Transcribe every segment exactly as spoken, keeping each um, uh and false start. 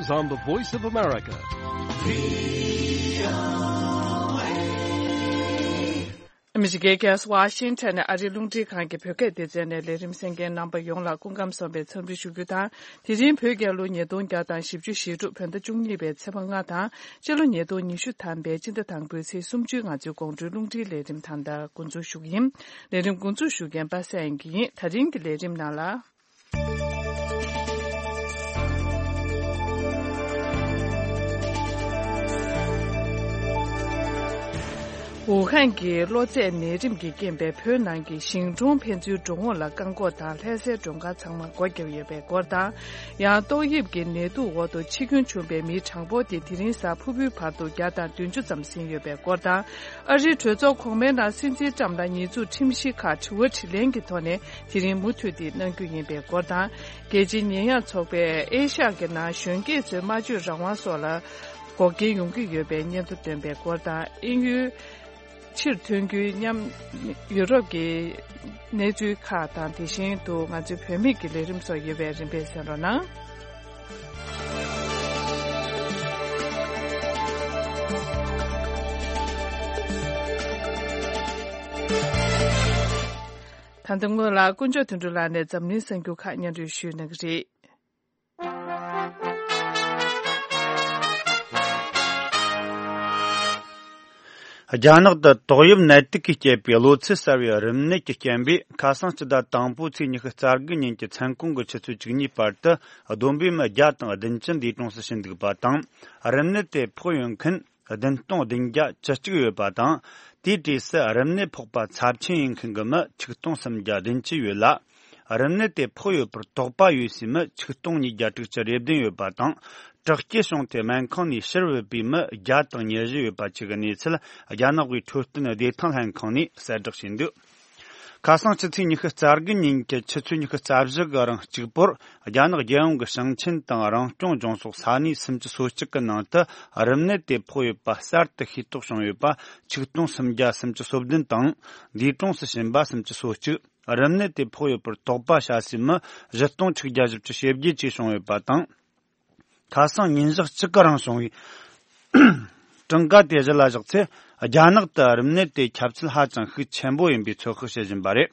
On the Voice of America. ཨ་མི་རི་ཀའི་རྒྱལ་ས་ཝ་ཤིང་ཊོན་ནས་ཨ་རིའི་རླུང་འཕྲིན་ཁང་གི་བོད་སྐད་སྡེ་ཚན་ནས་ལས་རིམ་གསན་མཁན་རྣམ་པ་ཡོངས་ལ་སྐུ་ཁམས་བཟང་བའི་འཚམས་འདྲི་ཞུ་རྒྱུ་དང་། དེ་རིང་བོད་རྒྱལ་ལོ་ཉིས་སྟོང་བརྒྱ་དང་བཞི་བཅུ་ཞེ་དྲུག་བོད་ཟླ་བཅུ་གཉིས་པའི་ཚེས་པ་ལྔ་དང་། སྤྱི་ལོ་ཉིས་སྟོང་ཉི་ཤུ་ཐམ་པའི་སྤྱི་ཟླ་དང་པོའི་ཚེས་སུམ་ཅུའི་ང་ཚོའི་དགོང་དྲོའི་རླུང་འཕྲིན་ལས་རིམ་ད་ལྟ་འགོ་འཛུགས་ཞུ་གི་ཡིན། ལས་རིམ་འགོ་འཛུགས་ཞུ་མཁན་པ་སངས་དབྱངས་སྐྱིད་ཡིན། ད་རིང་གི་ལས་རིམ་ནང་ལ། ཝུ་ཧན་གྱི་གློ་ཚད་ནད་རིམས་ཀྱི་རྐྱེན་པས་བོད་ནང་གི་ཞིང་གྲོང་ཕན་ཚུན་འགྲོ་འོང་ལ་བཀག་འགོག་དང་ལྷ་སའི་མགྲོན་ཁང་ཚང་མ་སྒོ་བརྒྱབ་ཡོད་པའི་སྐོར་དང་། ཡང་ཏོག་དབྱིབས་ཀྱི་ནད་དུག་འོག་ཏུ་འཆི་སྐྱོན་བྱུང་པའི་མིའི་གྲངས་འབོར་དེ་དེ་རིང་གཟའ་ཕུར་བུའི་བར་དུ་བརྒྱ་དང་བདུན་ཅུ་ཙམ་ཟིན་ཡོད་པའི་སྐོར་དང་། ཨ་རིའི་གྲོས་ཚོགས་གོང་མའི་ནང་སྲིད་འཛིན་ཊམ་དང་ཉེས་འཛུགས་ཁྲིམས་གཞི་ཁག་དྲི་བ་དྲིས་ལན་གྱི་ཐོག་ནས་དེ་རིང་མུ་མཐུད་དེ་གནང་རྒྱུ་ཡིན་པའི་སྐོར་དང་། རྒྱལ་སྤྱིའི་ཉེས་ཡངས་ཚོགས་པས་ཨེ་ཤ་ཡ་གི་ནང་གཞོན་སྐྱེས་ཚོའི་སྨྲ་བརྗོད་རང་དབང་སོགས་ལ་འགོག་རྐྱེན་ཡོང་གི་ཡོད་པའི་སྙན་ཐོ་བཏོན་པའི་སྐོར་དང་། དབྱིན་ཡུལ་ཕྱིར་ཐོན་རྒྱུའི་མཉམ་ཡུ་རོབ་ཀྱི་གནས་ཚུལ་ཁག་དང་། དེ་བཞིན་དུ་ང་ཚོའི་བོད་མིག་གི་ལས་རིམ་སོགས་ཡོད་པའི་རིམ་པས་གསན་རོགས་གནང་། ད་ལྟ་སྔོན་ལ་དཀོན་མཆོག་དོན་གྲུབ་ལགས་ནས་འཛམ་གླིང་གསར་འགྱུར་ཁག་སྙན་སྒྲོན་ཞུས་གནང་གི་རེད། རྒྱ་ནག་ཏུ་ཏོག་དབྱིབས་ནད་དུག་གིས་བསྐྱེད་པའི་གློ་ཚད་གསར་བའི་རིམས་ནད་ཀྱི་རྐྱེན་པས་ཁ་སང་སྤྱི་ཟླ་དང་པོའི་ཚེས་ཉི་ཤུ་རྩ་དགུ་ཉིན་གྱི་མཚན་གུང་གི་ཆུ་ཚོད་བཅུ་གཉིས་བར་དུ་བསྡོམས་པས་མི་བརྒྱ་དང་བདུན་ཅུ་འདས་གྲོངས་སུ་ཕྱིན་འདུག་པ་དང་། རིམས་ནད་དེ་ཕོག་ཡོད་མཁན་བདུན་སྟོང་བདུན་བརྒྱ་བཅུ་གཅིག་ཡོད་པ་དང་། དེའི་གྲས་སུ་རིམས་ནད་ཕོག་པ་ཚབས་ཆེན་ཡིན་མཁན་གྱི་མི་ཆིག་སྟོང་སུམ་བརྒྱ་བདུན་ཅུ་ཡོད་ལ། རིམས་ནད་དེ་ཕོག་ཡོད་པར་དོགས་པ་ཡོད་སའི་མི་ཆིག་སྟོང་ཉིས་བརྒྱ་དྲུག་ཅུ་རེ་བདུན་ཡོད་པ་དང་། དྲག་སྐྱེད་བྱུང་སྟེ་སྨན་ཁང་ནས་ཕྱིར་བུད་པའི་མི་བརྒྱ་དང་ཉེར་བཞི་ཡོད་པ་བཅས་ཀྱི་གནས་ཚུལ་རྒྱ་ནག་གི་འཕྲོད་བསྟེན་བདེ་ཐང་ལྷན་ཁང་ནས་གསལ་བསྒྲགས་བྱས་འདུག་ཁ་སང་ཕྱི་ཚེས་ཉི་ཤུ་རྩ་དགུ་ཉིན་གྱི་ཆུ་ཚོད་ཉི་ཤུ་རྩ་བཞི་གི་རིང་གཅིག་པོར་རྒྱ་ནག་རྒྱལ་ཡོངས་ཀྱི་ཞིང་ཆེན་དང་རང་སྐྱོང་ལྗོངས་སོགས་ས་གནས་སུམ་ཅུ་སོ་གཅིག་གི་ནང་དུ་རིམས་ནད་དེ་ཕོག་ཡོད་པ་གསར་དུ་ཤེས་རྟོགས་བྱུང་ཡོད་པ་ཆིག་སྟོང་སུམ་བརྒྱ་སུམ་ཅུ་སོ་བདུན་དང་། འདས་གྲོངས་སུ་ཕྱིན་པ་སུམ་ཅུ་སོ་གཅིག་རིམས་ནད་དེ་ཕོག་ཡོད་པར་དོགས་པ་བྱ་སའི་མི་བཞི་སྟོང་ཆིག་བརྒྱ་བཞི་བཅུ་ཞེ་བརྒྱད་བཅས་བྱུང་ཡོད་པ་དང་། ཁ་སང་ཉིན་ཞག་གཅིག་གི་རིང་བྱུང་བའི་གྲངས་ཀ་དེ་གཞི་ལ་བཞག་ཚེ། རྒྱ་ནག་ཏུ་རིམས་ནད་དེ་ཁྱབ་ཚད་ཧ་ཅང་ཤུགས་ཆེན་པོ་ཡིན་པའི་ཚོད་དཔག་བྱེད་བཞིན་པ་རེད།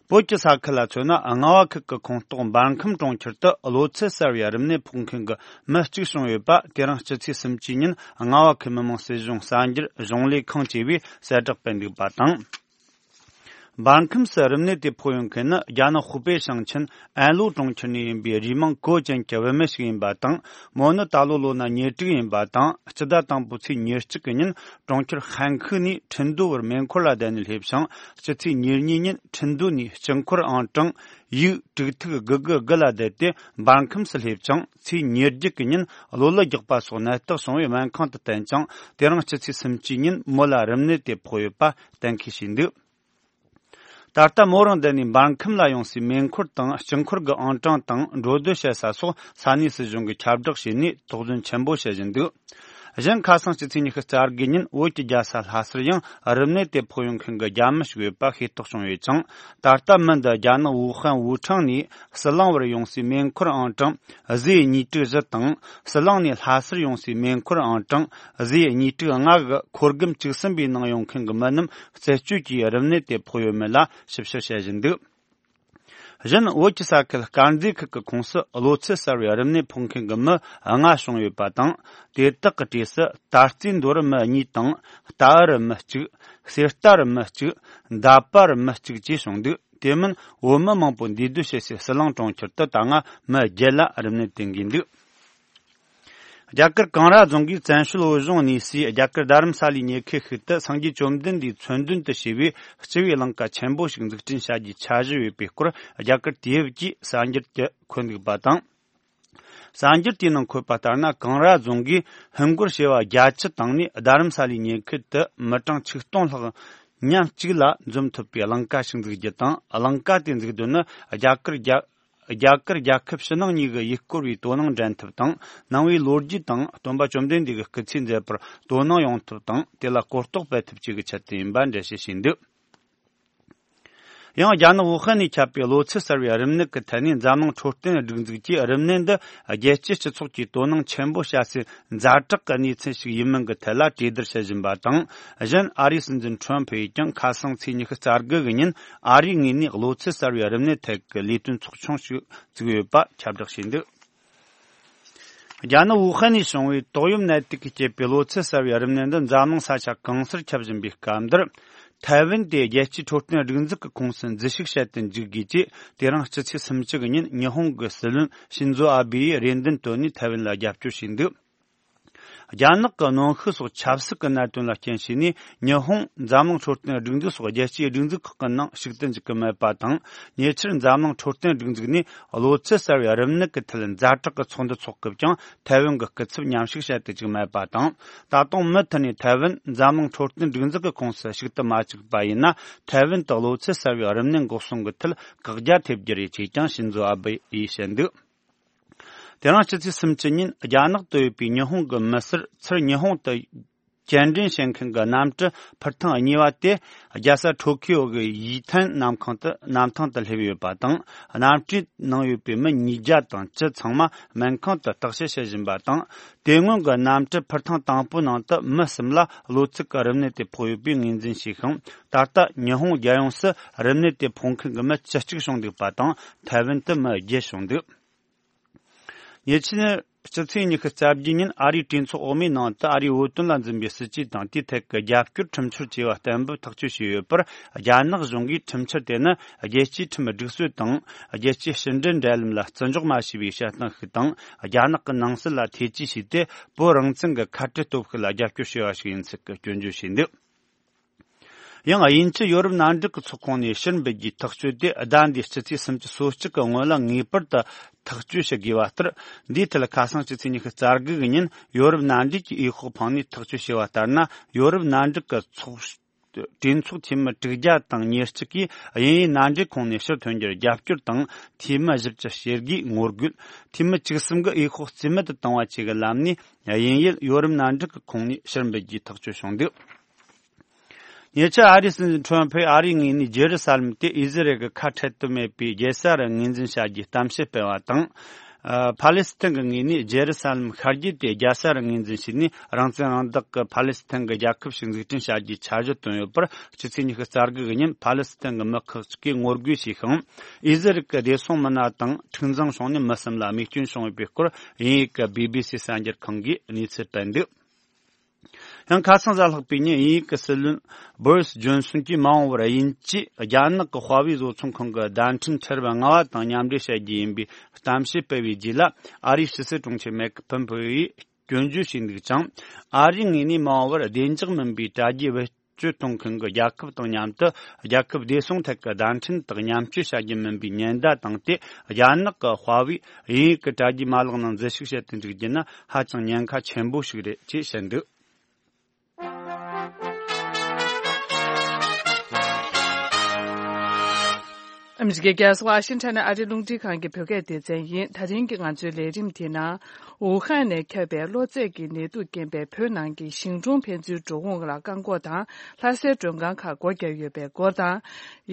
བོད་ཀྱི་ས་ཁུལ་ལ་མཚོན་ན། རྔ་བ་ཁུལ་གྱི་ཁོངས་གཏོགས་འབར་ཁམས་གྲོང་ཁྱེར་དུ་གློ་ཚད་གསར་བའི་རིམས་ནད་ཕོག་མཁན་གྱི་མི་གཅིག་བྱུང་ཡོད་པ། དེ་རིང་སྤྱི་ཚེས་སུམ་ཅུའི་ཉིན་རྔ་བ་ཁུལ་མི་དམངས་སྲིད་གཞུང་གསར་འགྱུར་གཞུང་ལས་ཁང་བཅས་པས་གསལ་བསྒྲགས་སྤེལ་འདུག་པ་དང་། འབར་ཁམས་སུ་རིམས་ནད་དེ་ཕོག་ཡོད་མཁན་ནི་རྒྱ་ནག་ཧུའུ་པེ་ཞིང་ཆེན་ཨན་ལུའུ་གྲོང་ཁྱེར་ནས་ཡིན་པའི་རུས་མིང་ཀོ་ཅན་གྱི་བུད་མེད་ཞིག་ཡིན་པ་དང་། མོ་ནི་ད་ལོ་ལོ་ན་ཉེར་དྲུག་ཡིན་པ་དང་། སྤྱི་ཟླ་དང་པོའི་ཚེས་ཉེར་གཅིག་གི་ཉིན་གྲོང་ཁྱེར་ཧན་ཁུ་ནས་ཁྲིན་ཏུའུ་བར་མེ་འཁོར་ལ་བསྡད་ནས་སླེབས་ཤིང་། སྤྱི་ཚེས་ཉེར་གཉིས་ཉིན་ཁྲིན་ཏུའུ་ནས་སྤྱི་འཁོར་ཨང་གྲངས་ཡིག་དྲུག་ཐིག་དགུ་དགུ་དགུ་ལ་བསྡད་དེ་འབར་ཁམས་སུ་སླེབས་ཅིང་། ཚེས་ཉེར་བརྒྱད་ཀྱི་ཉིན་གློ་ལུ་རྒྱག་པ་སོགས་ནད་རྟགས་བྱུང་བའི་སྨན་ཁང་དུ་བསྟེན་ཅིང་། དེ་རིང་སྤྱི་ཚེས་སུམ་ཅུའི་ཉིན་མོ་ལ་རིམས་ནད་དེ་ཕོག་ཡོད་པ་གཏན་འཁེལ་བྱས་འདུག་ད་ལྟ་མོ་རང་བསྡད་ནས་འབར་ཁམས་ལ་ཡོང་སའི་མེ་འཁོར་དང་། སྤྱི་འཁོར་གྱི་ཨང་གྲངས་དང་འགྲོ་སྡོད་བྱེད་ས་སོགས་ས་གནས་སྲིད་གཞུང་གིས་ཁྱབ་བསྒྲགས་བྱས་ནས་དོགས་ཟོན་ཆེན་པོ་བྱེད་བཞིན་འདུག་གཞན། ཁ་སང་སྤྱི་ཚེས་ཉི་ཤུ་རྩ་དགུ་ཉིན་བོད་ཀྱི་རྒྱལ་ས་ལྷ་སར་ཡང་རིམས་ནད་དེ་ཕོག་ཡོང་མཁན་གྱི་རྒྱ་མི་ཞིག་ཡོད་པ་ཤེས་རྟོགས་བྱུང་ཡོད་ཅིང་། ད་ལྟ་མི་འདི་རྒྱ་ནག་ཝུ་ཧན་ཝུ་ཁྲང་ནས་ཟི་ལིང་བར་ཡོང་སའི་མེ་འཁོར་ཨང་གྲངས་བཟོས་གཉིས་དྲུག་བཞི་དང་། ཟི་ལིང་ནས་ལྷ་སར་ཡོང་སའི་མེ་འཁོར་ཨང་གྲངས་བཟོས་གཉིས་དྲུག་ལྔ་གི་འཁོར་སྒམ་བཅུ་གསུམ་པའི་ནང་ཡོང་མཁན་གྱི་མི་རྣམས་རྩད་གཅོད་ཀྱིས་རིམས་ནད་དེ་ཕོག་ཡོད་མེད་ལ་ཞིབ་བཤེར་བྱེད་བཞིན་འདུག་གཞན། བོད་ཀྱི་ས་ཁུལ་དཀར་མཛེས་ཁུལ་གྱི་ཁོངས་སུ་གློ་ཚད་གསར་བའི་རིམས་ནད་ཕོག་མཁན་གྱི་མི་ལྔ་བྱུང་ཡོད་པ་དང་། དེ་དག་གི་གྲས་སུ་ད་རྩིས་མདོ་རུ་མི་གཉིས་དང་། རྟ་ཨར་རུ་མི་གཅིག་གསེར་རྟ་རུ་མི་གཅིག་མདའ་པ་རུ་མི་གཅིག་བཅས་བྱུང་འདུག་དེ་མིན་བོད་མི་མང་པོ་འདུས་སྡོད་བྱེད་སའི་ཟི་ལིང་གྲོང་ཁྱེར་དུ་ད་སྔ་མི་བརྒྱད་ལ་རིམས་ནད་དེ་འགོས་འདུག་རྒྱ་གར་ཀང་ར་རྫོང་གིས་བཙན་བྱོལ་བོད་གཞུང་གནས་སའི་རྒྱ་གར་རྡ་རམ་ས་ལའི་ཉེ་ཁུལ་ཞིག་ཏུ་སངས་རྒྱས་བཅོམ་ལྡན་འདས་མཚོན་དོན་དུ་བྱས་པའི་སྤྱི་བོའི་ཀླིང་ཀ་ཆེན་པོ་ཞིག་འཛུགས་སྐྲུན་བྱ་རྒྱུའི་འཆར་གཞི་ཡོད་པའི་སྐོར་རྒྱ་གར་དུས་བབ་ཀྱིས་གསར་འགྱུར་གྱིས་འཁོད་འདུག་པ་དང་། གསར་འགྱུར་དེའི་ནང་འཁོད་པ་ལྟར་ན། ཀང་ར་རྫོང་གིས་ཧིན་སྒོར་བྱེ་བ་བརྒྱད་ཅུ་བཏང་ནས་རྡ་རམ་ས་ལའི་ཉེ་ཁུལ་དུ་མི་གྲངས་ཆིག་སྟོང་ལྷག་མཉམ་གཅིག་ལ་འཛོམས་ཐུབ་པའི་ཀླིང་ཀ་ཞིག་འཛུགས་རྒྱུ་དང་། ཀླིང་ཀ་དེ་འཛུགས་དོན་ནི་རྒྱ་གར་རྒྱ། རྒྱ་གར་རྒྱལ་ཁབ་ཕྱི་ནང་གཉིས་ཀྱི་ཡུལ་སྐོར་བའི་དོ་སྣང་འགྲན་ཐབས་དང་། ནང་པའི་ལོ་རྒྱུས་དང་སྟོན་པ་བཅོམ་ལྡན་འདས་ཀྱི་སྐུ་ཚེ་མཛད་པར་དོ་སྣང་ཡོང་ཐབས་དང་། དེ་ལ་གོ་རྟོགས་སྤེལ་ཐབས་བཅས་ཀྱི་ཆེད་དུ་ཡིན་པ་འགྲེལ་བཤད་བྱས་འདུག་ཡང་རྒྱ་ནག་ཝུ་ཧན་ནས་ཁྱབ་པའི་གློ་ཚད་གསར་བའི་རིམས་ནད་ཀྱི་ཐད་ནས་འཛམ་གླིང་འཕྲོད་བསྟེན་སྒྲིག་འཛུགས་ཀྱིས་རིམས་ནད་འདི་རྒྱལ་སྤྱིའི་སྤྱི་ཚོགས་ཀྱི་དོ་སྣང་ཆེན་པོ་བྱ་སའི་ཛ་དྲག་གི་གནས་ཚུལ་ཞིག་ཡིན་མིན་གྱི་ཐད་ལ་གྲོས་བསྡུར་བྱེད་བཞིན་པ་དང་། གཞན་ཨ་རིའི་སྲིད་འཛིན་ཁྲོམ་ཕུ་ཡིས་ཀྱང་ཁ་སང་ཚེས་ཉི་ཤུ་རྩ་དགུ་གི་ཉིན་ཨ་རིའི་ངོས་ནས་གློ་ཚད་གསར་བའི་རིམས་ནད་ཐད་ཀྱི་ལས་དོན་ཚོགས་ཆུང་ཞིག་བཙུགས་ཡོད་པ་ཁྱབ་བསྒྲགས་བྱས་འདུག་རྒྱ་ནག་ཝུ་ཧན་ནས་བྱུང་བའི་ཏོག་དབྱིབས་ནད་དུག་གིས་བསྐྱེད་པའི་གློ་ཚད་གསར་བའི་རིམས་ནད་འདི་འཛམ་གླིང་ས་ཆ་གང་སར་ཁྱབ་བཞིན་པའི་སྐབས་འདིར། ཐའེ་ཝན་དེ་རྒྱལ་སྤྱིའི་འཕྲོད་བསྟེན་སྒྲིག་འཛུགས་ཀྱི་ཁོངས་སུ་འཛུལ་ཞུགས་བྱེད་དུ་འཇུག་དགོས་ཅེས། དེ་རིང་སྤྱི་ཚེས་སུམ་ཅུ་གི་ཉིན་ཉི་ཧོང་གི་སྲིད་བློན་ཤིན་ཛོ་ཨ་བྷེ་ཡིས་རེ་འདུན་བཏོན་ནས་ཐའེ་ཝན་ལ་རྒྱབ་སྐྱོར་བྱས་འདུག་རྒྱ་ནག་གི་གནོན་ཤུགས་སོགས་ཆབ་སྲིད་ཀྱི་གནད་དོན་ལ་རྐྱེན་བྱས་ནས། ཉི་ཧོང་འཛམ་གླིང་འཕྲོད་བསྟེན་སྒྲིག་འཛུགས་སོགས་རྒྱལ་སྤྱིའི་སྒྲིག་འཛུགས་ཁག་གི་ནང་ཞུགས་ཏུ་འཇུག་གི་མེད་པ་དང་། ཉེ་ཆར་འཛམ་གླིང་འཕྲོད་བསྟེན་སྒྲིག་འཛུགས་ནས་གློ་ཚད་གསར་བའི་རིམས་ནད་ཀྱི་ཐད་ཛ་དྲག་གི་ཚོགས་འདུ་འཚོགས་སྐབས་ཀྱང་ཐའེ་ཝན་གྱི་སྐུ་ཚབ་མཉམ་ཞུགས་བྱེད་དུ་བཅུག་མེད་པ་དང་། ད་དུང་མུ་མཐུད་ནས་ཐའེ་ཝན་འཛམ་གླིང་འཕྲོད་བསྟེན་སྒྲིག་འཛུགས་ཀྱི་ཁོངས་སུ་ཞུགས་ཏུ་མ་བཅུག་པ་ཡིན་ན། ཐའེ་ཝན་དུ་གློ་ཚད་གསར་བའི་རིམས་ནད་འགོག་སྲུང་གི་ཐད་བཀག་རྒྱ་ཐེབས་རྒྱུ་རེད་ཅེས་ཀྱང་ཤིན་ཛོ་ཨ་བྷེ་ཡིས་བཤད་འདུག་དེ་རིང་སྤྱི་ཚེས་སུམ་ཅུ་ཉིན་རྒྱ་ནག་ཏུ་ཡོད་པའི་ཉི་ཧོང་གི་མི་སེར་ཚུར་ཉི་ཧོང་དུ་སྐྱེལ་འདྲེན་བྱེད་མཁན་གྱི་གནམ་གྲུ་འཕུར་ཐེངས་གཉིས་པ་དེ་རྒྱལ་ས་ཊོ་ཁི་ཡོ་གི་ཡུས་ཐན་གནམ་ཁང་དུ་གནམ་ཐང་དུ་སླེབས་ཡོད་པ་དང་། གནམ་གྲུའི་ནང་ཡོད་པའི་མི་ཉིས་བརྒྱ་དང་བཅུ་ཚང་མ་སྨན་ཁང་དུ་བརྟག་དཔྱད་བྱེད་བཞིན་པ་དང་། དེ་སྔོན་གྱི་གནམ་གྲུ་འཕུར་ཐེངས་དང་པོའི་ནང་དུ་མི་གསུམ་ལ་གློ་ཚད་ཀྱི་རིམས་ནད་དེ་ཕོག་ཡོད་པའི་ངོས་འཛིན་བྱས་ཤིང་། ད་ལྟ་ཉི་ཧོང་རྒྱལ་ཡོངས་སུ་རིམས་ནད་དེ་ཕོག་མཁན་གྱི་མི་བཅུ་གཅིག་བྱུང་འདུག་པ་དང་། ཐའེ་ཝན་དུ་མི་བརྒྱད་བྱུང་འདུག་ཉེ་ཆར་སྤྱི་ཚེས་ཉི་ཤུ་རྩ་བརྒྱད་ཉིན་ཨ་རིའི་གྲོས་ཚོགས་འོག་མའི་ནང་དུ་ཨ་རིའི་བོད་དོན་ལ་འཛིན་པའི་སྲིད་ཇུས་དང་། དེའི་ཐད་ཀྱི་རྒྱབ་སྐྱོར་ཁྲིམས་འཆར་བཅས་པ་གཏན་འབེབས་ཐག་གཅོད་བྱས་ཡོད་པར། རྒྱ་ནག་གཞུང་གིས་ཁྲིམས་འཆར་དེ་ནི་རྒྱལ་སྤྱིའི་ཁྲིམས་སྒྲིག་སྲོལ་དང་། རྒྱལ་སྤྱིའི་ཕྱི་འབྲེལ་འབྲེལ་ལམ་ལ་བརྩི་འཇོག་མ་བྱས་པའི་བཤད་སྟངས་ཤིག་དང་། རྒྱ་ནག་གི་ནང་སྲིད་ལ་ཐེ་ཇུས་བྱས་ཏེ། བོད་རང་བཙན་གྱི་ཁ་བྲལ་སྟོབས་ཤུགས་ལ་རྒྱབ་སྐྱོར་བྱས་པ་ཞིག་ཡིན་ཚུལ་གྱི་སྐྱོན་བརྗོད་བྱས་འདུག་ཡང་དབྱིན་ཇི་ཡོ་རོབ་མནའ་འབྲེལ་གྱི་ཚོགས་ཁོངས་ནས་ཕྱིར་འབུད་རྒྱུའི་ཐག་གཅོད་དེ་ཟླ་འདིའི་སྤྱི་ཚེས་སུམ་ཅུ་སོ་གཅིག་གི་སྔོན་ལ་ངེས་པར་དུ་ཐག་གཅོད་བྱེད་དགོས་པ་ལྟར། འདིའི་ཐད་ཁ་སང་སྤྱི་ཚེས་ཉི་ཤུ་རྩ་དགུ་གི་ཉིན་ཡོ་རོབ་མནའ་འབྲེལ་གྱི་འོས་ཤོག་འཕངས་ནས་ཐག་གཅོད་བྱས་པ་ལྟར་ན། ཡོ་རོབ་མནའ་འབྲེལ་གྱི་ཚོགས་གྲོས་ཚོགས་འཐུས་མི་དྲུག་བརྒྱ་དང་ཉེར་གཅིག་གིས་དབྱིན་ཡུལ་མནའ་འབྲེལ་ཁོངས་ནས་ཕྱིར་ཐོན་རྒྱུར་རྒྱབ་སྐྱོར་དང་། འཐུས་མི་བཞི་བཅུ་ཞེ་དགུས་ངོ་རྒོལ། འཐུས་མི་བཅུ་གསུམ་གྱིས་འོས་ཤོག་རྩིས་མེད་དུ་བཏང་བ་བཅས་ཀྱི་ལམ་ནས་དབྱིན་ཡུལ་ཡོ་རོབ་མནའ་འབྲེལ་གྱི་ཁོངས་ནས་ཕྱིར་འབུད་རྒྱུའི་ཐག་གཅོད་བྱུང་འདུག་ཉེ་ཆར་ཨ་རིའི་སྲིད་འཛིན་ཁྲོམ་ཕུས་ཨ་རིའི་ངོས་ནས་རྗེ་རུ་ས་ལམ་དེ་ཨི་ཟི་རལ་གྱི་ཁ་འཕྲལ་དུ་མེད་པའི་རྒྱལ་ས་རུ་ངོས་འཛིན་བྱ་རྒྱུའི་གཏམ་བཤད་སྤེལ་བ་དང་། ཨ། ཕ་ལེ་སི་ཐན་གྱི་ངོས་ནས་རྗེ་རུ་ས་ལམ་ཤར་རྒྱུད་དེ་རྒྱལ་ས་རུ་ངོས་འཛིན་བྱས་ནས། རང་བཙན་རང་བདག་གི་ཕ་ལེ་སི་ཐན་གྱི་རྒྱལ་ཁབ་ཞིག་འཛུགས་སྐྲུན་བྱ་རྒྱུའི་འཆར་གཞི་བཏོན་ཡོད་པར། སྤྱི་ཚེས་ཉི་ཤུ་རྩ་དགུ་གི་ཉིན་ཕ་ལེ་སི་ཐན་གྱི་མི་ཁག་ཅིག་གིས་ངོ་རྒོལ་བྱས་ཤིང་། ཨི་ཟི་རལ་གྱི་བདེ་སྲུང་མི་སྣ་དང་འཁྲུག་འཛིང་བྱུང་ནས་མི་གསུམ་ལ་རྨས་སྐྱོན་བྱུང་ཡོད་པའི་སྐོར་དབྱིན་ཡུལ་གྱི་བི་བི་སི་གསར་འགྱུར་ཁང་གིས་གནས་ཚུལ་སྤེལ་འདུག་ཡང་ཁ་སང་གཟའ་ལྷག་པའི་ཉིན་དབྱིན་ཡུལ་གྱི་སྲིད་བློན་བོ་རིས་ཇོན་སོན་གྱིས་མ་འོངས་པར་དབྱིན་ཇིས་རྒྱ་ནག་གི་ཧྭ་ཝེ་བཟོ་ཚོང་ཁང་གི་བརྡ་འཕྲིན་ཁྲལ་བ་ལྔ་པ་དང་མཉམ་འབྲེལ་བྱ་རྒྱུ་ཡིན་པའི་གཏམ་བཤད་སྤེལ་བའི་རྗེས་ལ། ཨ་རིའི་ཕྱི་སྲིད་དྲུང་ཆེ་མེག་ཕོམ་ཕེ་ཡིས་སྐྱོན་བརྗོད་བྱས་འདུག་ཅིང་། ཨ་རིའི་ངོས་ནས་མ་འོངས་པར་བདེ་འཇགས་མིན་པའི་དྲ་རྒྱའི་བེད་སྤྱོད་གཏོང་མཁན་གྱི་རྒྱལ་ཁབ་དང་མཉམ་དུ། རྒྱལ་ཁབ་བདེ་སྲུང་ཐད་ཀྱི་བརྡ་འཕྲིན་དག་མཉམ་སྤྱོད་བྱ་རྒྱུ་མིན་པའི་ཉེན་བརྡ་བཏང་སྟེ། རྒྱ་ནག་གི་ཧྭ་ཝེ་དབྱིན་ཡུལ་གྱི་དྲ་རྒྱའི་མ་ལག་ནང་འཛུལ་ཞུགས་བྱེད་དུ་འཇུག་རྒྱུ་ནི་ཧ་ཅང་ཉེན་ཁ་ཆེན་པོ་ཞིག་རེད་ཅེས་བཤད་འདུག་ཨ་མི་རི་ཀའི་རྒྱལ་ས་ཝ་ཤིང་ཊོན་ནས་ཨ་རིའི་རླུང་འཕྲིན་ཁང་གི་བོད་སྐད་སྡེ་ཚན་ཡིན། ད་རིང་གི་ང་ཚོའི་ལས་རིམ་དེའི་ནང་། ཝུ་ཧན་ནས་ཁྱབ་པའི་གློ་ཚད་ཀྱི་ནད་དུག་རྐྱེན་པས་བོད་ནང་གི་ཞིང་གྲོང་ཕན་ཚུན་འགྲོ་འོང་ལ་བཀག་འགོག་དང་། ལྷ་སའི་མགྲོན་ཁང་ཁག་སྒོ་བརྒྱབ་ཡོད་པའི་སྐོར་དང་།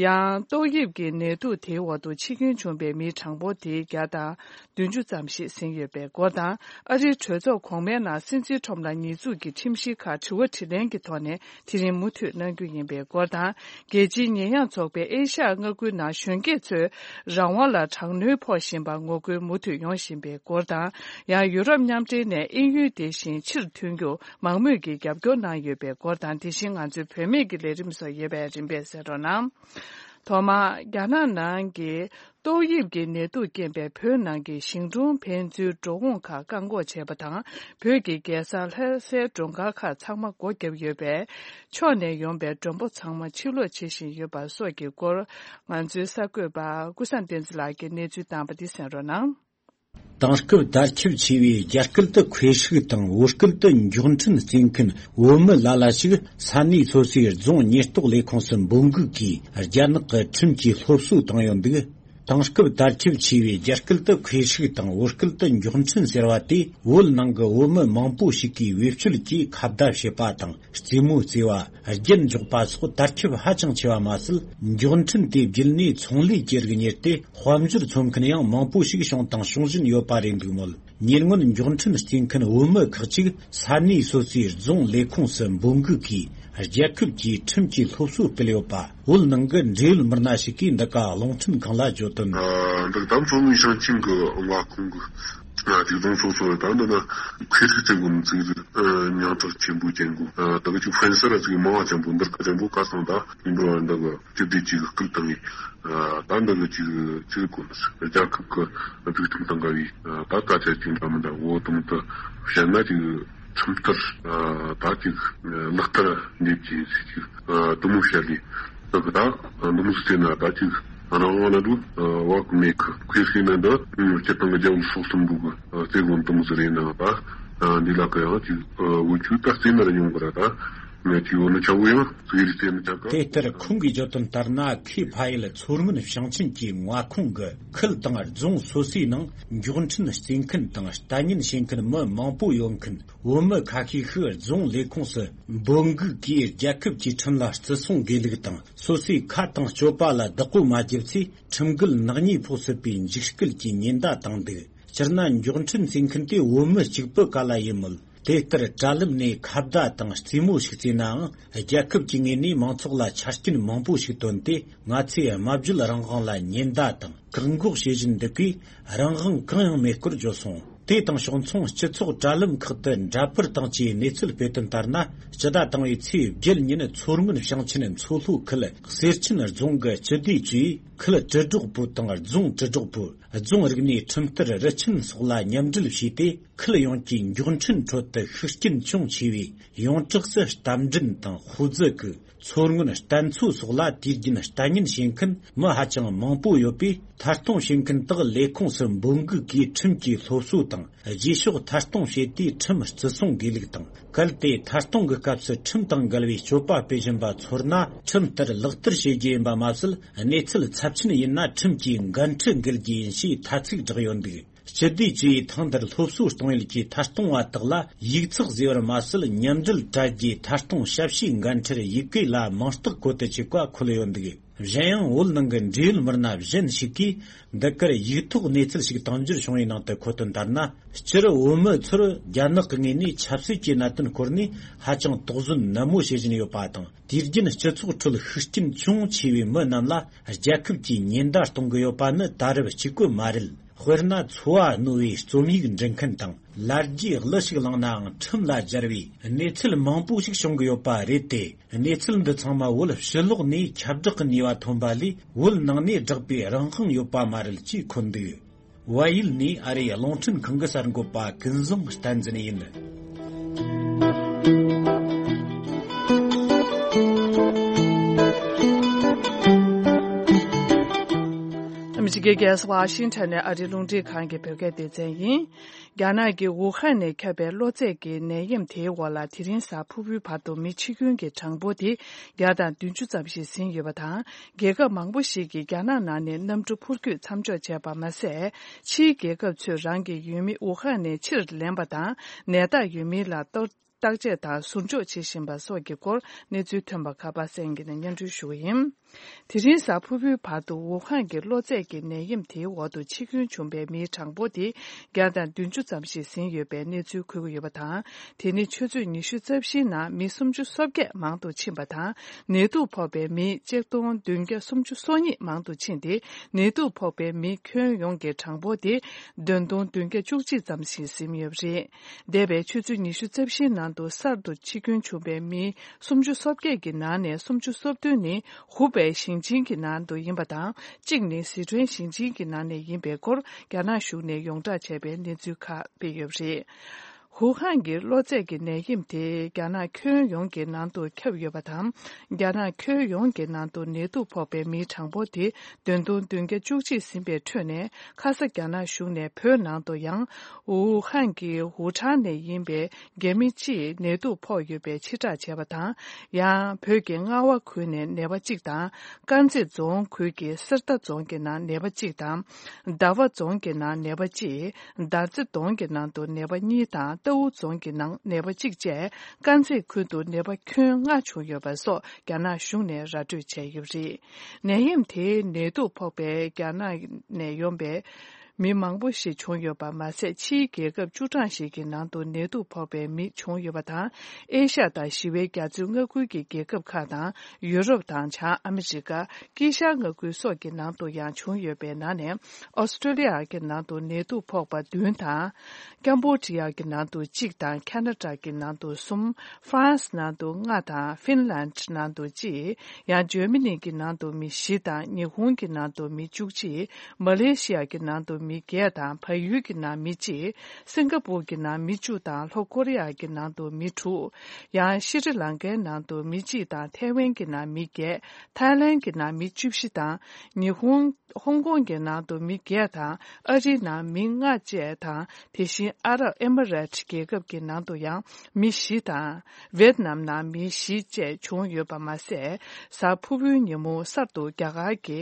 ཡང་ཏོག་དབྱིབས་ཀྱི་ནད་དུག་དེའི་འོག་ཏུ་འཆི་སྐྱོན་བྱུང་བའི་མིའི་གྲངས་འབོར་དེ་བརྒྱ་དང་བདུན་ཅུ་ཙམ་ཞིག་ཟིན་ཡོད་པའི་སྐོར་དང་། ཨ་རིའི་གྲོས་ཚོགས་གོང་མའི་ནང་སྲིད་འཛིན་ཁྲོམ་ལ་ཉེས་འཛུགས་ཀྱི་ཁྲིམས་གཞིའི་ཁག་དྲི་བ་དྲིས་ལན་གྱི་ཐོག་ནས་དེ་རིང་མུ་མཐུད་གནང་རྒྱུ་ཡིན་པའི་སྐོར་དང་། རྒྱལ་སྤྱིའི་ཉེས་ཡངས་ཚོགས་པས་ཨེ་ཤ་ཡ་མངའ་ཁུལ་ནང་གཞོན་སྐྱེས་ཚོའི་རང་དབང་ལ་དྲག་གནོན་ཕོག་བཞིན་པར་ངོ་རྒོལ་མུ་མཐུད་ཡོང་བཞིན་པའི་སྐོར་དང་། ཡང་ཡུ་རོབ་མཉམ་འབྲེལ་ནས་དབྱིན་ཡུལ་དེ་བཞིན་ཕྱིར་ཐོན་རྒྱུར་མང་མོས་ཀྱིས་རྒྱབ་སྐྱོར་གནང་ཡོད་པའི་སྐོར་དང་། དེ་བཞིན་ང་ཚོའི་བུད་མེད་ཀྱི་ལས་རིམ་སོགས་ཡོད་པས་རིམ་པས་གསན་རོགས་གནང་། ཐོག་མར་རྒྱ་ནག་ནང་གི་ཏོག་དབྱིབས་ཀྱི་ནད་དུག་རྐྱེན་པས་བོད་ནང་གི་ཞིང་གྲོང་ཕན་ཚུན་འགྲོ་འོང་ཁག་བཀག་འགོག་བྱས་པ་དང་། བོད་ཀྱི་རྒྱལ་ས་ལྷ་སའི་མགྲོན་ཁང་ཁག་ཚང་མ་སྒོ་བརྒྱབ་ཡོད་པས། ཕྱོགས་ནས་ཡོང་པའི་མགྲོན་པོ་ཚང་མ་ཕྱིར་ལོག་བྱེད་བཞིན་ཡོད་པ་སོགས་ཀྱི་སྐོར། ང་ཚོའི་གསར་འགོད་པ་ཀུན་བཟང་བསྟན་འཛིན་ལགས་ཀྱིས་གནས་ཚུལ་བཏང་བ་འདི་གསན་རོགས་གནང་། དེང་སྐབས་དར་ཁྱབ་ཆེ་བའི་རྒྱ་སྐད་དུ་ཁོས་ཧྲིག་དང་བོད་སྐད་དུ་མགྱོགས་འཕྲིན་བརྩེ་མཁན་བོད་མི་ལ་ལ་ཞིག་ས་གནས་སོ་སོའི་རྫོང་ཉེན་རྟོག་ལས་ཁུངས་སུ་འབོད་འགུག་གིས་རྒྱ་ནག་གི་ཁྲིམས་ཀྱིས་སློབ་གསོ་བཏང་ཡོད་འདུག་དེང་སྐབས་དར་ཁྱབ་ཆེ་བའི་རྒྱ་སྐད་དུ་ཁོས་ཧྲིག་དང་བོད་སྐད་དུ་མགྱོགས་འཕྲིན་ཟེར་བ་དེ། བོད་ནང་གི་བོད་མི་མང་པོ་ཞིག་གིས་བེད་སྤྱོད་ཀྱིས་ཁ་བརྡ་བྱེད་པ་དང་རྩེད་མོ་རྩེ་བ། རྒྱན་འཇོག་པ་སོགས་དར་ཁྱབ་ཧ་ཅང་ཆེ་བ་མ་ཟད། མགྱོགས་འཕྲིན་དེ་བརྒྱུད་ནས་ཚོང་ལས་ཀྱི་རིགས་གཉེར་ཏེ། དཔལ་འབྱོར་འཚོལ་མཁན་ཡང་མང་པོ་ཞིག་བྱུང་དང་འབྱུང་བཞིན་ཡོད་པ་རེད་འདུག་མོད། ཉེ་སྔོན་མགྱོགས་འཕྲིན་རྩེ་མཁན་བོད་མི་ཁག་ཅིག་ས་གནས་སོ་སོའི་རྫོང་ལས་ཁུངས་སུ་འབོད་འགུག་གིས་རྒྱལ་ཁབ་ཀྱི་ཁྲིམས་ཀྱི་སློབ་གསོ་སྤེལ་ཡོད་པ། བོད་ནང་གི་འབྲེལ་ཡོད་མི་སྣ་ཞིག་གིས་འདི་ག་རླུང་འཕྲིན་ཁང་ལ་བརྗོད་དོན། འདི་དམ་ཚོ་བའི་ཞིང་ཆེན་གྱི་མངའ་ཁོངས་ཀྱི་ཅིག་རྫོང་སོ་སོ་ད་འདི་ན་ཁེ་ཧྲི་ཙེ་གོ་ནི་ཚིག་རིགས་ཉང་ཁྲག་ཆེན་པོ་ཅན་གོ། ད་གི་ཅིག་ཧྥན་སར་ཚིག་མང་བ་ཅན་པོ་འདིར་ཀ་ཅན་པོ་ཀ་སང་ད་ཡིན་འགྲོ་བ་འདི་གི་སྤྱི་བདེ་ཅིག་སྐུལ་བཏང་ངེ། ད་འདི་གི་ཅིག་ཅིག་གོ་ནི་རྒྱལ་ཁབ་ཀྱི་སྒྲིག་ཁྲིམས་དང་འགལ་བའི་ད་སྐད་ཆ་ཅིག་འདྲ་མི་འདྲ་འོ་དང་དུ་བཤད་ན་ཅིག་ཁྲིམས་ལྟར་ད་ཅིག་ལག་བསྟར་འདེབས་ཀྱི་ཡིན་ཟེར་ཅིག་དུ་མོ་བཤད་ལས་ད་གི་ད་དུ་མོ་ཟེར་ན་ད་ཅིག་རང་དབང་ལ་འགྲོ་བ་གི་མེད་གི་ཁོས་ཟེར་ན་འདི་སྤྱི་བཏང་གི་རྒྱལ་པོ་སོགས་གསུམ་པོ་གི་རྩེ་གོ་དུ་མོ་ཟེར་ཡིན་ན་ད་འདི་ལ་གི་ཡང་ཅིག་འུ་ཆུ་ད་རྩེ་ན་ར་ཡོང་གི་ར་ད་ངས་ཅིག་འོ་ན་ཆ་བོ་ཡང་ཟེར་རྩེ་ན་ཆ་ག་དེ་ལྟར་ཁོང་གིས་བརྗོད་དོན་ལྟར་ན། ཁེ་ཕ་ཡུལ་མཚོ་སྔོན་ཞིང་ཆེན་གྱི་མངའ་ཁོངས་ཀྱི་ཁུལ་དང་རྫོང་སོ་སོའི་ནང་མགྱོགས་འཕྲིན་རྩེ་མཁན་དང་ལྟ་ཉན་བྱེད་མཁན་མི་མང་པོ་ཡོད་མཁན་བོད་མི་ཁ་ཤས་ཤིག་རྫོང་ལས་ཁུངས་སུ་འབོད་འགུག་གིས་རྒྱལ་ཁབ་ཀྱི་ཁྲིམས་ལ་བརྩི་སྲུང་དགོས་ལུགས་དང་། སོ་སོའི་ཁ་དང་སྤྱོད་པ་ལ་བདག་པོ་མ་བརྒྱབ་ཚེ་ཁྲིམས་འགལ་ནག་ཉེས་ཕོག་སྲིད་པའི་འཇིགས་སྐུལ་གྱི་ཉེན་བརྡ་བཏང་འདུག་སྤྱིར་ན་མགྱོགས་འཕྲིན་རྩེ་མཁན་དེ་བོད་མི་གཅིག་པུ་ག་ལ་ཡིན་མོད། དེ་ལྟར་དྲ་ལམ་ནས་ཁ་བརྡ་དང་རྩེད་མོ་ཞིག་རྩེས་ནའང་། རྒྱལ་ཁབ་ཀྱི་ངོས་ནས་མང་ཚོགས་ལ་ཆ་རྐྱེན་མང་པོ་ཞིག་བཏོན་ཏེ། ང་ཚོས་སྨྲ་བརྗོད་རང་དབང་ལ་ཉེན་བརྡ་དང་བཀག་འགོག་བྱེད་བཞིན་འདུག་གས། རང་དབང་གང་ཡང་མེད་སྐོར་བརྗོད་སོང་། དེ་དང་ཕྱོགས་མཚུངས། སྤྱི་ཚོགས་དྲ་ལམ་ཁག་ཏུ་འདྲ་པར་དང་བཅས་གནས་ཚུལ་སྤེལ་དོན་ལྟར་ན། སྤྱི་ཟླ་དང་པོའི་ཚེས་བརྒྱད་ཉིན་མཚོ་སྔོན་ཞིང་ཆེན་མཚོ་ལྷོ་ཁུལ་གསེར་ཆེན་རྫོང་གི་སྤྱི་བདེ་ཅུས་ཁུལ་དྲིལ་སྒྲོག་པུ་དང་རྫོང་དྲིལ་སྒྲོག་པུ། རྫོང་རིག་གནས་ཁྲིམས་བསྟར་རུ་ཆེན་སོགས་ལ་མཉམ་འབྲེལ་བྱས་ཏེ། ཁུལ་ཡོངས་ཀྱི་མགྱོགས་འཕྲིན་ཁྲོད་དུ་ཤུགས་རྐྱེན་ཅུང་ཆེ་བའི་ཡོངས་གྲགས་སུ་རྟ་མགྲིན་དང་ཧོ་ཙི་ཀུ། མཚོ་སྔོན་རྟ་མཚོ་སོགས་ལ་དུས་རྒྱུན་ལྟ་ཉན་བྱེད་མཁན་མི་ཧ་ཅང་མང་པོ་ཡོད་པས། མཐའ་གཏོང་བྱེད་མཁན་དག་ལས་ཁུངས་སུ་འབོད་འགུག་གིས་ཁྲིམས་ཀྱི་སློབ་གསོ་དང་རྗེས་ཕྱོགས་མཐའ་གཏོང་བྱས་ཏེ་ཁྲིམས་བརྩི་སྲུང་དགོས་ལུགས་དང་། གལ་ཏེ་མཐའ་གཏོང་གི་སྐབས་སུ་ཁྲིམས་དང་འགལ་བའི་སྤྱོད་པ་སྤེལ་བཞིན་པ་ཚོར་ན། ཁྲིམས་ལྟར་ལག་བསྟར་བྱེད་རྒྱུ་ཡིན་པ་མ་ཟད། གནས་ཚུལ་ཚབས་ཆེན་ཡིན་ན་ཁྲིམས་ཀྱི་འགན་འཁྲི་འགེལ་རྒྱུ་ཡིན་ཞེས་ཐ་ཚིག་བསྒྲགས་ཡོད་འདུག་སྤྱི་བདེ་ཅུས་ཐེངས་འདིར་སློབ་གསོ་གཏོང་ཡུལ་གྱི་མཐའ་གཏོང་བ་དག་ལ་ཡིག་ཚགས་བཟོས་པར་མ་ཟད། མཉམ་འབྲེལ་དྲ་རྒྱའི་མཐའ་གཏོང་ཞབས་ཞུའི་འགན་འཁྲིར་ཡི་གེ་ལ་མིང་རྟགས་བཀོད་དུ་བཅུག་པ་འཁོད་ཡོད་འདུག་གཞན་ཡང་། བོད་ནང་གི་འབྲེལ་ཡོད་མི་སྣ་གཞན་ཞིག་གིས་འདི་གར་ཡིག་ཐོག་གནས་ཚུལ་ཞིག་དང་འགྱུར་བྱུང་བའི་ནང་དུ་འཁོད་དོན་ལྟར་ན། སྤྱིར་བོད་མི་ཚོར་རྒྱ་ནག་གི་ངོས་ནས་ཆབ་སྲིད་ཀྱི་གནད་དོན་སྐོར་ནས་ཧ་ཅང་དོགས་ཟོན་ནན་མོ་བྱེད་བཞིན་ཡོད་པ་དང་། དུས་རྒྱུན་སྤྱི་ཚོགས་ཁྲོད་ཤུགས་རྐྱེན་ཅུང་ཆེ་བའི་མི་རྣམས་ལ་རྒྱལ་ཁབ་ཀྱིས་ཉེན་བརྡ་གཏོང་གི་ཡོད་པ་ནི་ད་རབས་གཅིག་པུ་མ་རེད། དཔེར་ན། འཚོ་བ་རྣོ་བའི་རྩོམ་ཡིག་འབྲི་མཁན་དང་། ལ་རྒྱའི་གླུ་ཞིག་བླངས་ནའང་ཁྲིམས་ལ་སྦྱར་བའི་གནས་ཚུལ་མང་པོ་ཞིག་བྱུང་གི་ཡོད་པ་རེད་དེ། གནས་ཚུལ་འདི་ཚང་མ་བོད་ཕྱི་ལོགས་ནས་ཁྱབ་བསྒྲགས་ཀྱི་ནུས་པ་ཐོན་པ་ལས། བོད་ནང་ནས་བསྒྲགས་པའི་རང་དབང་ཡོད་པ་མ་རེད་ཅེས་འཁོད་འདུག་བལ་ཡུལ་ནས་ཨ་རིའི་རླུང་འཕྲིན་ཁང་གི་གསར་འགོད་པ་ཀུན་བཟང་བསྟན་འཛིན་ཡིན། ཨ་མི་རི་ཀའི་རྒྱལ་ས་ཝ་ཤིང་ཊོན་ནས་ཨ་རིའི་རླུང་འཕྲིན་ཁང་གི་བོད་སྐད་སྡེ་ཚན་ཡིན། རྒྱ་ནག་གི་ཝུ་ཧན་ནས་ཁྱབ་པའི་གློ་ཚད་ཀྱི་ནད་ཡམས་དེའི་འོག་ལ་དེ་རིང་གཟའ་ཕུར་བུའི་བར་དུ་མི་འཆི་སྐྱོན་གྱི་གྲངས་འབོར་དེ་བརྒྱ་དང་བདུན་ཅུ་ཙམ་ཞིག་ཟིན་ཡོད་པ་དང་། རྒྱལ་ཁབ་མང་པོ་ཞིག་གིས་རྒྱ་ནག་ནང་ནས་གནམ་གྲུ་འཕུར་སྐྱོད་མཚམས་འཇོག་བྱས་པ་མ་ཟད། ཕྱིའི་རྒྱལ་ཁབ་ཚོས་རང་གི་ཡུལ་མི་ཝུ་ཧན་ནས་ཕྱིར་ལེན་པ་དང་། ནད་བརྟག་ཡོད་མིན་ལ་གཏོར་བརྟག་དཔྱད་དང་ཟུར་འཇོག་བྱེད་བཞིན་པ་སོགས་ཀྱི་སྐོར་གནས་ཚུལ་ཐོན་པ་ཁ་པར་གསན་གྱི་ནས་སྙན་སྒྲོན་ཞུ་བ་ཡིན། དེ་རིང་གཟའ་ཕུར་བུའི་བར་དུ་ཝུ་ཧན་གྱི་གློ་ཚད་ཀྱི་ནད་ཡམས་དེའི་འོག་ཏུ་འཆི་སྐྱོན་བྱུང་པའི་མིའི་གྲངས་འབོར་དེ་བརྒྱ་དང་བདུན་ཅུ་ཙམ་ཞིག་ཟིན་ཡོད་པའི་གནས་ཚུལ་འཁོད་ཀྱི་ཡོད་པ་དང་། དེ་ནི་ཆུ་ཚོད་ཉི་ཤུ་རྩ་བཞིའི་ནང་མི་སུམ་ཅུ་སོ་བརྒྱད་མང་དུ་ཕྱིན་པ་དང་། ནད་དུག་ཕོག་པའི་མི་གཅིག་སྟོང་བདུན་བརྒྱ་སུམ་ཅུ་སོ་གཉིས་མང་དུ་ཕྱིན་ཏེ། ནད་དུག་ཕོག་པའི་མི་ཁྱོན་ཡོངས་ཀྱི་གྲངས་འབོར་དེ་བདུན་སྟོང་བདུན་བརྒྱ་བཅུ་གཅིག་ཙམ་ཞིག་ཟིན་ཡོད་པ་རེད། འདས་པའི་ཆུ་ཚོད་ཉི་ཤུ་རྩ་བཞིའི་ནང་དུ་གསར་དུ་འཆི་སྐྱོན་བྱུང་པའི་མི་སུམ་ཅུ་སོ་བརྒྱད་ཀྱི་ནང་ནས་སུམ་ཅུ་སོ་བདུན་ནི་ཧུ་པེ་ཞིང་ཆེན་གྱི་ནང་དུ་ཡིན་པ་དང་། གཅིག་ནི་སི་ཁྲོན་ཞིང་ཆེན་གྱི་ནང་ནས་ཡིན་པའི་སྐོར་རྒྱ་ནག་གཞུང་ནས་ཡོངས་བསྒྲགས་བྱས་པའི་གནས་ཚུལ་ཁག་སྤེལ་ཡོད་པ་རེད། ཝུ་ཧན་གྱི་གློ་ཚད་ཀྱི་ནད་ཡམས་དེ་རྒྱ་ནག་ཁྱོན་ཡོངས་ཀྱི་ནང་དུ་ཁྱབ་ཡོད་པ་དང་། རྒྱ་ནག་ཁྱོན་ཡོངས་ཀྱི་ནང་དུ་ནད་དུག་ཕོག་པའི་མིའི་གྲངས་འབོར་དེ་བདུན་སྟོང་བདུན་བརྒྱ་བཅུ་གཅིག་ཟིན་པའི་ཁྲོད་ནས། ཁ་ས་རྒྱ་ནག་གཞུང་ནས་བོད་ནང་དུ་ཡང་ཝུ་ཧན་གྱི་ཝུ་ཁྲང་ནས་ཡིན་པའི་རྒྱ་མི་གཅིག་ནད་དུག་ཕོག་ཡོད་པའི་ཕྱིར་བསྒྲགས་བྱས་པ་དང་། ཡང་བོད་ཀྱི་རྔ་བ་ཁུལ་ནས་ནད་པ་གཅིག་དང་། དཀར་མཛེས་རྫོང་ཁུལ་གྱི་གསེར་རྟ་རྫོང་གི་ནང་ནད་པ་གཅིག་དང་། ཟླ་བ་རྫོང་གི་ནང་ནད་པ་གཅིག། དར་རྩེ་རྫོང་གི་ནང་དུ་ནད་པ་གཉིས་དང་། རྟའུ་རྫོང་གི་ནང་ནད་པ་གཅིག་བཅས། དཀར་མཛེས་ཁུལ་དུ་ནད་པ་ཁྱོན་ལྔ་བྱུང་ཡོད་པ་སོགས་རྒྱ་ནག་གཞུང་ནས་ར་སྤྲོད་བྱས་ཡོད་པ་རེད། ནད་ཡམས་དེའི་ནད་དུག་ཕོག་པའི་རྒྱ་ནག་ནས་ཡོང་པའི་མི་མང་པོ་ཞིག་བྱུང་ཡོད་པ་མ་ཟད། ཕྱིའི་རྒྱལ་ཁབ་བཅུ་གྲངས་ཤིག་གི་ནང་དུ་ནད་དུག་ཕོག་པའི་མི་བྱུང་ཡོད་པ་དང་། ཨེ་ཤ་ཡ་དང་ཞི་བའི་རྒྱ་མཚོའི་མངའ་ཁུལ་གྱི་རྒྱལ་ཁབ་ཁག་དང་། ཡུ་རོབ་དང་། བྱང་ཨ་མི་རི་ཀ། དཀྱིལ་ཤར་མངའ་ཁུལ་སོགས་ཀྱི་ནང་དུ་ཡང་བྱུང་ཡོད་པའི་ནང་ནས། ཨོ་སི་ཀྲོ་ལི་ཡ་གི་ནང་དུ་ནད་དུག་ཕོག་པ་བདུན་དང་། ཀམ་བོ་ཌི་ཡ་གི་ནང་དུ་གཅིག་དང་། ཁ་ན་ཌ་གི་ནང་དུ་གསུམ། ཧྥ་རན་སི་ནང་དུ་ལྔ་དང་། ཧྥིན་ལན་ཌི་ནང་དུ་གཅིག། ཡང་ཇར་མ་ནི་གི་ནང་དུ་མི་བཞི་དང་། ཉི་ཧོང་གི་ནང་དུ་མི་བཅུ་གཅིག། མ་ལེ་ཤི་ཡ་གི་ནང་དུ་མི་བརྒྱད་དང་། བལ་ཡུལ་གྱི་ནང་མི་གཅིག། སིང་ག་པུར་གྱི་ནང་མི་བཅུ་དང་། ལྷོ་ཀོ་རི་ཡ་གི་ནང་དུ་མི་དྲུག། ཡང་ཤི་རི་ལང་ཀའི་ནང་དུ་མི་གཅིག་དང་། ཐའེ་ཝན་གྱི་ནང་མི་བརྒྱད། ཐའི་ལན་གྱི་ནང་མི་བཅུ་བཞི་དང་། ཉི་ཧོང་། ཧོང་ཀོང་གི་ནང་དུ་མི་བརྒྱད་དང་། ཨ་རིའི་ནང་མི་ལྔ་བཅས་དང་། དེ་བཞིན་ཨ་རབ་ཨེ་མི་རེཊ་རྒྱལ་ཁབ་ཀྱི་ནང་དུ་ཡང་མི་བཞི་དང་། ཝེད་ནམ་ནང་མི་བཞི་བཅས་བྱུང་ཡོད་པ་མ་ཟད། གཟའ་ཕུར་བུའི་ཉིན་མོ་གསར་དུ་རྒྱ་གར་གྱི་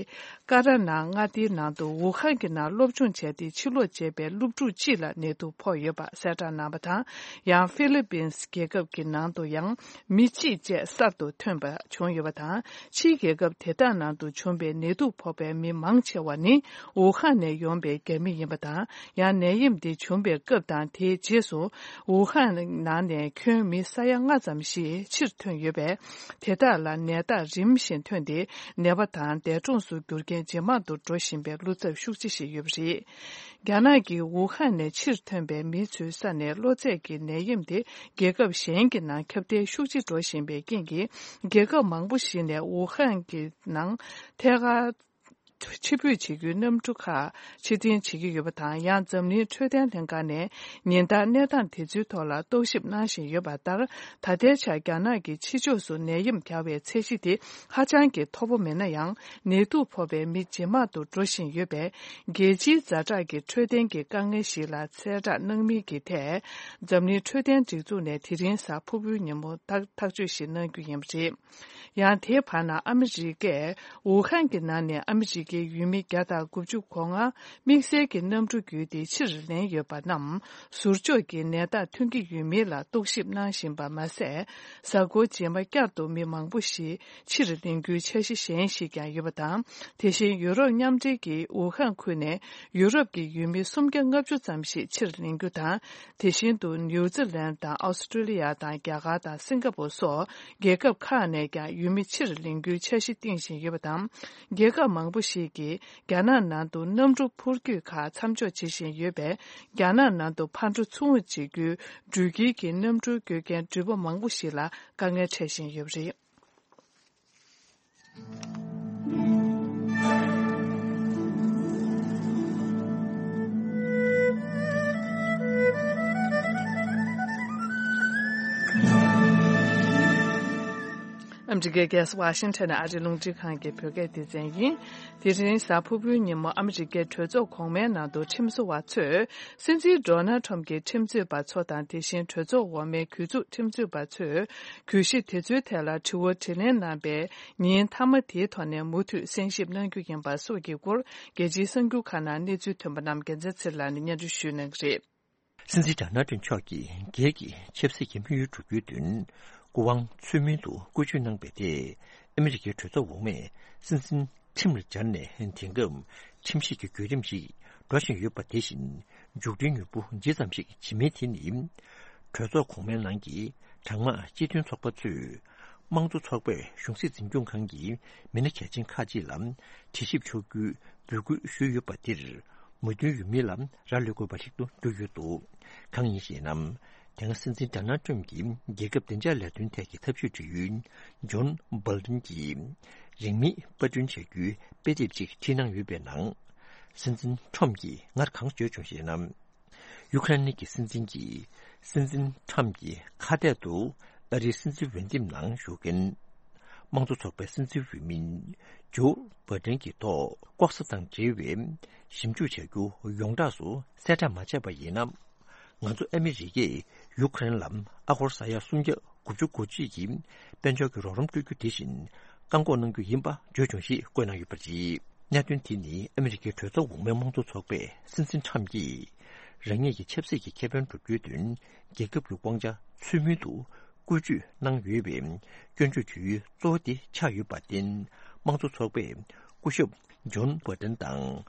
ཀ་ར་ནང་མངའ་སྡེའི་ནང་དུ་ཝུ་ཧན་གྱི་ནང་སློབ་སྦྱོང་བྱས་ཏེ་ཕྱིར་ལོག་བྱས་པའི་སློབ་ཕྲུག་གཅིག་ལ་ནད་དུག་ཕོག་ཡོད་པ་གསལ་བསྒྲགས་གནང་བ་དང་། ཡང་ཧྥི་ལི་པིན་སི་རྒྱལ་ཁབ་ཀྱི་ནང་དུ་ཡང་མི་གཅིག་བཅས་གསར་དུ་ཐོན་པ་བྱུང་ཡོད་པ་དང་། ཕྱིའི་རྒྱལ་ཁབ་དེ་དག་ནང་དུ་བྱུང་པའི་ནད་དུག་ཕོག་པའི་མི་མང་ཆེ་བ་ནི་ཝུ་ཧན་ནས་ཡོང་པའི་རྒྱ་མི་ཡིན་པ་དང་། ཡང་ནད་ཡམས་འདི་བྱུང་པའི་སྐབས་དང་དེའི་རྗེས་སུ་ཝུ་ཧན་ནང་ནས་ཁྱོན་མི་ས་ཡ་ལྔ་ཙམ་ཞིག་ཕྱིར་ཐོན་ཡོད་པས། དེ་དག་ལ་ནད་རྟགས་རིམ་བཞིན་ཐོན་ཏེ། ནད་པ་དང་འདས་གྲོངས་སུ་གྱུར་མཁན་ཇེ་མང་དུ་འགྲོ་བཞིན་པའི་བློ་འཚབ་ཤུགས་ཆེ་ཞིག་ཡོད་པ་རེད། རྒྱ་ནག་གི་ཝུ་ཧན་ནས་ཕྱིར་ཐོན་པའི་མི་ཚོའི་ས་ནས་གློ་ཚད་ཀྱི་ནད་ཡམས་དེ་རྒྱལ་ཁབ་གཞན་གྱི་ནང་ཁྱབ་གདལ་ཤུགས་ཆེ་འགྲོ་བཞིན་པའི་རྐྱེན་གྱིས། རྒྱལ་ཁབ་མང་པོ་ཞིག་ནས་ཝུ་ཧན་གྱི་ནང་ཐད་ཀར་ཕྱིར་འབུད་བྱེད་རྒྱུའི་གནམ་གྲུ་ཁག་ཕྱིར་འཐེན་བྱེད་ཀྱི་ཡོད་པ་དང་། ཡང་འཛམ་གླིང་འཕྲོད་བསྟེན་ལྷན་ཁང་ནས་ཉིན་ལྟར་གནས་སྟངས་དེ་ཚོའི་ཐོག་ལ་རྟོག་ཞིབ་གནང་བཞིན་ཡོད་པ་ལྟར། ད་ལྟའི་ཆར་རྒྱ་ནག་གི་ཕྱི་ཕྱོགས་སུ་ནད་ཡམས་བརྒྱབ་པའི་ཚད་གཞི་དེ་ཧ་ཅང་གི་མཐོ་པོ་མིན་ན་ཡང་། ནད་དུག་ཕོག་པའི་མི་ཇེ་མང་དུ་འགྲོ་བཞིན་ཡོད་པས། རྒྱལ་སྤྱིའི་ཛ་དྲག་གི་འཕྲོད་བསྟེན་གྱི་དཀའ་ངལ་ཞིག་ལ་གསལ་བསྒྲགས་གནང་མིན་གྱི་ཐད། འཛམ་གླིང་འཕྲོད་བསྟེན་སྒྲིག་འཛུགས་ནས་དེ་རིང་གཟའ་ཕུར་བུའི་ཉིན་མོ་ཐག་ཐག་གཅོད་ཞིག་གནང་རྒྱུ་ཡིན་པ་རེད། ཡང་དེའི་བར་ན་ཨ་མི་རི་ཀས་ཝུ་ཧན་གྱི་ནང་ནས་ཨ་མི་རི་ཀའི་ཡུལ་མི་བརྒྱ་དང་དགུ་བཅུ་གོ་ལྔ་དམིགས་བསལ་གྱི་གནམ་གྲུ་བརྒྱུད་དེ་ཕྱིར་ལེན་ཡོད་པ་རྣམས་ཟུར་འཇོག་གིས་ནད་རྟགས་ཐོན་གྱི་ཡོད་མེད་ལ་རྟོག་ཞིབ་གནང་བཞིན་པ་མ་ཟད། གཟའ་འཁོར་རྗེས་མ་བསྐྱར་དུ་མི་མང་པོ་ཞིག་ཕྱིར་ལེན་རྒྱུའི་འཆར་གཞི་གཞན་ཞིག་ཀྱང་ཡོད་པ་དང་། དེ་བཞིན་ཡུ་རོབ་མཉམ་འབྲེལ་གྱིས་ཝུ་ཧན་ཁུལ་ནས་ཡུ་རོབ་ཀྱི་ཡུལ་མི་སུམ་བརྒྱ་ལྔ་བཅུ་ཙམ་ཞིག་ཕྱིར་ལེན་རྒྱུ་དང་། དེ་བཞིན་དུ་ནིའུ་ཛི་ལན་དང་ཨོ་སི་ཀྲོ་ལི་ཡ་དང་རྒྱ་གར་དང་སིང་ག་པོར་སོགས་རྒྱལ་ཁབ་ཁག་ནས་ཀྱང་ཡུལ་མི་ཕྱིར་ལེན་རྒྱུའི་འཆར་གཞི་བཏིང་བཞིན་ཡོད་པ་དང་། རྒྱལ་ཁབ་མང་པོ་ཞིག་གིས་རྒྱ་ནག་ནང་དུ་གནམ་གྲུ་འཕུར་སྐྱོད་ཁག་མཚམས་འཇོག་བྱེད་བཞིན་ཡོད་པས། རྒྱ་ནག་ནང་དུ་ཕར་འགྲོ་ཚུར་འོང་བྱེད་རྒྱུའི་འགྲུལ་སྐྱེལ་གྱི་གནམ་གྲུ་སྐྱོད་མཁན་འགྲུལ་པ་མང་པོ་ཞིག་ལ་དཀའ་ངལ་འཕྲད་བཞིན་ཡོད་པ་རེད། ཨ་མི་རི་ཀའི་རྒྱལ་ས་ཝ་ཤིང་ཊོན་ནས་ཨ་རིའི་རླུང་འཕྲིན་ཁང་གི་བོད་སྐད་སྡེ་ཚན་ཡིན། དེ་རིང་གཟའ་ཕུར་བུའི་ཉིན་མོ་ཨ་མི་རི་ཀའི་གྲོས་ཚོགས་གོང་མའི་ནང་དུ་ཁྲིམས་བཟོ་བ་ཚོས། སྲིད་འཛིན་ཌོ་ནལ་ཁྲོམ་གྱི་ཁྲིམས་རྩོད་པ་ཚོ་དང་། དེ་བཞིན་གྲོས་ཚོགས་འོག་མའི་གྱོད་འཛུགས་ཁྲིམས་རྩོད་པ་ཚོས་གྱོད་གཞི་དེ་ཚོའི་ཐད་ལ་དྲི་བ་དྲིས་ལན་གནང་པའི་ཉིན་མཐའ་མ་དེའི་ཐོག་ནས་མུ་མཐུད་གསན་ཞིབ་གནང་རྒྱུ་ཡིན་པ་སོགས་ཀྱི་སྐོར། རྒྱལ་སྤྱིའི་གསར་འགྱུར་ཁག་ནང་གནས་ཚུལ་ཐོན་པ་རྣམས་རྒྱལ་མཚན་ཚེ་རིང་ལགས་ནས་སྙན་སྒྲོན་ཞུ་གནང་གི་རེད། སྲིད་འཛིན་ཌོ་ནལ་ཁྲོམ་མཆོག་གིས་སྒེར་གྱི་ཆབ་སྲིད་ཀྱི་དམིགས་ཡུལ་བསྒྲུབ་རྒྱུའི་དོན། སྐུ་དབང་ཚུལ་མིན་དུ་བཀོལ་སྤྱོད་གནང་པ་དེས། ཨ་མི་རི་ཀའི་གྲོས་ཚོགས་འོག་མས་སྲིད་འཛིན་ཁྲིམས་ལ་སྦྱར་ནས། དེང་སྐབས་ཁྲིམས་ཞིབ་ཀྱི་བརྒྱུད་རིམ་ཞིག་འགྲོ་བཞིན་ཡོད་པ་དེ་བཞིན། མཇུག་སྒྲིལ་མྱུར་པོ་ཇི་ཙམ་ཞིག་ཇི་མིན་དེ་ནི། གྲོས་ཚོགས་གོང་མའི་ནང་གི་གྲངས་མང་སྤྱི་མཐུན་ཚོགས་པ་ཚོས། དམངས་གཙོ་ཚོགས་པས་གཞུང་སྲིད་འཛིན་སྐྱོང་ཁང་གི་མི་སྣ་གལ་ཆེན་ཁག་ཅིག་ལ་དྲི་ཞིབ་ཕྱོགས་བསྐྱོད་འབོད་སྐུལ་ཞུས་ཡོད་པ་དེར། མོས་མཐུན་ཡོད་མིན་ལ་རག་ལས་དགོས་པ་ཞིག་ཏུ་གྱུར་ཡོད་འདུག་གང་ཡིན་ཞེ་ན། དེ་སྔ་སྲིད་འཛིན་ཌོ་ནལ་ཁྲོམ་གྱི་རྒྱལ་ཁབ་བདེ་འཇགས་ལས་དོན་ཐད་ཀྱི་ཐབས་ཇུས་དྲི་ཡུལ་ཇོན་སྦོལ་ཏོན་གྱིས་རིང་མིན་པར་སྐྲུན་བྱ་རྒྱུའི་དཔེ་དེབ་ཅིག་བྲིས་གནང་ཡོད་པའི་ནང་། སྲིད་འཛིན་ཁྲོམ་གྱིས་སྔར་གང་བརྗོད་བྱུང་ཞེ་ན། ཡུ་ཁ་རེན་གྱི་སྲིད་འཛིན་གྱིས་སྲིད་འཛིན་ཁྲམ་གྱི་ཁ་གཏད་དུ་ཨ་རིའི་སྲིད་འཛིན་འོས་འདེམས་ནང་ཞུགས་མཁན་དམངས་གཙོ་ཚོགས་པའི་སྲིད་འཛིན་འོས་མི་ཇོ་བྷ་ཏན་གྱི་ཐོག་ལྐོག་ཟ་དང་འབྲེལ་བའི་ཞིབ་འཇུག་བྱ་རྒྱུ་ཡོངས་གྲགས་སུ་གསལ་བསྒྲགས་མ་བྱས་པ་ཡིན་ན། ང་ཚོ་ཨ་མི་རི་ཀས་ཡུ་ཁ་རེན་ལ་ཨ་སྒོར་ས་ཡ་སུམ་བརྒྱ་དགུ་བཅུ་གོ་གཅིག་གི་དཔལ་འབྱོར་གྱི་རོགས་རམ་སྤྲོད་རྒྱུ་དེ་བཞིན་བཀག་འགོག་གནང་རྒྱུ་ཡིན་པ་བརྗོད་བྱུང་ཞེས་བཀོད་གནང་ཡོད་པ་རེད། གནད་དོན་དེ་ནི་ཨ་མི་རི་ཀའི་གྲོས་ཚོགས་འོག་མའི་དམངས་གཙོ་ཚོགས་པས་སྲིད་འཛིན་ཁྲམ་གྱིས་རང་ཉིད་ཀྱི་ཆབ་སྲིད་ཀྱི་ཁེ་ཕན་སྒྲུབ་རྒྱུའི་དོན་རྒྱལ་ཁབ་ཀྱི་དབང་ཆ་ཚུལ་མིན་དུ་བཀོལ་སྤྱོད་གནང་ཡོད་པའི་སྐྱོན་བརྗོད་བྱེད་ཡུལ་གཙོ་བོ་དེ་ཆགས་ཡོད་པར་བརྟེན། དམངས་གཙོ་ཚོགས་པས་སྐུ་ཞབས་ཇོན་བྷ་ཏན་དང་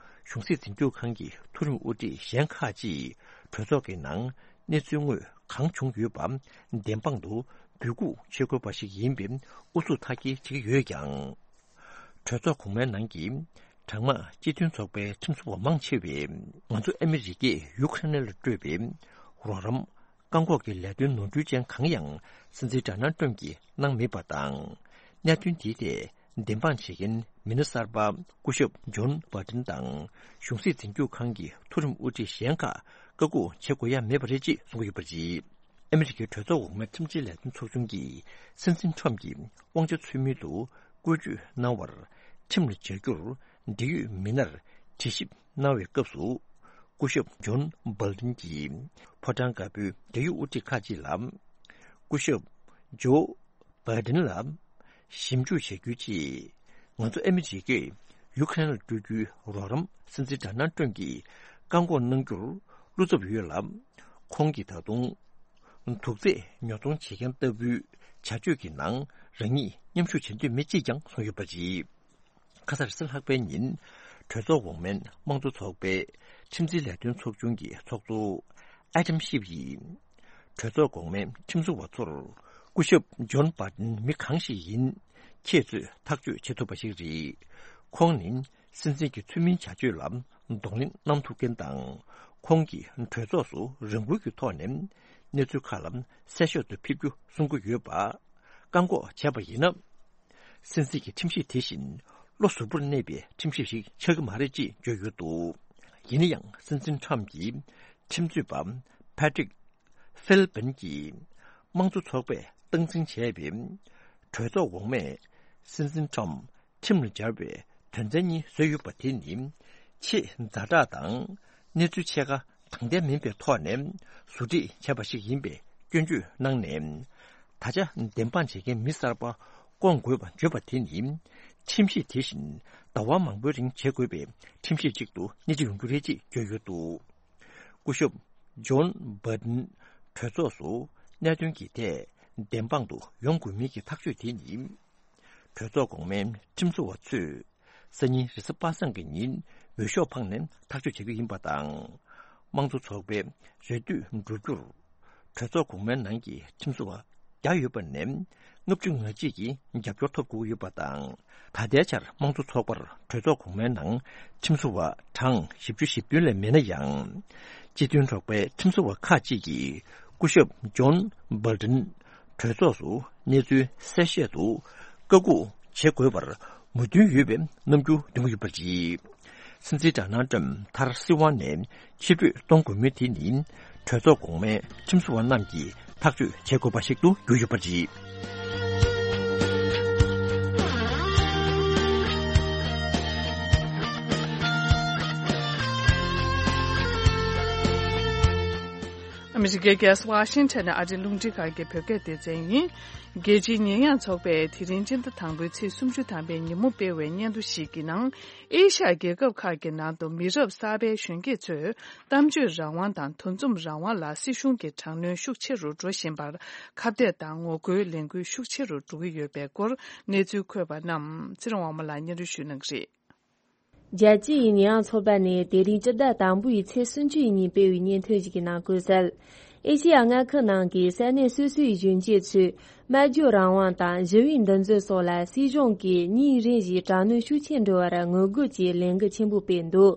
གཞུང་སྲིད་འཛིན་སྐྱོང་ཁང་གི་མཐོ་རིམ་དབུ་ཁྲིད་གཞན་ཁག་ཅིག་གྲོས་ཚོགས་ཀྱི་ནང་གནས་ཚུལ་དངོས་གང་བྱུང་ཡོད་པ་བདེན་དཔང་དུ་འབོད་འགུག་བྱེད་དགོས་པ་ཞིག་ཡིན་པའི་ཨུ་ཚུགས་མཐའ་སྐྱེལ་བྱེད་ཀྱི་ཡོད་ཀྱང་། གྲོས་ཚོགས་གོང་མའི་ནང་གི་གྲངས་མང་སྤྱི་མཐུན་ཚོགས་པའི་ཁྲིམས་བཟོ་བ་མང་ཆེ་བས་ང་ཚོ་ཨ་མི་རི་ཀས་ཡུ་ཁ་རེན་ལ་སྤྲོད་པའི་རོགས་རམ་བཀག་འགོག་གི་ལས་དོན་ནོར་འཁྲུལ་ཅན་གང་ཡང་སྲིད་འཛིན་ཌོ་ནལ་ཏྲམ་གྱིས་གནང་མེད་པ་དང་། གནད་དོན་དེའི་ཐད་བདེན་དཔང་བྱེད་མཁན་མི་སྣ་གསར་པ་སྐུ་ཞབས་ཇོན་བྷ་ཏན་དང་གཞུང་སྲིད་འཛིན་སྐྱོང་ཁང་གི་མཐོ་རིམ་དབུ་ཁྲིད་གཞན་ཁག་བཀག་འགོག་བྱེད་དགོས་ཡ་མེད་པ་རེད་ཅེས་གསུང་གི་ཡོད་པ་རེད། ཨ་མི་རི་ཀའི་གྲོས་ཚོགས་འོག་མའི་ཁྲིམས་འཛིན་ལས་དོན་ཚོགས་ཆུང་གིས་སྲིད་འཛིན་ཁྲམ་གྱིས་དབང་ཆ་ཚུལ་མིན་དུ་བཀོལ་སྤྱོད་གནང་བར་ཁྲིམས་ལ་སྦྱར་རྒྱུར་འབྲེལ་ཡོད་མི་སྣར་དྲི་ཞིབ་གནང་བའི་སྐབས་སུ། སྐུ་ཞབས་ཇོན་བྷལ་ཏིན་གྱིས་ཕོ་བྲང་དཀར་པོའི་འབྲེལ་ཡོད་དབུ་ཁྲིད་ཁག་ཅིག་ལ། སྐུ་ཞབས་ཇོ་བྷའི་ཏིན་ལ་ཞིབ་འཇུག་བྱ་རྒྱུའི་ཆེད། ང་ཚོ་ཨ་མི་རི་ཀས་ཡུ་ཁ་རེན་ལ་སྤྲོད་རྒྱུའི་རོགས་རམ་སྲིད་འཛིན་ཌོ་ནལ་ཏྲམ་གྱིས་བཀག་འགོག་གནང་རྒྱུར་བློ་འཚབ་ཡོད་ལ། ཁོང་གིས་ད་དུང་དུག་རྫས་ཉོ་ཚོང་བྱེད་མཁན་ལྟ་བུའི་བྱ་སྤྱོད་ཀྱི་ནང་རང་ཉིད་མཉམ་ཞུགས་བྱེད་འདོད་མེད་ཅེས་ཀྱང་གསུངས་ཡོད་པ་རེད། ཁ་སང་རེས་གཟའ་ལྷག་པའི་ཉིན་གྲོས་ཚོགས་འོག་མའི་དམངས་གཙོ་ཚོགས་པའི་ཁྲིམས་འཛིན་ལས་དོན་ཚོགས་ཆུང་གི་ཚོགས་གཙོ་ཨ་ཏམ་ཤིབ་ཡིས། གྲོས་ཚོགས་གོང་མའི་ཁྲིམས་བཟོ་བ་ཚོར་སྐུ་ཞབས་ཇོན་བྷ་ཏིན་མི་གང་ཞིག་ཡིན། ཁྱེད་ཚོས་ཐག་གཅོད་བྱེད་ཐུབ་པ་ཞིག་རེད། ཁོང་ནི་སྲིད་འཛིན་གྱི་ཚུལ་མིན་བྱ་སྤྱོད་ལ་གདོང་ལེན་གནང་ཐུབ་མཁན་དང་། ཁོང་གིས་གྲོས་ཚོགས་སུ་རང་འགུལ་གྱི་ཐོག་ནས་གནས་ཚུལ་ཁག་ལ་གསལ་བཤད་དུ་ཕེབས་རྒྱུ་གསུང་གི་ཡོད་པ། བཀག་འགོག་བྱས་པ་ཡིན་ན། སྲིད་འཛིན་གྱི་ཁྲིམས་གཞི་དེ་བཞིན་བློ་གཟུ་བོར་གནས་པའི་ཁྲིམས་གཞི་ཞིག་ཆགས་ཀྱི་མ་རེད་ཅེས་བརྗོད་ཡོད་འདུག་ཡིན་ན་ཡང་སྲིད་འཛིན་ཁྲམ་གྱིས་ཁྲིམས་རྩོད་པ་ཕ་ཏྲིག་ཧྥིལ་པིན་གྱིས་དམངས་གཙོ་ཚོགས་པས་སྟངས་འཛིན་བྱས་པའི་གྲོས་ཚོགས་འོག་མས་སྲིད་འཛིན་ཁྲམ་ཁྲིམས་ལ་སྦྱར་བའི་དོན་ཚན་གཉིས་བཟོས་ཡོད་པ་དེ་ནི་ཆེས་ཛ་དྲག་དང་གནས་ཚུལ་ཕྱེད་ཀ་དྲང་བདེན་མིན་པའི་ཐོག་ནས་ཟུར་ཁྲིད་བྱས་པ་ཞིག་ཡིན་པའི་སྐྱོན་བརྗོད་གནང་ནས། ད་ཆ་བདེན་དཔང་བྱེད་མཁན་མི་གསར་པ་བསྐོང་དགོས་པ་བརྗོད་པ་དེ་ནི་ཁྲིམས་གཞི་དེ་བཞིན་ཟླ་བ་མང་པོའི་རིང་བྱེད་དགོས་པའི་ཁྲིམས་གཞི་གཅིག་ཏུ་སྣེ་ཁྲིད་ཡོང་རྒྱུ་རེད་ཅེས་བརྗོད་ཡོད་འདུག་སྐུ་ཞབས་ཇོན་བྷ་ཏིན་གྲོས་ཚོགས་སུ་གནད་དོན་གྱི་ཐད་བདེན་དཔང་དུ་ཡོང་དགོས་མིན་གྱི་ཐག་གཅོད་དེ་ནི། གྲོས་ཚོགས་གོང་མའི་ཁྲིམས་བཟོ་བ་ཚོས་སང་ཉིན་རེས་གཟའ་པ་སངས་ཀྱི་ཉིན་འོས་ཤོག་འཕངས་ནས་ཐག་གཅོད་བྱ་རྒྱུ་ཡིན་པ་དང་། དམངས་གཙོ་ཚོགས་པའི་རེ་ལྟོས་འགྲུབ་རྒྱུར། གྲོས་ཚོགས་གོང་མའི་ནང་གི་ཁྲིམས་བཟོ་བ་བརྒྱ་ཡོད་པ་ནས་ལྔ་བཅུ་ང་གཅིག་གིས་རྒྱབ་སྐྱོར་ཐོབ་དགོས་ཀྱི་ཡོད་པ་དང་། ད་ལྟའི་ཆར་དམངས་གཙོ་ཚོགས་པར་གྲོས་ཚོགས་གོང་མའི་ནང་ཁྲིམས་བཟོ་བ་གྲངས་བཞི་བཅུ་ཞེ་བདུན་ལས་མེད་ན་ཡང་། སྤྱི་མཐུན་ཚོགས་པའི་ཁྲིམས་བཟོ་བ་ཁག་ཅིག་གིས་སྐུ་ཞབས་ཇོན་བྷལ་ཏིན་གྲོས་ཚོགས་སུ་གནས་ཚུལ་གསལ་བཤད་དུ་བཀའ་འགུག་བྱེད་དགོས་པར་མོས་མཐུན་ཡོད་པའི་རྣམ་འགྱུར་སྟོན་གྱི་ཡོད་པ་རེད། སྲིད་འཛིན་ཌོ་ནལ་ཏྲམ་མཐར་སྲིད་དབང་ནས་ཕྱིར་འབུད་གཏོང་དགོས་མིན་དེ་ནི་གྲོས་ཚོགས་གོང་མའི་ཁྲིམས་བཟོ་བ་རྣམས་ཀྱིས་ཐག་གཅོད་བྱེད་དགོས་པ་ཞིག་ཏུ་གྱུར་ཡོད་པ་རེད། ཨ་མི་རི་ཀའི་རྒྱལ་ས་ཝ་ཤིང་ཊོན་ནས་ཨ་རིའི་རླུང་འཕྲིན་ཁང་གི་བོད་སྐད་སྡེ་ཚན་ཡིན། རྒྱལ་སྤྱིའི་ཉེས་ཡངས་ཚོགས་པས་དེ་རིང་སྤྱི་ཟླ་དང་པོའི་ཚེས་སུམ་ཅུ་ཐམ་པའི་ཉིན་མོ་སྤེལ་བའི་སྙན་ཐོ་ཞིག་གི་ནང་། ཨེ་ཤ་ཡ་རྒྱལ་ཁབ་ཁག་གི་ནང་དུ་མི་རབས་གསར་པའི་གཞོན་སྐྱེས་ཚོས་གཏམ་བརྗོད་རང་དབང་དང་འདུ་འཛོམས་རང་དབང་ལ་སྲིད་གཞུང་གི་དྲག་གནོན་ཤུགས་ཆེ་རུ་འགྲོ་བཞིན་པར་ཁ་གཏད་དང་ངོ་རྒོལ་ལས་འགུལ་ཤུགས་ཆེ་རུ་འགྲོ་གི་ཡོད་པའི་སྐོར་གནས་ཚུལ་འཁོད་པ་རྣམས་ཚེ་རིང་དབང་མོ་ལགས་སྙན་སྒྲོན་ཞུ་གནང་གི་རེད། རྒྱལ་སྤྱིའི་ཉེས་ཡངས་ཚོགས་པ་ནས་དེ་རིང་སྤྱི་ཟླ་དང་པོའི་ཚེས་སུམ་ཅུ་ཡི་ཉིན་སྤེལ་བའི་སྙན་ཐོ་ཞིག་གི་ནང་བཀོད་གསལ། ཨེ་ཤེ་ཡ་མངའ་ཁུལ་ནང་གི་ས་གནས་སོ་སོའི་གཞོན་སྐྱེས་ཚོས་སྨྲ་བརྗོད་རང་དབང་དང་ཞི་བའི་འདུ་འཛོམས་སོགས་ལ་སྲིད་གཞུང་གིས་ཉིན་རེ་བཞིན་དྲག་གནོན་ཤུགས་ཆེ་འགྲོ་བར་ངོ་རྒོལ་གྱི་ལས་འགུལ་ཆེན་པོ་སྤེལ་འདུག་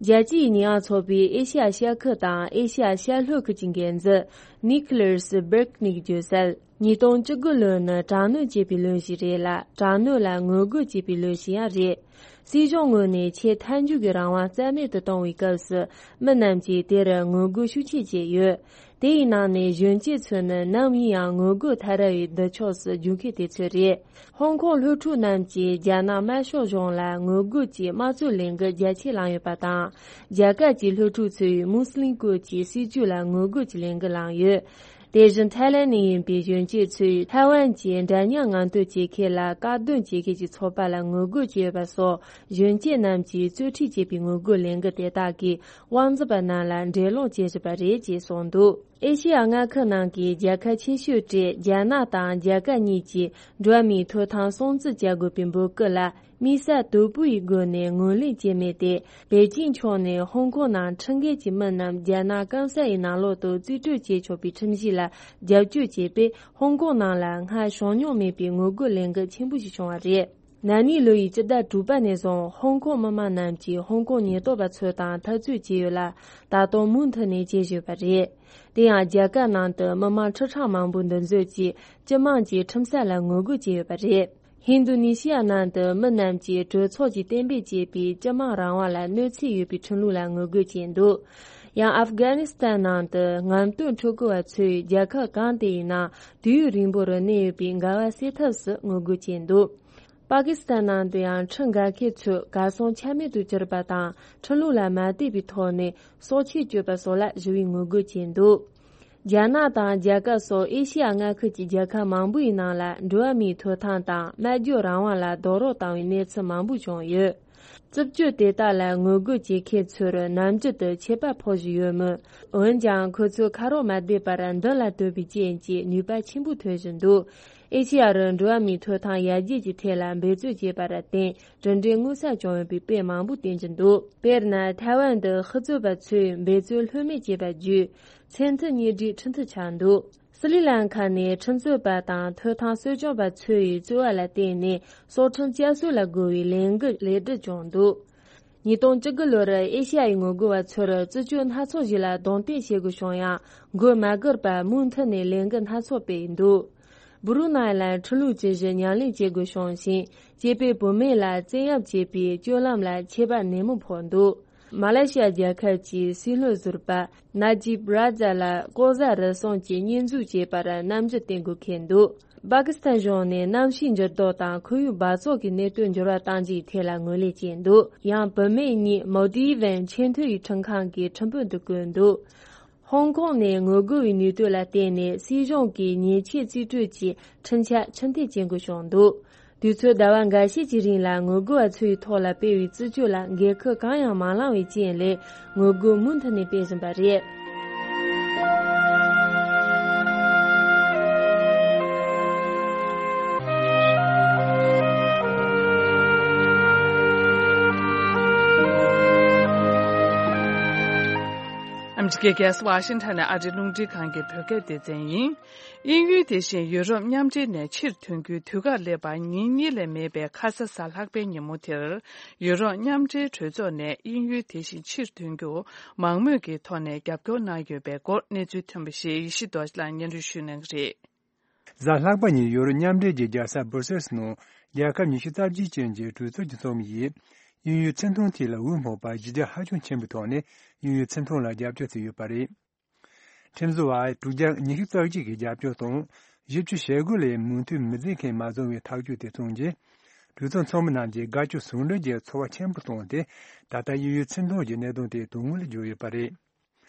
རྒྱལ་སྤྱིའི་ཉེས་ཡངས་ཚོགས་པའི་ཨེ་ཤེ་ཡ་ཤར་ཁུལ་དང་ཨེ་ཤེ་ཡ་ཤར་ལྷོ་ཁུལ་གྱི་འགན་འཛིན་ནིག་ལར་སི་སྦེར་ནིག་བརྗོད་གསལ། ཉིས་སྟོང་བཅུ་དགུ་ལོ་ནི་དྲག་གནོན་བྱེད་པའི་ལོ་ཞིག་རེད་ལ། དྲག་གནོན་ལ་ངོ་རྒོལ་བྱེད་པའི་ལོ་ཞིག་ཡང་རེད། སྲིད་གཞུང་ངོས་ནས་ཆེས་མཐའ་མཇུག་གི་རང་དབང་རྩ་མེད་དུ་གཏོང་བའི་སྐབས་སུ། མི་རྣམས་ཀྱིས་དེར་ངོ་རྒོལ་ཤུགས་ཆེ་བྱས་ཡོད། དེ་ཡི་ནང་ནས་གཞོན་སྐྱེས་ཚོ་ནི་ནམ་ཡིན་ཡང་ངོ་རྒོལ་མཐའ་ར་བའི་མདུན་ཕྱོགས་སུ་རྒྱུག་མཁན་དེ་ཚོ་རེད། ཧོང་ཀོང་སློབ་ཕྲུག་རྣམས་ཀྱིས་རྒྱ་ནག་དམར་ཤོག་གཞུང་ལ་ངོ་རྒོལ་གྱི་དམངས་གཙོའི་ལས་འགུལ་རྒྱ་ཆེ་བསླངས་ཡོད་པ་དང་། རྒྱ་གར་གྱི་སློབ་ཕྲུག་ཚོས་མུ་སི་ལིམ་སྐོར་གྱི་སྲིད་ཇུས་ལ་ངོ་རྒོལ་གྱི་ལས་འགུལ་བསླངས་ཡོད། དེ་བཞིན་ཐའི་ལེན་ནས་ཡིན་པའི་གཞོན་སྐྱེས་ཚོས་ཐའེ་ཝན་གྱི་འདྲ་མཉམ་ངང་སྡོད་བྱེད་མཁན་ལ་དཀའ་སྡུག་བྱེད་མཁན་གྱི་ཚོགས་པ་ལ་ངོ་རྒོལ་བྱས་ཡོད་པ་སོགས། གཞོན་སྐྱེས་རྣམས་ཀྱིས་གཙོ་ཁྲིད་བྱས་པའི་ངོ་རྒོལ་ལས་འགུལ་དེ་དག་གིས་དབང་འཛིན་པ་རྣམས་ལ་འགྲན་སློང་བྱེད་བཞིན་པ་རེད་ཅེས་གསུངས་འདུག་ཨེ་ཤེ་ཡ་མངའ་ཁུལ་ནང་གི་རྒྱལ་ཁབ་ཆེ་ཤོས་གྲས་རྒྱ་ནག་དང་རྒྱ་གར་གཉིས་ཀྱིས་འགྲོ་བ་མིའི་ཐོབ་ཐང་སྲུང་བརྩི་བྱ་དགོས་པའི་འབོད་སྐུལ་ལ། དམིགས་བསལ་དོད་པོ་ཡི་སྒོ་ནས་ངོས་ལེན་བྱས་མེད་དེ། པེ་ཅིང་ཕྱོགས་ནས་ཧོང་ཀོང་ནང་ཁྲིད་འགལ་གྱི་མི་རྣམས་རྒྱ་ནག་སྐམ་ས་ཡི་ནང་ལོགས་སུ་རྩིས་སྤྲོད་བྱེད་ཆོག་པའི་ཁྲིམས་གཞི་ལ་རྒྱབ་སྐྱོར་བྱས་པས། ཧོང་ཀོང་ནང་ལ་སྔར་བྱུང་མྱོང་མེད་པའི་ངོ་རྒོལ་ལས་འགུལ་ཆེན་པོ་ཞིག་བྱུང་བ་རེད། ན་ནིང་ལོ་ཡི་སྤྱི་ཟླ་དྲུག་པ་ནས་བཟུང་ཧོང་ཀོང་མི་མང་རྣམས་ཀྱིས་ཧོང་ཀོང་ཉེན་རྟོག་པ་ཚོ་དང་འཐབ་རྩོད་བྱས་ཡོད་ལ། ད་དུང་མུ་མཐུད་ནས་བྱེད་བཞིན་པ་རེད། དེ་ཡང་རྒྱ་གར་ནང་དུ་མི་མང་ཁྲི་ཕྲག་མང་པོ་འདུ་འཛོམས་ཀྱིས་སྤྱི་དམངས་ཀྱི་ཁྲིམས་སྲོལ་ལ་ངོ་རྒོལ་བྱས་ཡོད་པ་རེད། ཧིན་རྡུ་ནི་ཤི་ཡ་ནང་དུ་མི་རྣམས་ཀྱིས་གྲོས་ཚོགས་ཀྱིས་གཏན་འབེབས་བྱས་པའི་སྤྱི་དམངས་རང་དབང་ལ་གནོད་འཚེ་ཡོད་པའི་ཁྲིམས་ལུགས་ལ་ངོ་རྒོལ་བྱས་འདུག་ཡང་ཨབ་གྷ་ནི་སི་ཐན་ནང་དུ་རྔམ་སྟོན་ཕྲུ་གུ་བ་ཚོས་རྒྱལ་ཁབ་གང་དེ་ཡིན་ན་དུས་ཡུན་རིང་པོར་གནས་ཡོད་པའི་འགལ་བ་སེལ་ཐབས་སུ་ངོ་རྒོལ་བྱས་འདུག་པ་ཀི་སི་ཐན་ནང་དུ་ཡང་ཁྲིམས་འགལ་མཁན་ཚོས་གར་སོང་ཆ་མེད་དུ་གྱུར་པ་དང་། ཁྲིམས་ལུགས་ལ་མ་བསྡད་པའི་ཐོག་ནས་སྲོག་ཆད་གཅོད་པ་སོགས་ལ་ཞི་བའི་ངོ་རྒོལ་བྱས་འདུག་རྒྱ་ནག་དང་རྒྱ་གར་སོགས་ཨེ་ཤེ་ཡ་མངའ་ཁུལ་གྱི་རྒྱལ་ཁབ་མང་པོའི་ནང་ལ་འགྲོ་བ་མིའི་ཐོབ་ཐང་དང་སྨྲ་བརྗོད་རང་དབང་ལ་རྡོག་རོལ་བཏང་བའི་གནས་ཚུལ་མང་པོ་བྱུང་ཡོད། རྩུབ་སྤྱོད་དེ་དག་ལ་ངོ་རྒོལ་བྱེད་མཁན་ཚོར་ནམ་རྒྱུན་དུ་ཆད་པ་ཕོག་བཞིན་ཡོད་མོད། འོན་ཀྱང་ཁོ་ཚོས་ཁ་རོག་མ་བསྡད་པར་མདུན་ལ་སྡོད་པའི་རྐྱེན་གྱིས་ནུས་པ་ཆེན་པོ་ཐོན་བཞིན་འདུག་ཨེ་ཤེ་ཡ་རུ་འགྲོ་བ་མིའི་ཐོབ་ཐང་ཡར་རྒྱས་ཀྱི་ཐད་ལ་འབད་རྩོལ་བྱས་པར་བརྟེན། གྲུབ་འབྲས་མངོན་གསལ་བྱུང་ཡོད་པའི་དཔེ་མང་པོ་བསྟན་གྱི་འདུག་དཔེར་ན། ཐའེ་ཝན་དུ་ཤི་གཙོས་པ་ཚོས་འབད་རྩོལ་ལྷོད་མེད་བྱས་པ་བརྒྱུད། མཚན་མཐུན་གཉེན་སྒྲིག་ཁྲིམས་མཐུན་ཆགས་འདུག་སི་རི་ལང་ཁ་ནས་ཁྲིམས་རྩོད་པ་དང་ཐོབ་ཐང་གསོ་སྐྱོང་པ་ཚོ་ཡི་རྩོད་པ་ལ་བརྟེན་ནས་སྲོག་ཁྲིམས་བསྐྱར་གསོ་ལ་རྒོལ་བའི་ལས་འགུལ་ལེགས་གྲུབ་བྱུང་འདུག་ཉིས་སྟོང་བཅུ་དགུ་ལོར་ཨེ་ཤ་ཡའི་ངོ་རྒོལ་བ་ཚོར་རྩུབ་སྤྱོད་སྣ་ཚོགས་ཤིག་ལ་གདོང་གཏད་བྱེད་དགོས་བྱུང་ཡང་། མགོ་མ་སྒུར་བར་མུ་མཐུད་ནས་ལས་འགུལ་སྣ་ཚོགས་སྤེལ་འདུག་བུ་རུ་ནཱི་ལ་ཁྲིམས་ལུགས་ཇི་བཞིན་ཉམས་ལེན་བྱེད་དགོས་བྱུང་ཞིང་། སྐྱེས་པའི་བུད་མེད་ལ་བཙན་གཡེམ་བྱེད་པའི་སྤྱོད་ལམ་ལ་ཆད་པ་ནན་མོ་ཕོག་འདུག་མ་ལེ་ཤི་ཡ་རྒྱལ་ཁབ་ཀྱི་སྲིད་བློན་ཟུར་པ་ནཱ་ཇིབ་རཱ་ཛ་ལ་ལྐོག་ཟ་རུལ་སུངས་ཀྱི་བསྙོན་འཛུགས་བྱས་པར་རྣམ་འགྱུར་བསྟན་དགོས་འཁེལ་འདུག་པ་ཀི་སི་ཐན་གཞུང་ནས་གནམ་གཤིས་འགྱུར་ལྡོག་དང་ཁོར་ཡུག་འབག་བཙོག་གི་གནད་དོན་འགྱུར་བ་གཏང་རྒྱུའི་ཐད་ལ་ངོས་ལེན་བྱས་འདུག་ཡང་བུད་མེད་གཉིས་མོལ་དི་ཝན་ཆེས་མཐོའི་ཁྲིམས་ཁང་གི་ཁྲིམས་དཔོན་དུ་བསྐོས་འདུག་ཧོང་ཀོང་ནས་ངོ་རྒོལ་བའི་ནུས་སྟོབས་ལ་བརྟེན་ནས་སྲིད་གཞུང་གིས་ཉེས་ཆད་རྩིས་སྤྲོད་ཀྱི་ཁྲིམས་འཆར་ཕྱིར་འཐེན་བྱེད་དགོས་བྱུང་འདུག་དུས་ཚོད་ཟླ་བ་འགའ་ཤས་ཀྱི་རིང་ལ་ངོ་རྒོལ་བ་ཚོ་ཡི་ཐོག་ལ་སྤེལ་བའི་རྩིས་སྤྲོད་ལ་འགན་འཁུར་གང་ཡང་མ་བླངས་པའི་རྐྱེན་ལས། ངོ་རྒོལ་མུ་མཐུད་ནས་སྤེལ་བཞིན་པ་རེད། ཨ་མི་རི་ཀའི་རྒྱལ་ས་ཝ་ཤིང་ཊོན་ནས་ཨ་རིའི་རླུང་འཕྲིན་ཁང་གི་བོད་སྐད་སྡེ་ཚན་ཡིན། དབྱིན་ཡུལ་དེ་བཞིན་ཡུ་རོབ་མཉམ་འབྲེལ་ནས་ཕྱིར་ཐོན་རྒྱུའི་དུས་བཀག་སླེབས་པར་ཉིན་གཉིས་ལས་མེད་པའི་ཁ་ས་གཟའ་ལྷག་པའི་ཉིན་མོ་དེར། ཡུ་རོབ་མཉམ་འབྲེལ་གྲོས་ཚོགས་ནས་དབྱིན་ཡུལ་དེ་བཞིན་ཕྱིར་ཐོན་རྒྱུར་མང་མོས་ཀྱི་ཐོག་ནས་རྒྱབ་སྐྱོར་གནང་ཡོད་པའི་སྐོར་གནས་ཚུལ་ཐོན་པ་ཞིག་ཡེ་ཤེས་རྡོ་རྗེ་ལགས་སྙན་སྒྲོན་ཞུ་གནང་གི་རེད། གཟའ་ལྷག་པ་ཉིན་ཡུ་རོབ་མཉམ་འབྲེལ་གྱི་རྒྱལ་ས་སྦུར་སེལ་ནང་རྒྱལ་ཁབ་ཉི་ཤུ་རྩ་བརྒྱད་ཅན་གྱི་གྲོས་ཚོགས་ཀྱི་ཚོགས་མི་ཡིས་དབྱིན་ཡུལ་ཆིངས་ཐུང་ཐད་ལ་འོས་སྨོན་པ་གཞི་རྒྱ་ཧ་ཅང་ཆེན་པོའི་ཐོག་ནས་དབྱིན་ཡུལ་ཆིངས་ཐུང་ལ་རྒྱབ་སྐྱོར་བྱས་ཡོད་པ་རེད། ཁྲིམས་བཟོ་བ་དྲུག་བརྒྱ་ཉི་ཤུ་རྩ་གཅིག་གི་རྒྱབ་སྐྱོར་དང་བཞི་བཅུ་ཞེ་དགུ་ལས་མོས་མཐུན་མི་མཛད་མཁན་མ་བྱུང་བའི་ཐག་གཅོད་དེ་བྱུང་རྗེས། གྲོས་ཚོགས་ཚོགས་མི་རྣམས་ཀྱིས་དགའ་སྐྱོ་ཟུང་འབྲེལ་གྱི་ཚོར་བ་ཆེན་པོ་བྱུང་སྟེ། ད་ལྟ་དབྱིན་ཡུལ་ཆིངས་ཐུང་གི་གནད་དོན་དེ་དོན་དངོས་ལ་གྱུར་ཡོད་པ་རེད།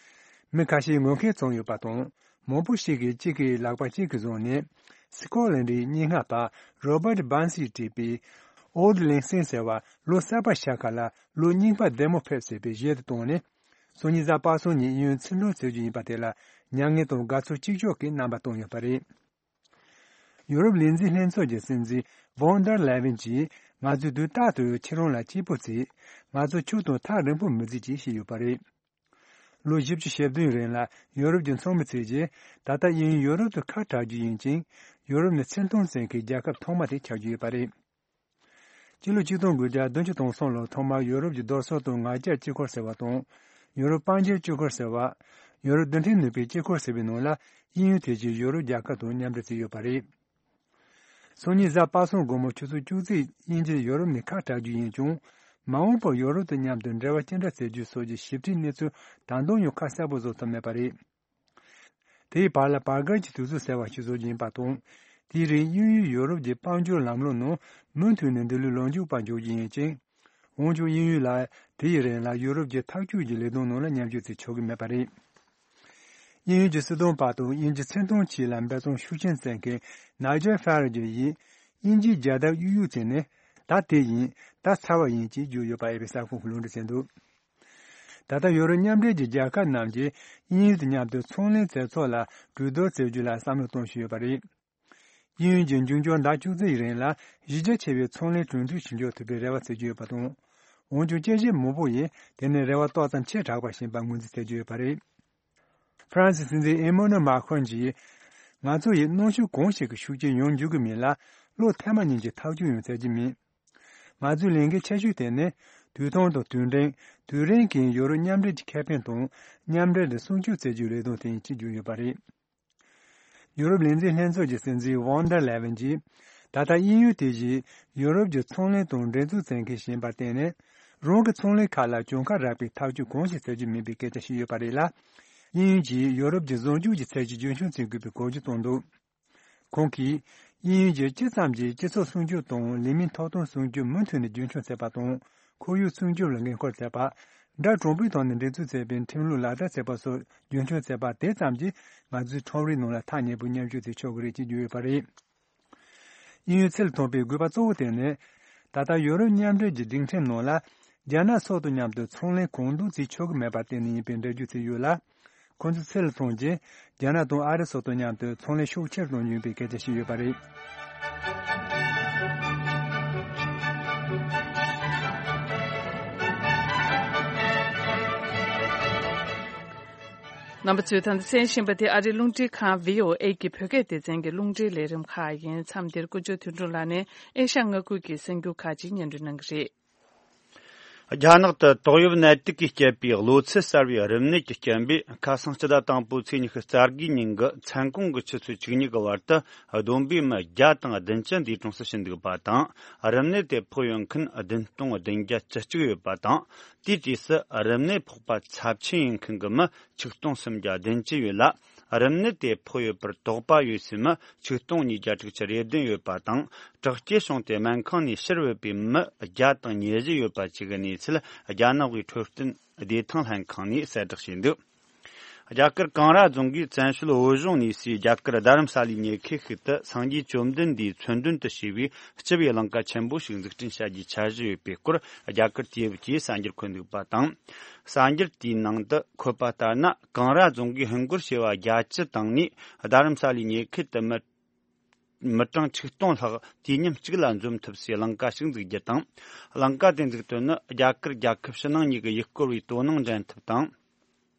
མི་ཁ་ཤས་ངོ་རྒོལ་བྱུང་ཡོད་པ་དང་། མང་པོ་ཞིག་གིས་གཅིག་གི་ལག་པ་གཅིག་གིས་བཟུང་ནས། སི་ཀོ་ལན་ཌིའི་སྙན་ངག་པ་རོ་བར་ཊི་སྦན་སིས་བྲིས་པའི་Auld Lang Syne ཟེར་བ། ལོ་གསར་པ་ཤར་ཁ་ལ་ལོ་རྙིང་པ་བདེ་མོ་ཕེབས་ཟེར་བའི་གཞས་དེ་བཏང་ནས། སང་ཉིན་གཟའ་པ་སངས་ཉིན་དབྱིན་ཡུལ་ཆིངས་ཐུང་བྱེད་རྒྱུ་ཡིན་པ་དེ་ལ་མྱ་ངན་དང་དགའ་ཚོར་གཅིག་ལྕོགས་ཀྱི་རྣམ་པ་བཏོན་ཡོད་པ་རེད། ཡུ་རོབ་ལས་འཛིན་ལྷན་ཚོགས་ཀྱི་སྲིད་འཛིན་ཝོན་ཌར་ལེ་ཝིན་གྱིས། ང་ཚོས་དུས་རྟག་ཏུ་ཁྱེད་རང་ལ་སྐྱིད་པོ་བྱེད། ང་ཚོ་ཁྱོད་དང་ཐག་རིང་པོ་མི་བྱེད་ཅེས་བཤད་ཡོད་པ་རེད། ལོ་བཞི་བཅུ་ཞེ་བདུན་རིང་ལ་ཡུ་རོབ་ཀྱི་ཚོགས་མི་ཚོས་ཀྱིས་ད་ལྟ་དབྱིན་ཡུལ་ཡུ་རོབ་ཏུ་ཁ་གྲག་རྒྱུ་ཡིན་ཅིང་། ཡུ་རོབ་ནི་ཆིངས་ཐུང་བཙན་མཁན་རྒྱལ་ཁབ་ཐོག་མ་དེ་ཆགས་རྒྱུ་ཡོད་པ་རེད། སྤྱི་ལོ་ཆིག་སྟོང་དགུ་བརྒྱ་བདུན་ཅུ་དོན་གསུམ་ལོར་ཐོག་མར་ཡུ་རོབ་ཀྱི་རྡོ་སོལ་དང་ངར་སྐྱེལ་དཀྱིལ་འཁོར་ཟེར་བ་དང་། ཡུ་རོབ་དཔལ་འབྱོར་དཀྱིལ་འཁོར་ཟེར་བ། ཡུ་རོབ་རྡུལ་ཕྲན་ནུས་པའི་དཀྱིལ་འཁོར་ཟེར་བའི་ནང་ལ་དབྱིན་ཡུལ་དེ་བཞིན་ཡུ་རོབ་རྒྱལ་ཁབ་དང་མཉམ་འབྲེལ་བྱས་ཡོད་པ་རེད། སང་ཉིན་གཟའ་པ་སངས་དགོང་མོ་ཆུ་ཚོད་བཅུ་གཅིག་དབྱིན་ཇིར་ཡུ་རོབ་ནས་ཁ་གྲག་རྒྱུ་ཡིན་ཀྱང་ མ་འོངས་པར་ཡོ་རོབ་དང་མཉམ་དུ་འབྲེལ་བ་ཅི་འདྲ་བཙལ་རྒྱུ་སོགས་ཀྱི་ཞིབ་ཕྲའི་གནས་ཚུལ་ད་དུང་ཡང་ཁ་གསལ་པོ་བཟོ་ཐུབ་མེད་པ་རེད། དེའི་བར་ལ་བར་བརྒལ་གྱི་དུས་ཚོད་ཟེར་བ་ཞིག་བཟོ་རྒྱུ་ཡིན་པ་དང་། དེའི་རིང་དབྱིན་ཡུལ་ཡོ་རོབ་ཀྱི་དཔལ་འབྱོར་ལམ་ལུགས་ནང་མུ་མཐུད་ནས་འདི་ལོའི་ལོ་མཇུག་བར་འཇོག་རྒྱུ་ཡིན་ཅིང་། འོན་ཀྱང་དབྱིན་ཡུལ་ལ་དེའི་རིང་ལ་ཡོ་རོབ་ཀྱི་ཐག་གཅོད་ཀྱི་ལས་དོན་ནང་ལ་མཉམ་ཞུགས་བྱེད་ཆོག་གི་མེད་པ་རེད། དབྱིན་ཡུལ་གྱི་སྲིད་དོན་པ་དང་དབྱིན་ཇི་ཚོང་དོན་ཆེད་ལ་འབད་བརྩོན་ཤུགས་ཆེན་བསྩལ་མཁན་ནཱི་ཇེལ་ཧྥ་རེ་ཇི་ཡིས་དབྱིན་ཇིའི་རྒྱལ་དར་གཡུག་གཡུག་བྱས་ནས་ད་དེ་ཡིན་ད་ཚར་བ་ཡིན་ཅེས་བརྗོད་ཡོད་པ་ཨེ་པི་གསར་ཁང་གིས་ལུང་འདྲེན་བྱས་འདུག་ད་ལྟ་ཡོ་རོབ་མཉམ་འབྲེལ་གྱི་རྒྱལ་ཁབ་རྣམས་ཀྱིས་དབྱིན་ཡུལ་དང་མཉམ་དུ་ཚོང་ལས་མཛད་ཚོགས་ལ་གྲོས་བསྡུར་བྱེད་རྒྱུ་ལ་བསམ་བློ་གཏོང་བཞིན་ཡོད་པ་རེད། དབྱིན་ཡུལ་གྱིས་འབྱུང་འགྱུར་ཟླ་བཅུ་གཅིག་ཡི་རིང་ལ་གཞི་རྒྱ་ཆེ་བའི་ཚོང་ལས་གྲོས་མཐུན་ཞིག་འཇོག་ཐུབ་པའི་རེ་བ་བྱེད་ཀྱི་ཡོད་པ་དང་། འོན་ཀྱང་དཔྱད་ཞིབ་མང་པོ་ཡིས་དེ་ནི་རེ་བ་ཏོག་ཙམ་ཆེ་དྲགས་པ་ཞིག་ཡིན་པར་ངོས་འཛིན་བྱེད་ཀྱི་ཡོད་པ་རེད། ཧྥ་རན་སིའི་སྲིད་འཛིན་ཨེ་མོ་ནུ་མཱ་ཁོན་གྱིས། ང་ཚོ་ཡིས་གནོན་ཤུགས་གང་ཞིག་གི་ཤུགས་རྐྱེན་ཡོང་འཇུག་གི་མིན་ལ། བློ་ཐེངས་མ་གཉིས་ཀྱི་ཐག་གཅོད་ཡང་བྱེད་ཀྱི་མིན། ང་ཚོའི་ལས་འགན་ཆེ་ཤོས་དེ་ནི། དུས་ཐུང་དང་དུས་འབྲིང་། དུས་རིང་གི་ཡོ་རོབ་མཉམ་འབྲེལ་གྱི་ཁེ་ཕན་དང་མཉམ་འབྲེལ་དུ་སྲུང་སྐྱོབ་བྱེད་རྒྱུའི་ལས་དོན་དེ་ཡིན་ཅེས་བརྗོད་ཡོད་པ་རེད། ཡོ་རོབ་ལས་འཛིན་ལྷན་ཚོགས་ཀྱི་སྲིད་འཛིན་ཝོན་ཌར་ལེ་ཝན་གྱིས། ད་ལྟ་དབྱིན་ཡུལ་དེ་བཞིན་ཡོ་རོབ་ཀྱི་ཚོང་ལས་དང་འགྲན་རྩོད་བྱེད་མཁན་ཞིག་ཡིན་པར་བརྟེན་ནས། རང་གི་ཚོང་ལས་ཁག་ལ་གྱོང་ཁ་རག་པའི་ཐག་གཅོད་གང་ཞིག་བྱེད་རྒྱུ་མིན་པའི་སྐད་ཆ་བཤད་ཡོད་པ་རེད་ལ། དབྱིན་ཡུལ་གྱིས་ཡོ་རོབ་ཀྱི་ཟུང་འཇུག་གི་ཚད་གཞི་རྒྱུན་འཁྱོངས་བྱེད་དགོས་པའི་འགོག་རྒྱུ་བཏོན་འདུག་ཁོང་གིས། དབྱིན་ཡུལ་གྱིས་ཅི་ཙམ་གྱིས་སྤྱི་ཚོགས་སྲུང་སྐྱོབ་དང་ལས་མིའི་ཐོབ་ཐང་སྲུང་སྐྱོབ་མུ་མཐུད་ནས་རྒྱུན་འཁྱོངས་བྱེད་པ་དང་། ཁོར་ཡུག་སྲུང་སྐྱོབ་ལ་འགན་འཁུར་བྱེད་པ། དགྲ་གྲོགས་པོའི་ཐོག་ནས་འགྲན་རྩོད་བྱེད་པའི་ཁྲིམས་ལུགས་ལག་བསྟར་བྱེད་པ་སོགས་རྒྱུན་འཁྱོངས་བྱེད་པ་དེ་ཙམ་གྱིས་ང་ཚོའི་ཁྲོམ་རའི་ནང་ལ་ཐག་ཉེ་པོ་མཉམ་ཞུགས་བྱེད་ཆོག་གི་རེད་ཅེས་བརྗོད་ཡོད་པ་རེད། དབྱིན་ཡུལ་ཚུར་ཐོན་པའི་དགོས་པ་གཙོ་བོ་དེ་ནི། ད་ལྟ་ཡོ་རོབ་མཉམ་འབྲེལ་གྱི་སྒྲིག་ཁྲིམས་ནང་ལ། རྒྱ་ནག་སོགས་དང་མཉམ་དུ་ཚོང་ལས་གང་འདོད་བྱེད་ཆོག་གི་མེད་པར་བརྟེན་ནས་ཡིན་པའི་འགྲེལ་བརྗོད་བྱས་ཡོད་ལ། ཁོ་ཚོས་ཚུར་ལ་ཐོན་རྗེས། རྒྱ་ནག་དང་ཨ་རི་སོགས་དང་མཉམ་དུ་ཚོང་ལས་ཤུགས་ཆེར་གཏོང་རྒྱུ་ཡིན་པའི་སྐད་ཆ་བཤད་ཡོད་པ་རེད། རྣམ་པ་ཚོས་ད་ལྟ་གསན་བཞིན་པ་དེ་ཨ་རིའི་རླུང་འཕྲིན་ཁང་བྷི་ཨོ་ཨེ་གི་བོད་སྐད་སྡེ་ཚན་གྱི་རླུང་འཕྲིན་ལས་རིམ་ཁག་ཡིན། མཚམས་འདིར་ཀུན་སྤྱོད་དོན་གྲུབ་ལགས་ནས་ཨེ་ཤ་ཡ་མངའ་ཁུལ་གྱི་གསར་འགྱུར་ཁག་ཅིག་སྙན་སྒྲོན་གནང་གི་རེད། རྒྱ་ནག་ཏུ་ཏོག་དབྱིབས་ནད་དུག་གིས་བསྐྱེད་པའི་གློ་ཚད་གསར་བའི་རིམས་ནད་ཀྱི་རྐྱེན་པས། ཁ་སང་སྤྱི་ཟླ་དང་པོའི་ཚེས་ཉི་ཤུ་རྩ་དགུའི་ཉིན་གྱི་མཚན་གུང་གི་ཆུ་ཚོད་བཅུ་གཉིས་ཀྱི་བར་དུ། བསྡོམས་པས་མི་བརྒྱ་དང་བདུན་ཅུ་འདས་གྲོངས་སུ་ཕྱིན་འདུག་པ་དང་། རིམས་ནད་དེ་ཕོག་ཡོད་མཁན་བདུན་སྟོང་བདུན་བརྒྱ་བཅུ་གཅིག་ཡོད་པ་དང་། དེའི་གྲས་སུ་རིམས་ནད་ཕོག་པ་ཚབས་ཆེན་ཡིན་མཁན་གྱི་མི་ཆིག་སྟོང་སུམ་བརྒྱ་བདུན་ཅུ་ཡོད་ལ། རིམས་ནད་དེ་ཕོག་ཡོད་པར་དོགས་པ་ཡོད་སའི་མི་ཆིག་སྟོང་ཉིས་བརྒྱ་དྲུག་ཅུ་རེ་བདུན་ཡོད་པ་དང་། དྲག་སྐྱེད་བྱུང་སྟེ་སྨན་ཁང་ནས་ཕྱིར་བུད་པའི་མི་བརྒྱ་དང་ཉེར་བཞི་ཡོད་པ་བཅས་ཀྱི་གནས་ཚུལ་རྒྱ་ནག་གི་འཕྲོད་བསྟེན་བདེ་ཐང་ལྷན་ཁང་ནས་གསལ་བསྒྲགས་བྱས་འདུག་རྒྱ་གར་ཀང་ར་རྫོང་གིས་བཙན་བྱོལ་བོད་གཞུང་ནས་སའི་རྒྱ་གར་རྡ་རམ་ས་ལའི་ཉེ་ཁའི་ཤུལ་དུ་སངས་རྒྱས་བཅོམ་ལྡན་འདས་མཚོན་དོན་དུ་བྱས་པའི་སྤྱི་པའི་གླིང་ག་ཆེན་པོ་ཞིག་འཛུགས་སྐྲུན་བྱ་རྒྱུའི་འཆར་གཞི་ཡོད་པའི་སྐོར། རྒྱ་གར་དུས་བབ་ཀྱིས་གསར་འགྱུར་འཁོད་འདུག་པ་དང་། གསར་འགྱུར་དེའི་ནང་དུ་འཁོད་པ་ལྟར་ན། ཀང་ར་རྫོང་གིས་ཧིན་སྒོར་བྱེ་བ་བརྒྱད་ཅུ་བཏང་ནས་རྡ་རམ་ས་ལའི་ཉེ་ཁུལ་དུ་མི་མི་གྲངས་ཆིག་སྟོང་ལྷག་དུས་མཉམ་གཅིག་ལ་འཛོམས་ཐུབ་སའི་གླིང་ག་ཞིག་འཛུགས་རྒྱུ་དང་། གླིང་ག་དེ་འཛུགས་དོན་ནི་རྒྱ་གར་རྒྱལ་ཁབ་ཕྱི་ནང་གཉིས་ཀྱི་ཡུལ་སྐོར་བའི་དོ་སྣང་འདྲེན་ཐབས་དང་།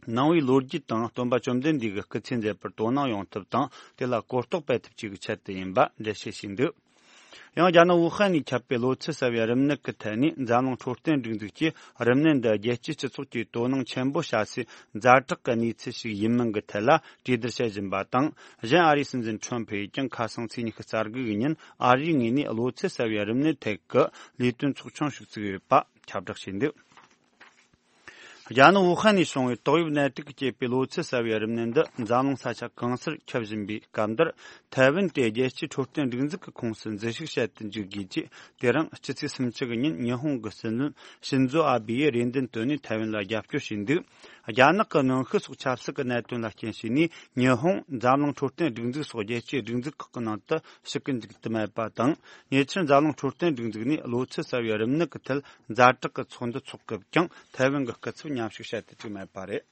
ནང་པའི་ལོ་རྒྱུས་དང་སྟོན་པ་བཅོམ་ལྡན་འདས་ཀྱི་སྐུ་ཚེ་མཛད་པར་དོ་སྣང་ཡོང་ཐབས་དང་། དེ་ལ་གོ་རྟོགས་སྤེལ་ཐབས་བཅས་ཀྱི་ཆེད་དུ་ཡིན་པ་འགྲེལ་བཤད་བྱས་འདུག་ཡང་རྒྱ་ནག་ཝུ་ཧན་ནས་ཁྱབ་པའི་གློ་ཚད་གསར་བའི་རིམས་ནད་ཀྱི་ཐད་ནས། འཛམ་གླིང་འཕྲོད་བསྟེན་སྒྲིག་འཛུགས་ཀྱིས་རིམས་ནད་འདི་རྒྱལ་སྤྱིའི་སྤྱི་ཚོགས་ཀྱིས་དོ་སྣང་ཆེན་པོ་བྱ་སའི་ཛ་དྲག་གི་གནས་ཚུལ་ཞིག་ཡིན་མིན་གྱི་ཐད་ལ་གྲོས་བསྡུར་བྱེད་བཞིན་པ་དང་། གཞན་ཨ་རིའི་སྲིད་འཛིན་ཁྲོམ་ཕུ་ཡིས་ཀྱང་ཁ་སང་ཚེས་ཉི་ཤུ་རྩ་དགུ་ཡི་ཉིན་ཨ་རིའི་ངོས་ནས་གློ་ཚད་གསར་བའི་རིམས་ནད་ཐད་ཀྱི་ལས་དོན་ཚོགས་ཆུང་ཞིག་བཙུགས་ཡོད་པ་ཁྱབ་བསྒྲགས་བྱས་འདུག་རྒྱ་ནག་ཝུ་ཧན་ནས་བྱུང་བའི་ཏོག་དབྱིབས་ནད་དུག་གིས་བསྐྱེད་པའི་གློ་ཚད་གསར་བའི་རིམས་ནད་འདི་འཛམ་གླིང་ས་ཆ་གང་སར་ཁྱབ་བཞིན་པའི་སྐབས་འདིར། ཐའེ་ཝན་དེ་རྒྱལ་སྤྱིའི་འཕྲོད་བསྟེན་སྒྲིག་འཛུགས་ཀྱི་ཁོངས་སུ་འཛུལ་ཞུགས་བྱེད་དུ་འཇུག་དགོས་ཀྱི། དེ་རིང་ཕྱི་ཚེས་སུམ་ཅུ་གི་ཉིན་ཉི་ཧོང་གི་སྲིད་བློན་ཤིན་ཛོ་ཨ་བྷེ་ཡིས་རེ་འདུན་བཏོན་ནས་ཐའེ་ཝན་ལ་རྒྱབ་སྐྱོར་བྱས་འདུག་རྒྱ་ནག་གི་གནོན་ཤུགས་སོགས་ཆབ་སྲིད་ཀྱི་གནད་དོན་ལ་རྐྱེན་བྱས་ནས། ཉི་ཧོང་འཛམ་གླིང་འཕྲོད་བསྟེན་སྒྲིག་འཛུགས་སོགས་རྒྱལ་སྤྱིའི་སྒྲིག་འཛུགས་ཁག་གི་ནང་དུ་ཞུགས་ཀྱི་འཇུག་ཏུ་མེད་པ་དང་། ཉེ་ཆར་འཛམ་གླིང་འཕྲོད་བསྟེན་སྒྲིག་འཛུགས་ནས་གློ་ཚད་གསར་བའི་རིམས་ནད་ཀྱི་ཐད་ཛ་དྲག་གི་ཚོགས་འདུ་འཚོགས་སྐབས་ཀྱང་ཐའེ་ཝན་གྱི་སྐུ་ཚབ་མཉམ་ཞུགས་བྱེད་དུ་བཅུག་མེད་པ་རེད།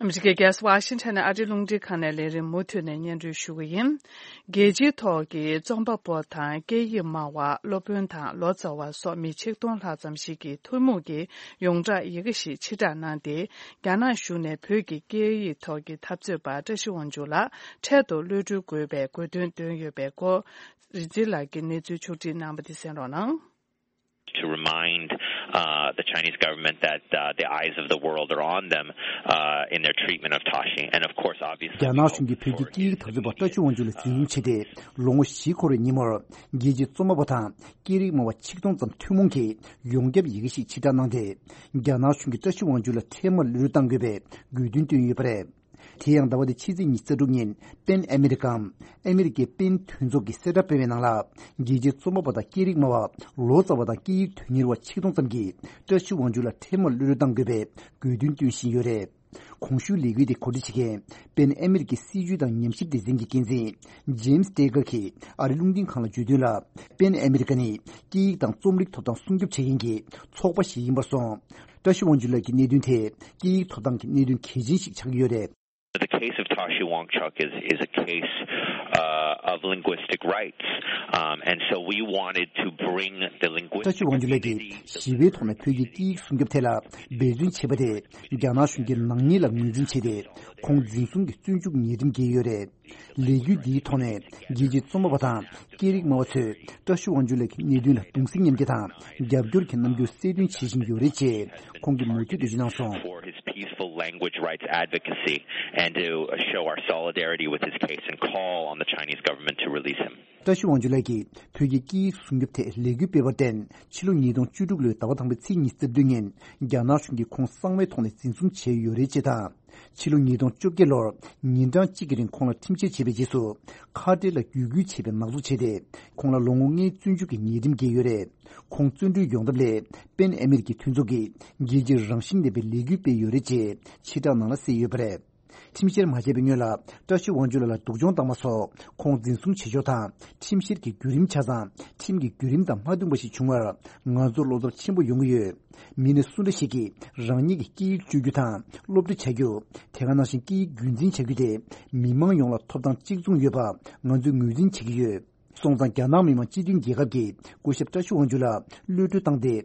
ཨ་མི་རི་ཀའི་རྒྱལ་ས་ཝ་ཤིང་ཊོན་ནས་ཨ་རིའི་རླུང་འཕྲིན་ཁང་ནས་ལས་རིམ་མུ་མཐུད་ནས་སྙན་སྒྲོན་ཞུ་གི་ཡིན། རྒྱལ་སྤྱིའི་ཐོག་གི་རྩོམ་པ་པོ་དང་སྐད་ཡིག་སྨྲ་བ། སློབ་དཔོན་དང་ལོ་ཙཱ་བ་སོགས་མི་ཆིག་སྟོང་ལྷག་ཙམ་ཞིག་གིས་ཐུན་མོང་གི་ཡོངས་གྲགས་ཡི་གེ་ཞིག་ཕྱིར་བསྒྲགས་གནང་སྟེ། རྒྱ་ནག་གཞུང་ནས་བོད་ཀྱི་སྐད་ཡིག་ཐོག་གི་འཐབ་རྩོད་པ་བཀྲ་ཤིས་དབང་ཕྱུག་ལ་འཕྲལ་དུ་གློད་གྲོལ་དགོས་པའི་དགོས་འདུན་བཏོན་ཡོད་པའི་སྐོར། རིག་འཛིན་ལགས་ཀྱིས་གནས་ཚུལ་ཕྱོགས་སྒྲིག་གནང་བ་དེ་གསན་རོགས་གནང་། to remind uh, the Chinese government that uh, the eyes of the world are on them uh, in their treatment of Tashi. And of course, obviously, རྒྱ་ནག་གཞུང་གིས་བོད་ཀྱི་སྐད་ཡིག་དར་ཚུལ་པ་བཀྲ་ཤིས་དབང་ཕྱུག་ལ་འཛིན་བཟུང་བྱས་ཏེ། ལོ་ངོ་བཞི་འཁོར་བའི་ཉིན་མོར། རྒྱལ་སྤྱིའི་རྩོམ་པ་པོ་དང་སྐད་རིགས་སྨྲ་བ་ཆིག་སྟོང་ཙམ་ཐུན་མོང་གིས་ཡོངས་ཁྱབ་ཡི་གེ་ཞིག་ཕྱིར་བསྒྲགས་གནང་སྟེ། རྒྱ་ནག་གཞུང་གིས་བཀྲ་ཤིས་དབང་ཕྱུག་ལ་ཐེངས་མང་གློད་གྲོལ་གཏང་དགོས་པའི་དགོས་འདུན་བཏོན་ཡོད་པ་རེད། དེ་ཡང་ཟླ་བ་འདིའི་ཕྱི་ཚེས་ཉི་ཤུ་རྩ་དྲུག་ཉིན་པེན་ཨ་མི་རི་ཀའམ་ཨ་མི་རི་ཀའི་པེན་མཐུན་ཚོགས་ཀྱིས་གསལ་བསྒྲགས་སྤེལ་བའི་ནང་ལ། རྒྱལ་སྤྱིའི་རྩོམ་པ་པོ་དང་སྐད་རིགས་སྨྲ་བ་ལོ་ཙཱ་བ་དང་སྐད་ཡིག་དོན་གཉེར་བ་ཆིག་སྟོང་ཙམ་གྱིས་བཀྲ་ཤིས་དབང་ཕྱུག་ལ་ཐེངས་མང་གློད་གྲོལ་གཏང་དགོས་པའི་དགོས་འདུན་བཏོན་བཞིན་ཡོད་རེད། གོང་ཞུས་ལས་འགུལ་དེ་གོ་སྒྲིག་བྱེད་མཁན་པེན་ཨ་མི་རི་ཀའི་སྲིད་བྱུས་དང་ཉམས་ཞིབ་སྡེ་ཚན་གྱི་འགན་འཛིན་ཇེམ་སི་ཏེ་གར་གྱིས་ཨ་རིའི་རླུང་འཕྲིན་ཁང་ལ་བརྗོད་དོན་ལ། པེན་ཨ་མི་རི་ཀ་ནི་སྐད་ཡིག་དང་རྩོམ་རིག་ཐོབ་ཐང་སྲུང་སྐྱོབ་བྱེད་མཁན་གྱི་ཚོགས་པ་ཞིག་ཡིན་པར་སོང་། བཀྲ་ཤིས་དབང་ཕྱུག་ལགས་ཀྱི་གནད་དོན་དེ་སྐད་ཡིག་ཐོབ་ཐང་གི་གནད་དོན་གལ་ཆེན་ཞིག་ཆགས་ཀྱི་ཡོད་རེད། The case of Tashi Wangchuk is, is a case uh, of linguistic rights. Um, and so we wanted to bring the linguistic བཀྲ་ཤིས་དབང་ཕྱུག་ལགས་ཀྱིས་ཞི་བའི་ཐོག་ནས་བོད་ཀྱི་སྐད་ཡིག་སྲུང་སྐྱོབ་ཐད་ལ་འབད་བརྩོན་བྱས་པ་དེ་རྒྱ་ནག་གཞུང་གིས་ནག་ཉེས་ལ་ངོས་འཛིན་བྱས་ཏེ། ཁོང་འཛིན་བཟུང་གི་བཙོན་འཇུག་ཉེས་ཁྲིམས་འགེལ་ཡོད་རེད། ལས་འགུལ་འདིའི་ཐོག་ནས་རྒྱལ་སྤྱིའི་རྩོམ་པ་པོ་དང་སྐད་རིགས་སྨྲ་བ་ཚོས་བཀྲ་ཤིས་དབང་ཕྱུག་ལགས་ཀྱི་གནད་དོན་ལ་གདུང་སེམས་མཉམ་སྐྱེད་དང་རྒྱབ་སྐྱོར་གྱི་རྣམ་འགྱུར་གསལ་སྟོན་བྱེད་བཞིན་ཡོད་རེད་ཅེས་ཁོང་གིས་མུ་མཐུད་འགྲེལ་བརྗོད་གནང་སོང་། For his peaceful language rights advocacy and to show our solidarity with his case and call on the Chinese government to release him. བཀྲ་ཤིས་དབང་ཕྱུག་ལགས་ཀྱིས་བོད་ཀྱི་སྐད་ཡིག་སྲུང་སྐྱོབ་ཐད་ལས་འགུལ་སྤེལ་བར་བརྟེན། ཕྱི་ལོ་ཉིས་སྟོང་བཅུ་དྲུག་ལོའི་ཟླ་བ་དང་པོའི་ཚེས་ཉི་ཤུ་རྩ་བདུན་ཉིན་རྒྱ་ནག་གཞུང་གིས་ཁོང་གསང་བའི་ཐོག་ནས་འཛིན་བཟུང་བྱས་ཡོད་རེད་ཅེས་དང་། ཕྱི་ལོ་ཉིས་སྟོང་བཅོ་བརྒྱད་ལོར་ཉིན་གྲངས་གཅིག་གི་རིང་ཁོང་ལ་ཁྲིམས་བཤེར་བྱས་པའི་རྗེས་སུ། ཁ་བྲལ་ལ་བརྒྱུད་སྐུལ་བྱས་པའི་ནག་འཛུགས་བྱས་ཏེ། ཁོང་ལ་ལོ་ངོ་ལྔའི་བཙོན་འཇུག་གི་ཉེས་ཁྲིམས་འགེལ་ཡོད་རེད། ཁོང་བཙོན་གྲོལ་ཡོང་ཐབས་སླད། པེན་ཨ་མི་རི་ཀའི་མཐུན་ཚོགས་ཀྱིས་རྒྱལ་སྤྱིའི་རང་བཞིན་ལྡན་པའི་ལས་འགུལ་སྤེལ་ཡོད་རེད་ཅེས་ཕྱིར་བསྒྲགས་ནང་ལ་གསལ་ཡོད་པ་རེད། ཁྲིམས་བཤེར་མ་བྱས་པའི་སྔོན་ལ་བཀྲ་ཤིས་དབང་ཕྱུག་ལགས་ལ་སྡུག་སྦྱོང་བཏང་བ་སོགས་ཁོང་འཛིན་བཟུང་བྱེད་ཕྱོགས་དང་ཁྲིམས་བཤེར་གྱི་བརྒྱུད་རིམ་ཆ་ཚང་ཁྲིམས་ཀྱི་བརྒྱུད་རིམ་དང་མ་མཐུན་པ་ཞིག་བྱུང་བར་ང་ཚོར་བློ་འཚབ་ཆེན་པོ་ཡོང་གི་ཡོད། མི་སྣ་སུ་འདྲ་ཞིག་གིས་རང་ཉིད་ཀྱི་སྐད་ཡིག་སྤྱོད་རྒྱུ་དང་སློབ་ཁྲིད་བྱ་རྒྱུ། དེ་ག་ནང་བཞིན་སྐད་ཡིག་རྒྱུན་འཛིན་བྱ་རྒྱུ་དེ་མི་མང་ཡོངས་ལ་ཐོབ་ཐང་གཅིག་མཚུངས་ཡོད་པ་ང་ཚོས་ངོས་འཛིན་བྱེད་ཀྱི་ཡོད། སོང་ཙང་རྒྱ་ནག་མི་དམངས་སྤྱི་མཐུན་རྒྱལ་ཁབ་ཀྱིས་སྐུ་ཞབས་བཀྲ་ཤིས་དབང་ཕྱུག་ལ་གློད་གྲོལ་བཏང་སྟེ།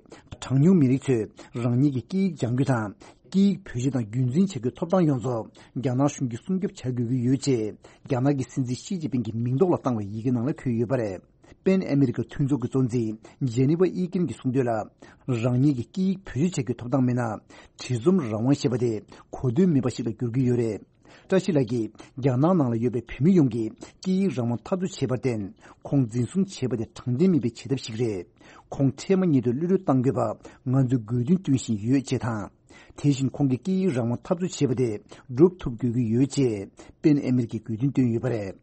གྲངས་ཉུང་མི་རིགས་ཚོས་རང་ཉིད་ཀྱི་སྐད་ཡིག་སྦྱང་རྒྱུ་དང་། སྐད་ཡིག་བེད་སྤྱོད་དང་རྒྱུན་འཛིན་བྱ་རྒྱུའི་ཐོབ་ཐང་ཡོངས་རྫོགས་རྒྱ་ནག་གཞུང་གིས་སྲུང་སྐྱོབ་བྱ་དགོས་ཀྱི་ཡོད་ཅེས། རྒྱ་ནག་གི་སྲིད་འཛིན་ཞི་ཅིན་ཕིང་གི་མིང་ཐོག་ལ་བཏང་བའི་ཡི་གེ་ནང་ལ་འཁོད་ཡོད་པ་རེད། པེན་ཨ་མི་རི་ཀ་མཐུན་ཚོགས་ཀྱི་གཙོ་འཛིན་ཇེ་ནི་ཝ་ཨི་ཀིན་གྱིས་གསུངས་དོན་ལ། རང་ཉིད་ཀྱི་སྐད་ཡིག་བེད་སྤྱོད་བྱ་རྒྱུའི་ཐོབ་ཐང་མེད་ན། བྲིས་རྩོམ་རང་དབང་ཞེས་པ་དེ་གོ་དོན་མེད་པ་ཞིག་ལ་འགྱུར་གྱི་ཡོད་རེད། བཀྲ་ཤིས་ལགས་ཀྱིས་རྒྱ་ནག་ནང་ལ་ཡོད་པའི་བོད་མི་ཡོངས་ཀྱི་སྐད་ཡིག་རང་དབང་འཐབ་རྩོད་བྱས་པར་བརྟེན། ཁོང་འཛིན་བཟུང་བྱས་པ་དེ་དྲང་བདེན་མིན་པའི་བྱེད་ཐབས་ཤིག་རེད། ཁོང་འཕྲལ་མ་ཉིད་དུ་གློད་གྲོལ་གཏང་དགོས་པ་ང་ཚོས་དགོས་འདུན་བཏོན་བཞིན་ཡོད་ཅེས་དང་། དེ་བཞིན་ཁོང་གིས་སྐད་ཡིག་རང་དབང་འཐབ་རྩོད་བྱས་པ་དེ་སྒྲུབ་ཐུབ་དགོས་ཀྱི་ཡོད་ཅེས་པེན་ཨ་མི་རི་ཀས་དགོས་འདུན་བཏོན་ཡོད་པ་རེད།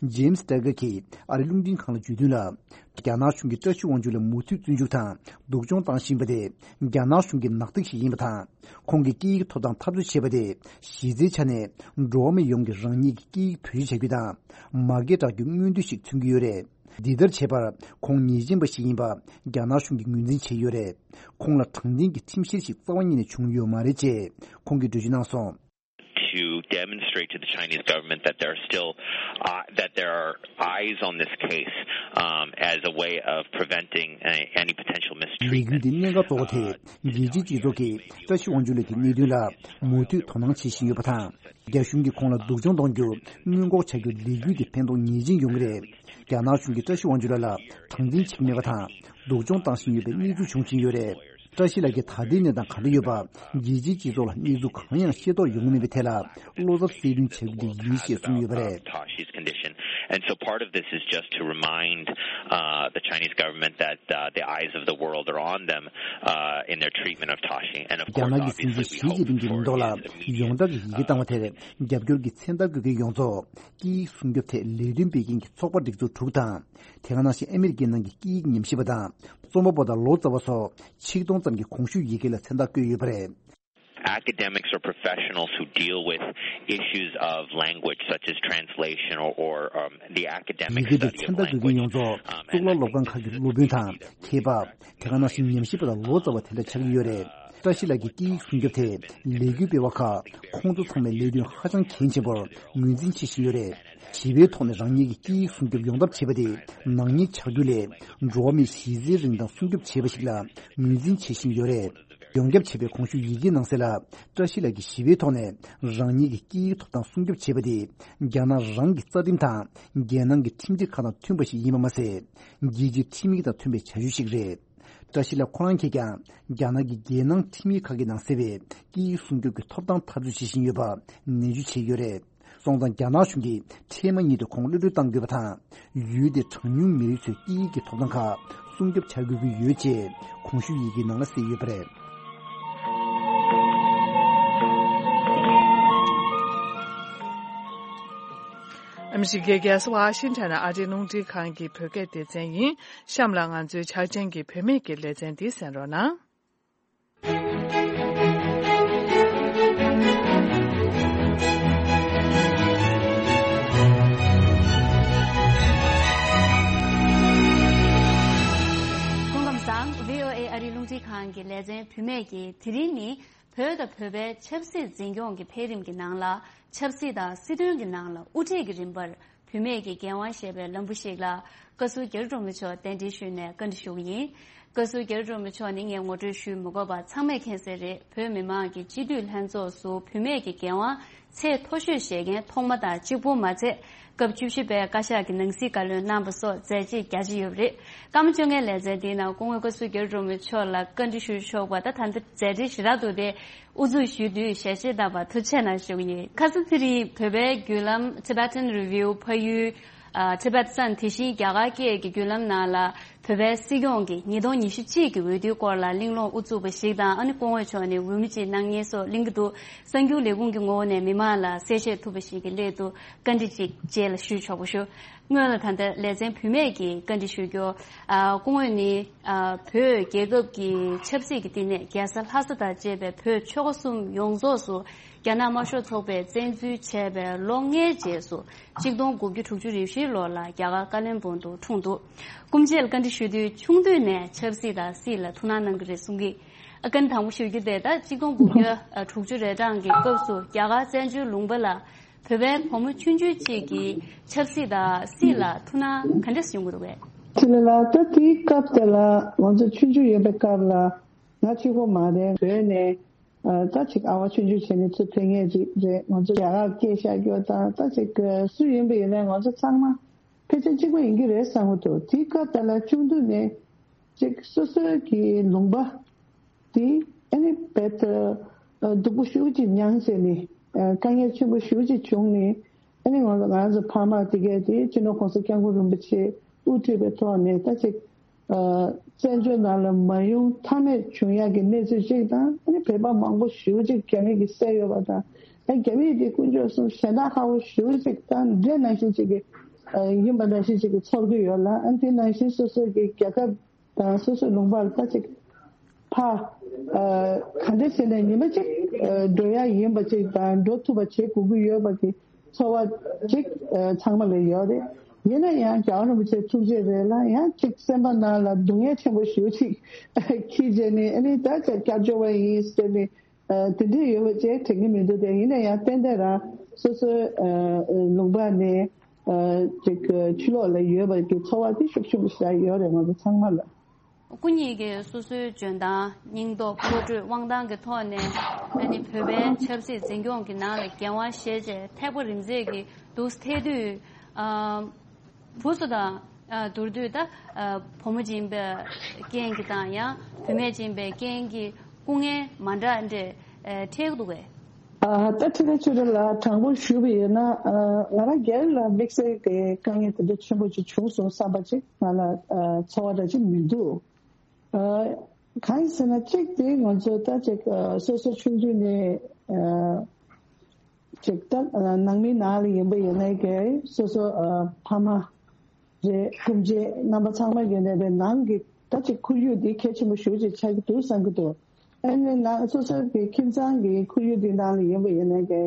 ཇེམ་སི་ཏེ་གར་གྱིས་ཨ་རིའི་རླུང་འཕྲིན་ཁང་ལ་བརྗོད་དོན་ལ། རྒྱ་ནག་གཞུང་གིས་བཀྲ་ཤིས་དབང་ཕྱུག་ལ་མུ་མཐུད་བཙོན་འཇུག་དང་སྡུག་སྦྱོང་བཏང་བཞིན་པ་དེ་རྒྱ་ནག་གཞུང་གི་ནག་ཐིག་ཞིག་ཡིན་པ་དང་། ཁོང་གིས་སྐད་ཡིག་ཐོབ་ཐང་འཐབ་རྩོད་བྱས་པ་དེ་གཞི་རྩའི་ཆ་ནས་འགྲོ་བ་མི་ཡོངས་ཀྱིས་རང་ཉིད་ཀྱི་སྐད་ཡིག་བེད་སྤྱོད་བྱ་རྒྱུ་དང་། མ་སྐད་གྲགས་རྒྱུའི་མངོན་འདོད་ཞིག་མཚོན་གྱི་ཡོད་རེད། འདི་ལྟར་བྱས་པར་ཁོང་ཉེས་ཅན་པ་ཞིག་ཡིན་པ་རྒྱ་ནག་གཞུང་གིས་ངོས་འཛིན་བྱས་ཡོད་རེད། ཁོང་ལ་དྲང་བདེན་གྱི་ཁྲིམས་བཤེར་ཞིག་རྩ་བ་ཉིད་ནས་བྱུང་ཡོད་མ་རེད་ཅེས་ཁོང་གིས་འགྲེལ་བརྗོད་གནང་སོང་། To demonstrate to the Chinese government that there are still uh, that there are eyes on this case um, as a way of preventing a, any potential ལས་འགུལ་mistreatment. འདི་གནད་འགག་གཙོ་བོ་དེ་རྒྱལ་སྤྱིའི་སྤྱི་ཚོགས་ཀྱིས་བཀྲ་ཤིས་དབང་ཕྱུག་ལགས་ཀྱི་གནད་དོན་ལ་མུ་མཐུད་དོ་སྣང་བྱེད་བཞིན་ཡོད་པ་དང་། རྒྱ་གཞུང་གིས་ཁོང་ལ་སྡུག་སྦྱོང་གཏོང་རྒྱུ་སྔོན་འགོག་བྱ་རྒྱུའི་ལས་འགུལ་འདི་ཕན་ཐོགས་ངེས་ཅན་ཡོང་གི་རེད། རྒྱ་ནག་གཞུང་གིས་བཀྲ་ཤིས་དབང་ཕྱུག་ལགས་ལ་དྲང་བདེན་བྱེད་ཀྱི་མེད་པ་དང་སྡུག་སྦྱོང་བཏང་བཞིན་ཡོད་པའི་གནས་ཚུལ་བྱུང་བཞིན་ཡོད་རེད། བཀྲ་ཤིས་ལགས་ཀྱི་ད་ལྟའི་གནས་སྟངས་ག་འདྲ་ཡོད་པ་རྒྱལ་སྤྱིའི་སྤྱི་ཚོགས་ལ་གནས་ཚུལ་གང་ཡང་ཤེས་རྟོགས་ཡོང་གི་མེད་པའི་ཐད་ལ་བློ་འཚབ་གསལ་སྟོན་བྱ་རྒྱུ་དེ་ཡིན་ཞེས་གསུངས་ཡོད་པ་རེད། Tashi's condition. And so part of this is just to remind uh, the Chinese government that uh, the eyes of the world are on them uh, in their treatment of Tashi. And of རྒྱ་course, ནག་གི་སྲིད་འཛིན་obviously, we ཞི་hope ཅིན་ཕིང་གི་for མིང་ཐོག་ལ་his immediate ཡོངས་གྲགས་ཀྱི་ཡི་གེ་བཏང་བ་དེར་རྒྱབ་སྐྱོར་གྱི་མཚན་རྟགས་འགོད་མཁན་ཡོངས་རྫོགས་སྐད་ཡིག་སྲུང་སྐྱོབ་ཐད་ལས་དོན་སྤེལ་མཁན་གྱི་ཚོགས་པ་སྒྲིག་འཛུགས་དྲུག་དང་། དེ་ག་ནང་བཞིན་ཨ་མི་རི་ཀའི་ནང་གི་སྐད་ཡིག་ཉམས་ཞིབ་པ་དང་རྩོམ་པ་པོ་དང་ལོ་ཙཱ་བ་སོགས་ཆིག་སྟོང་ཙམ་གྱིས་གོང་ཞུས་ཡི་གེ་ལ་མཚན་རྟགས་བཀོད་ཡོད་པ་རེད། Academics or professionals who deal with issues of language, such as translation or, or um, the academic ཡི་གེ་འདི་study of མཚན་རྟགས་འགོད་མཁན་language. ཡོངས་རྫོགས་Um, གཙུག་ལག་སློབ་ཁང་ཁག་གི་སློབ་དཔོན་དང་མཁས་པ། དེ་ག་ནང་བཞིན་ཉམས་ཞིབ་པ་དང་ལོ་ཙཱ་བ་དེ་འདྲ་ཆགས་ཀྱི་ཡོད་རེད། བཀྲ་ཤིས་ལགས་ཀྱི་སྐད་ཡིག་སྲུང་སྐྱོབ་ཐད་ལས་འགུལ་སྤེལ་བ་ཁག་ཁོང་ཚོ་ཚང་མས་ལས་དོན་ཧ་ཅང་གལ་ཆེན་པོར་ངོས་འཛིན་བྱེད་བཞིན་ཡོད་རེད། ཞི་བའི་ཐོག་ནས་རང་ཉིད་ཀྱི་སྐད་ཡིག་སྲུང་སྐྱོབ་ཡོང་ཐབས་བྱེད་པ་དེ་ནག་ཉེས་ཆགས་རྒྱུ་ལས་འགྲོ་བ་མིའི་གཞི་རྩའི་རིན་ཐང་སྲུང་སྐྱོབ་བྱེད་པ་ཞིག་ལ་ངོས་འཛིན་བྱེད་བཞིན་ཡོད་རེད། ཡོངས་ཁྱབ་བྱས་པའི་གོང་ཞུས་ཡི་གེའི་ནང་གསལ་ལ། བཀྲ་ཤིས་ལགས་ཀྱིས་ཞི་བའི་ཐོག་ནས་རང་ཉིད་ཀྱི་སྐད་ཡིག་ཐོབ་ཐང་སྲུང་སྐྱོབ་བྱེད་པ་དེ་རྒྱ་ནག་རང་གི་རྩ་ཁྲིམས་དང་རྒྱལ་ནང་གི་ཁྲིམས་སྒྲིག་ཁག་དང་མཐུན་པ་ཞིག་ཡིན་པ་མ་ཟད། རྒྱལ་སྤྱིའི་ཁྲིམས་ཡིག་དང་མཐུན་པའི་བྱ་སྤྱོད་ཞིག་རེད། བཀྲ་ཤིས་ལགས་ཁོ་རང་གིས་ཀྱང་རྒྱ་ནག་གི་རྒྱལ་ནང་ཁྲིམས་ཡིག་ཁག་གི་ནང་གསལ་བའི་སྐད་ཡིག་སྲུང་སྐྱོབ་ཀྱི་ཐོབ་ཐང་འཐབ་རྩོད་བྱེད་བཞིན་ཡོད་པ་ནན་བརྗོད་བྱས་ཡོད་རེད། སོང་ཙང་རྒྱ་ནག་གཞུང་གིས་འཕྲལ་མ་ཉིད་དུ་ཁོང་གློད་གྲོལ་གཏང་དགོས་པ་དང་། ཡུལ་དེའི་གྲངས་ཉུང་མི་རིགས་ཚོའི་སྐད་ཡིག་གི་ཐོབ་ཐང་ཁག་སྲུང་སྐྱོབ་བྱ་དགོས་ཀྱི་ཡོད་ཅེས་གོང་ཞུས་ཡི་གེའི་ནང་ལ་གསལ་ཡོད་པ་རེད། ཨ་མི་རི་ཀའི་རྒྱལ་ས་ཝ་ཤིང་ཊོན་ནས་ཨ་རིའི་རླུང་འཕྲིན་ཁང་གི་བོད་སྐད་སྡེ་ཚན་ཡིན། གཤམ་ལ་ང་ཚོའི་འཆར་ཅན་གྱི་བུད་མེད་ཀྱི་ལེ་ཚན་འདི་གསན་རོགས་གནང་། སྐུ་ཁམས་བཟང་། ཝི་ཨོ་ཨེ་ཨ་རིའི་རླུང་འཕྲིན་ཁང་གི་ལེ་ཚན་བུད་མེད་ཀྱིས་དེ་རིང་ནི་བོད་དང་བོད་པའི་ཆབ་སྲིད་འཛིན་སྐྱོང་གི་འཕེལ་རིམ་གྱི་ནང་ལ་ཆབ་སྲིད་དང་སྲིད་དོན་གྱི་ནང་ལ་དབུ་ཁྲིད་ཀྱི་རིམ་པར་བུད་མེད་ཀྱི་འགན་དབང་ཞེས་པའི་ལམ་བུ་ཞིག་ལ་བཀའ་ཟུར་རྒྱ་རི་སྒྲོལ་མ་མཆོག་གདན་འདྲེན་ཞུས་ནས་བཀའ་འདྲི་ཞུ་གི་ཡིན། བཀའ་ཟུར་རྒྱ་རི་སྒྲོལ་མ་མཆོག་ནི་ངས་ངོ་སྤྲོད་ཞུས་མི་དགོས་པ་ཚང་མས་མཁྱེན་གསལ་རེད། བོད་མི་མང་གི་སྤྱི་འཐུས་ལྷན་ཚོགས་སུ་བུད་མེད་ཀྱི་འགན་དབང་ཚད་མཐོ་ཤོས་བཞེས་མཁན་ཐོག་མ་དང་གཅིག་པུ་མ་ཚད། སྐབས་བཅུ་བཞི་པའི་བཀའ་ཤག་གི་ནང་སྲིད་བཀའ་བློན་གནང་པ་སོགས་མཛད་རྗེས་རྒྱ་ཆེ་ཡོད་པ་རེད། སྐར་མ་བཅོ་ལྔའི་ལེ་ཚན་འདིའི་ནང་སྐུ་ངོ་བཀའ་ཟུར་རྒྱ་རི་སྒྲོལ་མ་མཆོག་ལ་བཀའ་འདྲི་ཞུ་ཆོག་པ་དང་། ད་ལྟ་མཛད་རྗེས་ཞེ་དྲག་འདུག་སྟེ། དབུ་འཛུགས་ཞུས་དུས་ཞལ་བཞེས་བཏབ་པར་ཐུགས་རྗེ་ཆེ་གནང་ཞུ་གི་ཡིན། ཁ་སང་ཚེ་རིང་བོད་པའི་བརྒྱུད་ལམ་Tibetan Review ཕ་ཡུལ། ཨ། Tibet Sun དེ་བཞིན་རྒྱ་གར་སྐད་ཀྱི་བརྒྱུད་ལམ་ནང་ལ་བོད་པའི་སྲིད་སྐྱོང་གི་ཉིས་སྟོང་ཉི་ཤུ་གཅིག་གི་འོས་བསྡུའི་སྐོར་ལ་གླེང་སློང་དབུ་བཙུགས་པ་ཞིག་དང་། ཨ་ནི་སྐུ་ངོ་མཆོག་ནས་འོས་མི་གཅིག་གནང་མཁན་སོགས་གླེང་གི་འདུག་གསར་འགྱུར་ལས་ཁུངས་ཀྱི་ངོ་བོ་ནས་མི་མང་ལ་གསལ་བཤད་ཐུབ་པ་ཞིག་གི་སླད་དུ་བཀའ་འདྲི་གཅིག་རྗེས་ལ་ཞུས་ཆོག་པ་ཞུ། སྔོན་ལ་ད་ལྟ་ལེ་ཚན་བུད་མེད་ཀྱི་བཀའ་འདྲི་ཞུ་རྒྱུ། ཨ། སྐུ་ངོས་ནི། ཨ། བོད་རྒྱལ་ཁབ་ཀྱི་ཆབ་སྲིད་ཀྱི་བསྟི་གནས་རྒྱལ་ས་ལྷ་ས་དང་བཅས་པའི་བོད་ཆོལ་ཁ་གསུམ་ཡོངས་རྫོགས་སུ་རྒྱ་ནག་དམར་ཤོག་ཚོགས་པས་བཙན་འཛུལ་བྱས་པའི་ལོ་ལྔའི་རྗེས་སུ་གཅིག་སྟོང་དགུ་བརྒྱ་དྲུག་ཅུ་རེ་བཞིའི་ལོ་ལ་རྒྱ་གར་ཀ་ལོན་སྦུག་ཏུ་འཁྲུངས་འདུག་སྐུ་མཆེད་ལ་བཀའ་འདྲི་ཞུ་དུས་ཆུང་དུས་ནས་ཆབ་སྲིད་དང་སྲིད་ལ་ཐུགས་སྣང་གནང་གི་རེད་གསུང་གི། ཨ། བཀའ་འདྲི་དང་པོ་ཞུ་རྒྱུ་དེ་ད་གཅིག་སྟོང་དགུ་བརྒྱ་དྲུག་ཅུ་རེ་གྲངས་ཀྱི་སྐབས་སུ་རྒྱ་གར་བཙན་བྱོལ་ལུང་པ་ལ་བོད་པའི་བུ་མོ་ཆུང་ཆུང་གཅིག་གིས་ཆབ་སྲིད་དང་སྲིད་ལ་ཐུགས་སྣང་ག་འདྲས་ཡོང་གི་འདུག་གས། ཅི་ལ་ལ་ད་དེའི་སྐབས་དེ་ལ་ང་ཚོ་ཆུང་ཆུང་ཡོད་པའི་སྐབས་ལ་ང་གཅིག་པོ་མ་རེད། བོད་ནས་ཨ། ད་ཅིག་ཨ་བ་ཆུང་ཆུང་བྱས་ནས་ཚུར་ཕེབས་མཁན་ཅིག་རེད། ང་ཚོ་རྒྱ་གར་སྐད་ཤར་རྒྱུ་དང་། ད་ཅིག་སུ་ཡིན་པ་ཡིན་ནའི་ང་ཚོ་ཚང་མ་ཕལ་ཆེར་གཅིག་པ་ཡིན་གྱི་རེད་བསམ་གྱི་འདུག་དེའི་སྐབས་དེ་ལ་ཆུང་དུས་ནས་ཅིག་སོ་སོའི་གི་ལུང་པ་དེ་ཨ་ནི་རྦད་དེ་སྡུག་པོ་ཞེ་པོ་ཅིག་མྱངས་བྱས་ནས། དཀའ་ངལ་ཆེན་པོ་ཞེ་པོ་ཅིག་བྱུང་ནས། ཨ་ནི་ང་ང་ཚོ་ཕ་མ་དེ་གས་དེ་སྤྱི་ནོར་༸གོང་ས་༸སྐྱབས་མགོན་རིན་པོ་ཆེ་དབུ་ཁྲིད་པའི་ཐོག་ནས་ད་ཅིག་ཨ། བཙན་བྱོལ་ནང་ལ་མ་ཡོང་ཐབས་མེད་བྱུང་ཡག་གི་གནས་ཚུལ་ཅིག་དང་། ཨ་ནི་བོད་པ་མང་པོ་ཞེ་པོ་ཅིག་རྒྱ་མི་གིས་བསད་ཡོད་པ་དང་། ཨ། རྒྱ་མི་དེ་དཀོན་མཆོག་གསུམ་ཞེ་དྲག་ཁག་པོ་ཞེ་པོ་ཅིག་དང་འདྲ་ནང་བཞིན་ཅིག་གི་ཨ། ཡིན་པ་ནང་བཞིན་ཅིག་གི་ཚོར་གྱི་ཡོད་ལ། ཨ། དེ་ནང་བཞིན་སོ་སོ་གི་རྒྱལ་ཁབ་དང་སོ་སོའི་ལུང་པར་ད་ཅིག་ཕར་ཨ། ག་འདྲ་བྱས་ནས་ཉི་མ་གཅིག་ཨ། འགྲོ་ཡག་ཡིན་པ་ཅིག་དང་འགྲོ་ཐུབ་པ་བྱེད་དགོས་ཀྱི་ཡོད་པ་གི་ཚོར་བ་ཅིག་ཨ། ཚང་མ་ལ་ཡོད་རེད། ཡིན་ན་ཡང་རྒྱལ་བ་རིན་པོ་ཆེ་ཐུགས་རྗེ་རེད་ལ། ཡང་ཅིག་སེམས་པ་ནང་ལ་སྡུག་བསྔལ་ཆེན་པོ་ཞེ་པོ་ཅིག་འཁྱེར་བྱས་ནས། ཨ་ནི་ད་ཅིག་སྐྱབས་བཅོལ་བ་ཡིན་ཟེར་ནས་ཨ། དེ་འདྲས་ཡོད་པ་ཅིག་དྲན་གྱི་མི་འདུག་དེ་ཡིན་ན་ཡང་ཏན་ཏན་རང་སོ་སོའི་ཨ། ལུང་པ་ནས་ཨ། ཅིག་ཕྱི་ལོགས་ལ་ཡོད་པ་གི་ཚོར་བ་དེ་ཤུགས་ཆེན་པོ་ཞིག་ཡོད་རེད། ང་ཚོ་ཚང་མ་ལ། སྐུ་ཉིད་ཀྱིས་སོ་སོའི་འཇོན་ཐང་། སྙིང་སྟོབས། བློ་གྲོས། དབང་ཐང་གི་ཐོག་ནས་ཨ་ནི་བོད་པའི་ཆབ་སྲིད་འཛིན་སྐྱོང་གི་ནང་ལ་འགན་དབང་བཞེས་བྱས་ཐེག་པ་རིམ་འཛེགས་ཀྱི་འདུག་སེ་ཐེག་དུས། ཨ། བུ་ཚོ་དང་ཨ། བསྡུར་དུས་ད་ཨ། བུ་མོ་ཅིག་ཡིན་པའི་རྐྱེན་གྱིས་དང་། ཡང་བུད་མེད་ཅིག་ཡིན་པའི་རྐྱེན་གྱིས་སྐུ་ངལ་མ་འདྲ་འདྲ་ཨ། འཕྲད་ཀྱི་འདུག་གས། ཨ། ད་ཕྲན་ཚེ་རིང་ལགས་དྲང་པོ་ཞུས་པ་ཡིན་ན། ཨ། ང་རང་སྒེར་ལ་དམིགས་བསལ་གྱི་དཀའ་ངལ་དེ་འདྲ་ཆེན་པོ་ཅིག་བྱུང་སོང་བསམ་པ་ཅིག་ང་ལ་ཨ། ཚོར་བ་འདྲ་ཅིག་མི་འདུག་ཨ། གང་ཡིན་ཟེར་ན། གཅིག་དེ་ང་ཚོ་ད་ཅིག་ཨ། སོ་སོ་ཆུང་དུས་ནས་ཨ། ཅིག་ད་ཨ། ནང་མི་ནང་ལ་ཡིན་པ་ཡིན་ནའི་གི་སོ་སོ་ཨ། ཕ་མ་རེད། སྐུ་མཆེད་རྣམ་པ་ཚང་མ་ཡོད་ནའི་རེད། ནང་གི་ད་ཅིག་ཁོར་ཡུག་འདི་གལ་ཆེན་པོ་ཞེ་པོ་ཅིག་ཆགས་ཀྱི་འདུག་བསམ་གྱི་འདུག་ཨ་ནི་ནང་སོ་སོ་གི་ཁྱིམ་ཚང་གི་ཁོར་ཡུག་འདི་ནང་ལ་ཡིན་པ་ཡིན་ནའི་གི་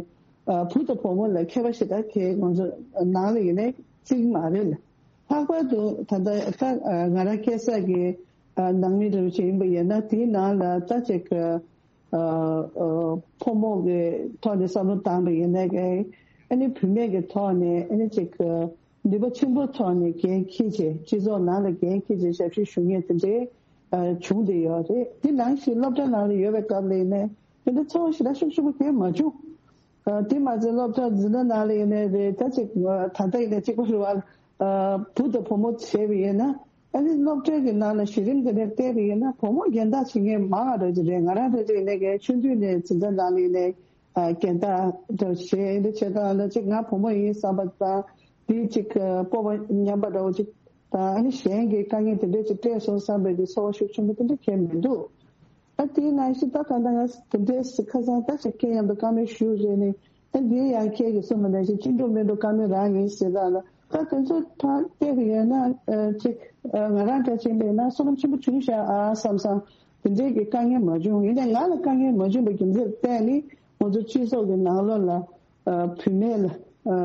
ཨ། བུ་དང་བུ་མོ་ལ་ཁྱད་པར་ཞེ་དྲག་གི་ང་ཚོ་ནང་ལ་ཡིན་ནའི་བརྩི་གི་མ་རེད་ལ། ལྷག་པར་དུ་ད་ལྟ་ད་ང་རང་སྐྱེས་ས་གི་ཨ། ནང་མི་འདྲ་བོ་ཅིག་ཡིན་པ་ཡིན་ན། དེའི་ནང་ལ་ད་ཅིག་ཨ། ཨ། ཕོ་མོ་གི་ཐོག་ནས་བསམ་བློ་བཏང་བ་ཡིན་ནའི་གི། ཨ་ནི་བུད་མེད་ཀྱི་ཐོག་ནས་ཨ་ནི་ཅིག་ནུས་པ་ཆེན་པོའི་ཐོག་ནས་འགན་འཁྱེར་བྱས། སྤྱི་ཚོགས་ནང་ལ་འགན་འཁྱེར་བྱས་ཞབས་ཕྱི་ཞུ་མཁན་དེ་འདྲའི་ཨ། བྱུང་བསྡད་ཡོད་རེད། དེ་ནང་བཞིན་སློབ་གྲྭ་ནང་ལ་ཡོད་པའི་སྐབས་ལ་ཡིན་ནའི་དེ་འདྲ་ཚོར་བ་ཞེ་དྲག་ཤུགས་ཆེན་པོ་གང་ཡང་མ་བྱུང་། ཨ། དེ་མ་ཚད་སློབ་གྲྭ་འཛིན་གྲྭ་ནང་ལ་ཡིན་ནའི་རེད། ད་ཅིག་ད་ལྟ་ཡིན་ནའི་གཅིག་པ་རེད་བ། ཨ། བུ་དང་བུ་མོ་བྱས་པ་ཡིན་ན། ཨ་ནི་སློབ་གྲྭའི་གི་ནང་ལ་གཞི་རིམ་དེ་འདྲ་བལྟས་པ་ཡིན་ན་བུ་མོ་རྒན་བདག་བྱེད་མཁན་མང་བ་རེད་ཀྱི་རེད། ང་རང་རེ་རེ་ནས་གའི་ཆུང་དུས་ནས་འཛིན་གྲྭ་ནང་ནས་ནས་ཨ་རྒན་བདག་འདྲ་བྱས་འདི་བྱེད་སྟངས་ལ་ཅིག་ང་བུ་མོ་ཡིན་བསམ་པ་དང་འདི་ཅིག་སྤོབས་པ་ཉམས་པ་འདྲ་བོ་ཅིག་དང་ཨ་ནི་གཞན་གྱི་དཀའ་ངལ་དེ་འདྲ་ཅིག་སྤྲད་སོང་བསམ་པའི་གི་ཚོར་བ་ཤུགས་ཆེན་པོ་དེ་འདྲ་གང་ཡང་མི་འདུག་ཨ་དེའི་ནང་བཞིན་ད་ད་ལྟ་ང་དེ་འདྲའི་ཁ་སང་ད་ཅིག་སྐད་ཡང་དུ་བཀའ་མོལ་ཞུ་རེད་ནས་ཨ་འདིའི་ཡང་ཁྱེད་ཀྱིས་གསུངས་པ་ནང་བཞིན་ཅི་འགྲོ་མི་འགྲོ་བཀའ་མོལ་རང་ཡིན་ཟེར་ད་ལ་ད་དེ་ཚོ་ད་བལྟས་པ་ཡོད་ན་ཨ་ཅིག་ཨ་ང་རང་འདྲ་ཅིག་ཡིན་པས་ན་བསོད་ནམས་ཆེན་པོ་བྱུང་ཤག་ཨ་བསམ་བསམ་དེ་འདྲའི་གི་དཀའ་ངལ་མ་བྱུང་། ཡིན་ནའི་ང་ལ་དཀའ་ངལ་མ་བྱུང་བའི་རྒྱུ་མཚན་བལྟས་ནི་ང་ཚོ་སྤྱི་ཚོགས་ཀྱི་ནང་ལོགས་ལ་ཨ་བུད་མེད་ལ་ཨ་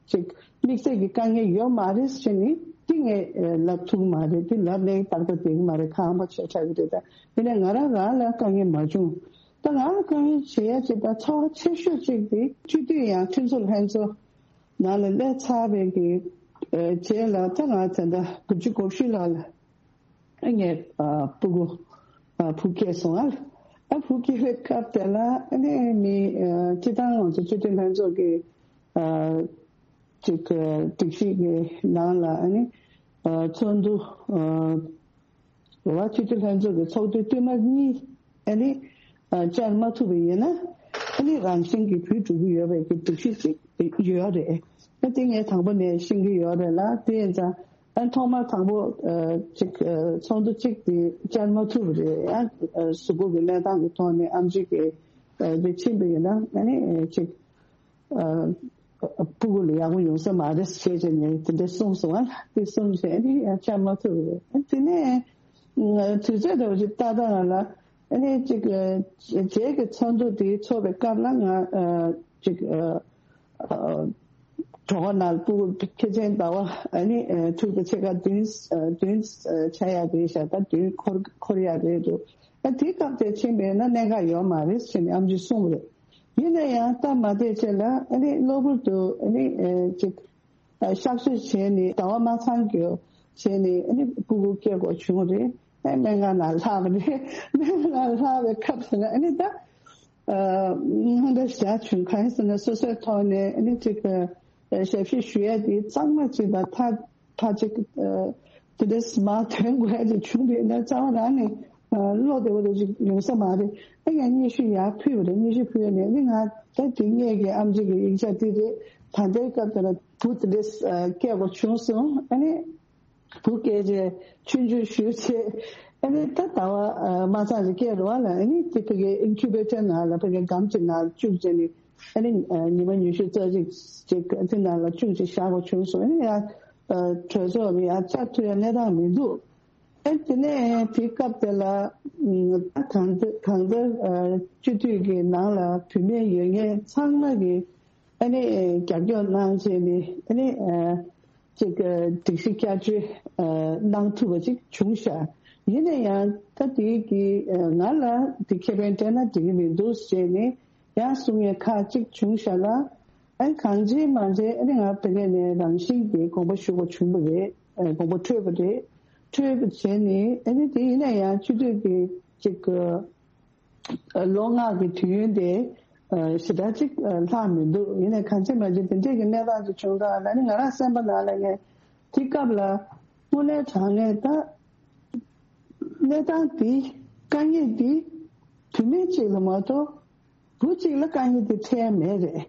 ཅིག་དམིགས་བསལ་གྱི་དཀའ་ངལ་ཡོད་མ་རེད་ཟེར་ནི་འདི་ངས་ལབ་ཐུབ་ཀྱི་མ་རེད། འདི་ལབ་ནས་ཏག་ཏག་བསྡད་ཀྱི་མ་རེད། ཁག་པོ་ཆེ་དྲགས་ཀྱི་རེད། ད་ཡིན་ནའི་ང་རང་རང་ལ་དཀའ་ངལ་མ་བྱུང་། ད་ང་ལ་དཀའ་ངལ་བྱེད་ཡ་ཅིག་ད་ཚོར་བ་ཆེ་ཤོས་ཅིག་འདི་སྤྱི་འཐུས་ཡང་ཁྲིམས་བཟོ་ལྷན་ཚོགས་ནང་ལ་སླེབས་ཚར་བའི་གི་རྗེས་ལ་ད་ང་ད་ལྟ་དགུ་བཅུ་གོ་བཞི་ལོ་ལ་ངས་ཨ་སྤུ་གུ་ཨ་བུ་སྐྱེས་སོང་ཨ། ཨ་བུ་སྐྱེས་པའི་སྐབས་དེ་ལ་ཨ་ནི་མི་ཨ་སྤྱི་བཏང་ང་ཚོ་སྤྱི་འཐུས་ལྷན་ཚོགས་ཀྱི་ཨ་ཅིག་ཨ་སྒྲིག་གཞི་གི་ནང་ལ་ཨ་ནི་ཨ་ཚོགས་འདུ་ཨ་རེ་བ་སྤྱི་འཐུས་ལྷན་ཚོགས་ཀྱི་ཚོགས་དུས་བསྟུད་མར་གཉིས་ཨ་ནི་ཨ་བཅར་མ་ཐུབ་པ་ཡིན་ན་ཨ་ནི་རང་བཞིན་གྱིས་བུད་འགྲོ་གི་ཡོད་པའི་གི་སྒྲིག་གཞི་ཅིག་ཡོད་རེད། ཨ་དེ་ངས་དང་པོ་ནས་ཤེས་ཀྱི་ཡོད་རེད་ལ། དེ་ཡིན་ཙང་ཨ་ཐོག་མར་དང་པོ་ཨ་ཅིག་ཨ་ཚོགས་འདུ་གཅིག་དེ་བཅར་མ་ཐུབ་པ་རེད། ཨ་ཨ་གཟུགས་པོ་གི་གནས་སྟངས་ཀྱི་ཐོག་ནས་ཨེམ་ཆི་གི་ཨ་དེ་ཕྱིན་པ་ཡིན་ན་ཨ་ནི་ཨ་ཅིག་ཨ་སྤུ་གུ་ལ་ཡག་པོ་ཡོང་ས་མ་རེད་ཞེས་བྱས་ནས་དེ་འདྲ་གསུངས་སོང་ཨ། དེ་གསུངས་བྱས་ཨ་ནི་ཡང་བཅར་མ་ཐུབ་པ་རེད། ཨ་དེ་ནས་ཨ་དུས་ཚོད་འདྲ་བོ་ཅིག་ཏག་ཏག་ང་ལ་ཨ་ནི་ཅིག་ཨ་རྗེས་ཀྱི་ཚོགས་འདུ་དེ་ཚོགས་པའི་སྐབས་ལ་ང་ཨ་ཅིག་ཨ་ཨ་གྲོགས་ནང་སྤུ་གུ་ཁྱེད་ཚན་ཟླ་བ་ཨ་ནི་ཨ་དྲུག་དང་ཕྱེད་ཀ་བདུན་ཨ་བདུན་ཨ་ཆགས་ཡག་རེད་ཤག་ད་བདུན་འཁོར་འཁོར་ཡག་རེད་འདུག་ཨ་དེ་སྐབས་དེ་ཕྱིན་པས་ན་གནད་འགག་ཡོད་མ་རེད་ཟེར་ནས་ཨེམ་ཆིས་གསུངས་པ་རེད། ཡིན་ན་ཡང་སྟབས་མ་བདེ་ཆེད་ལ་ཨ་ནི་གློ་བུར་དུ་ཨ་ནི་ཨ་ཅིག་ཨ་གཤག་བཅོས་བྱས་ནས་ཟླ་བ་མ་ཚང་རྒྱུ་བྱས་ནས་ཨ་ནི་སྤུ་གུ་སྐྱེ་དགོས་བྱུང་རེད། ཨ་སྨན་ཁང་ནང་ལྷག་པ་རེད། སྨན་ཁང་ནང་ལྷག་པའི་སྐབས་སུ་ཨ་ནི་ད་ཨ་དངངས་འཚབ་ཞེ་དྲག་བྱུང་། གང་ཡིན་ཟེར་ན་སོ་སོའི་ཐོག་ནས་ཨ་ནི་ཅིག་ཨ་ཞབས་ཕྱི་ཞུ་ཡས་དེ་གཙང་མ་ཅིག་དང་ཐག་ཐག་ཅིག་ཨ་དེ་འདྲ་མར་ཐོན་དགོས་ཡ་ཅིག་བྱུང་བས་ན་རྩ་བ་རང་ནས་ཨ་བློ་བདེ་བོ་དེ་ཅིག་ཡོང་ས་མ་རེད། ཨ་ཡང་སྙན་ཞུ་ཡར་ཕུལ་བ་རེད། སྙན་ཞུ་ཕུལ་ནས་ཨ་ནི་ང་ད་དེ་ངེད་ཀྱི་ཨེམ་ཆི་གི་ཡིག་ཆ་དེ་རེད། ད་ལྟའི་སྐབས་དེ་ལ་བུ་དེ་འདྲ་ཨ་སྐྱེ་དགོས་བྱུང་སོང་། ཨ་ནི་བུ་སྐྱེས་རྗེས་ཆུང་ཆུང་ཞུས་ཚེ་ཨ་ནི་ད་ཟླ་བ་ཨ་མ་ཚང་རེ་སྐྱེས་རེད་བ་ལ། ཨ་ནི་དེ་ཕ་གི་ཨིན་ཁུ་བེ་ཊར་ནང་ལ་ཕ་གི་སྒམ་གཅིག་ནང་བཅུག་བྱས་ནས་ཨ་ནི་ཨ་ཉི་མ་ཉི་ཤུ་རྩ་གཅིག་ཅིག་དེ་ནང་ལ་བཅུག་བྱས་བཞག་དགོས་བྱུང་སོང་། ཨ་ནི་ཡང་ཨ་གྲོད་ཚོགས་ལ་ཡང་བཅར་ཐུབ་ཡ་གནས་སྟངས་མི་འདུག་ཨ་དེ་ནས་དེ་སྐབས་དེ་ལ་ཨ་གང་ལྟར་གང་ལྟར་ཨ་སྤྱི་འཐུས་ཀྱི་ནང་ལ་བུད་མེད་ཡོད་མཁན་ཚང་མ་གི་ཨ་ནི་རྒྱབ་སྐྱོར་གནང་བྱས་ནས་ཨ་ནི་ཨ་ཅིག་ཨ་སྒྲིག་གཞི་བསྐྱར་བཅོས་ཨ་གནང་ཐུབ་པ་ཅིག་བྱུང་ཤག་ཡིན་ན་ཡང་ད་དེ་གི་ཨ་ང་ལ་དེ་ཁེ་ཕན་སྤྲད་ན་འགྲིག་གི་མི་འདུག་ཟེར་ནས་ཡང་གསུང་ཡས་ཁག་ཅིག་བྱུང་ཤག་ལ། ཨ་གང་བྱས་མ་བྱས་ཨ་ནི་ང་ཕ་གི་ནས་རང་བཞིན་གྱིས་དགོངས་པ་ཞུ་དགོས་བྱུང་བ་རེད། ཨ་དགོངས་པ་འཁྲོལ་བ་རེད། འཁྲོལ་བ་བྱས་ནས་ཨ་ནི་དེ་ཡིན་ན་ཡང་སྤྱི་འཐུས་ཀྱི་ཅིག་ཨ་ལོ་ལྔ་གི་དུས་ཡུན་དེ་ཨ་ཞེ་དྲག་ཅིག་ཨ་ལྷག་མི་འདུག་ཡིན་ནའི་གང་བྱས་མ་བྱས་དེ་འདྲས་ཀྱི་གནས་སྟངས་ཅིག་བྱུང་ད་ལ་ནི་ང་རང་སེམས་པ་ནང་ལ་ངས་དེ་སྐབས་ལ་དངོས་གནས་དྲང་གནས་ད་གནས་སྟངས་འདི་དཀའ་ངལ་འདི་བུད་མེད་ཅིག་ལ་མ་གཏོགས་བུ་གཅིག་ལ་དཀའ་ངལ་འདི་འཕྲད་མེད་རེད།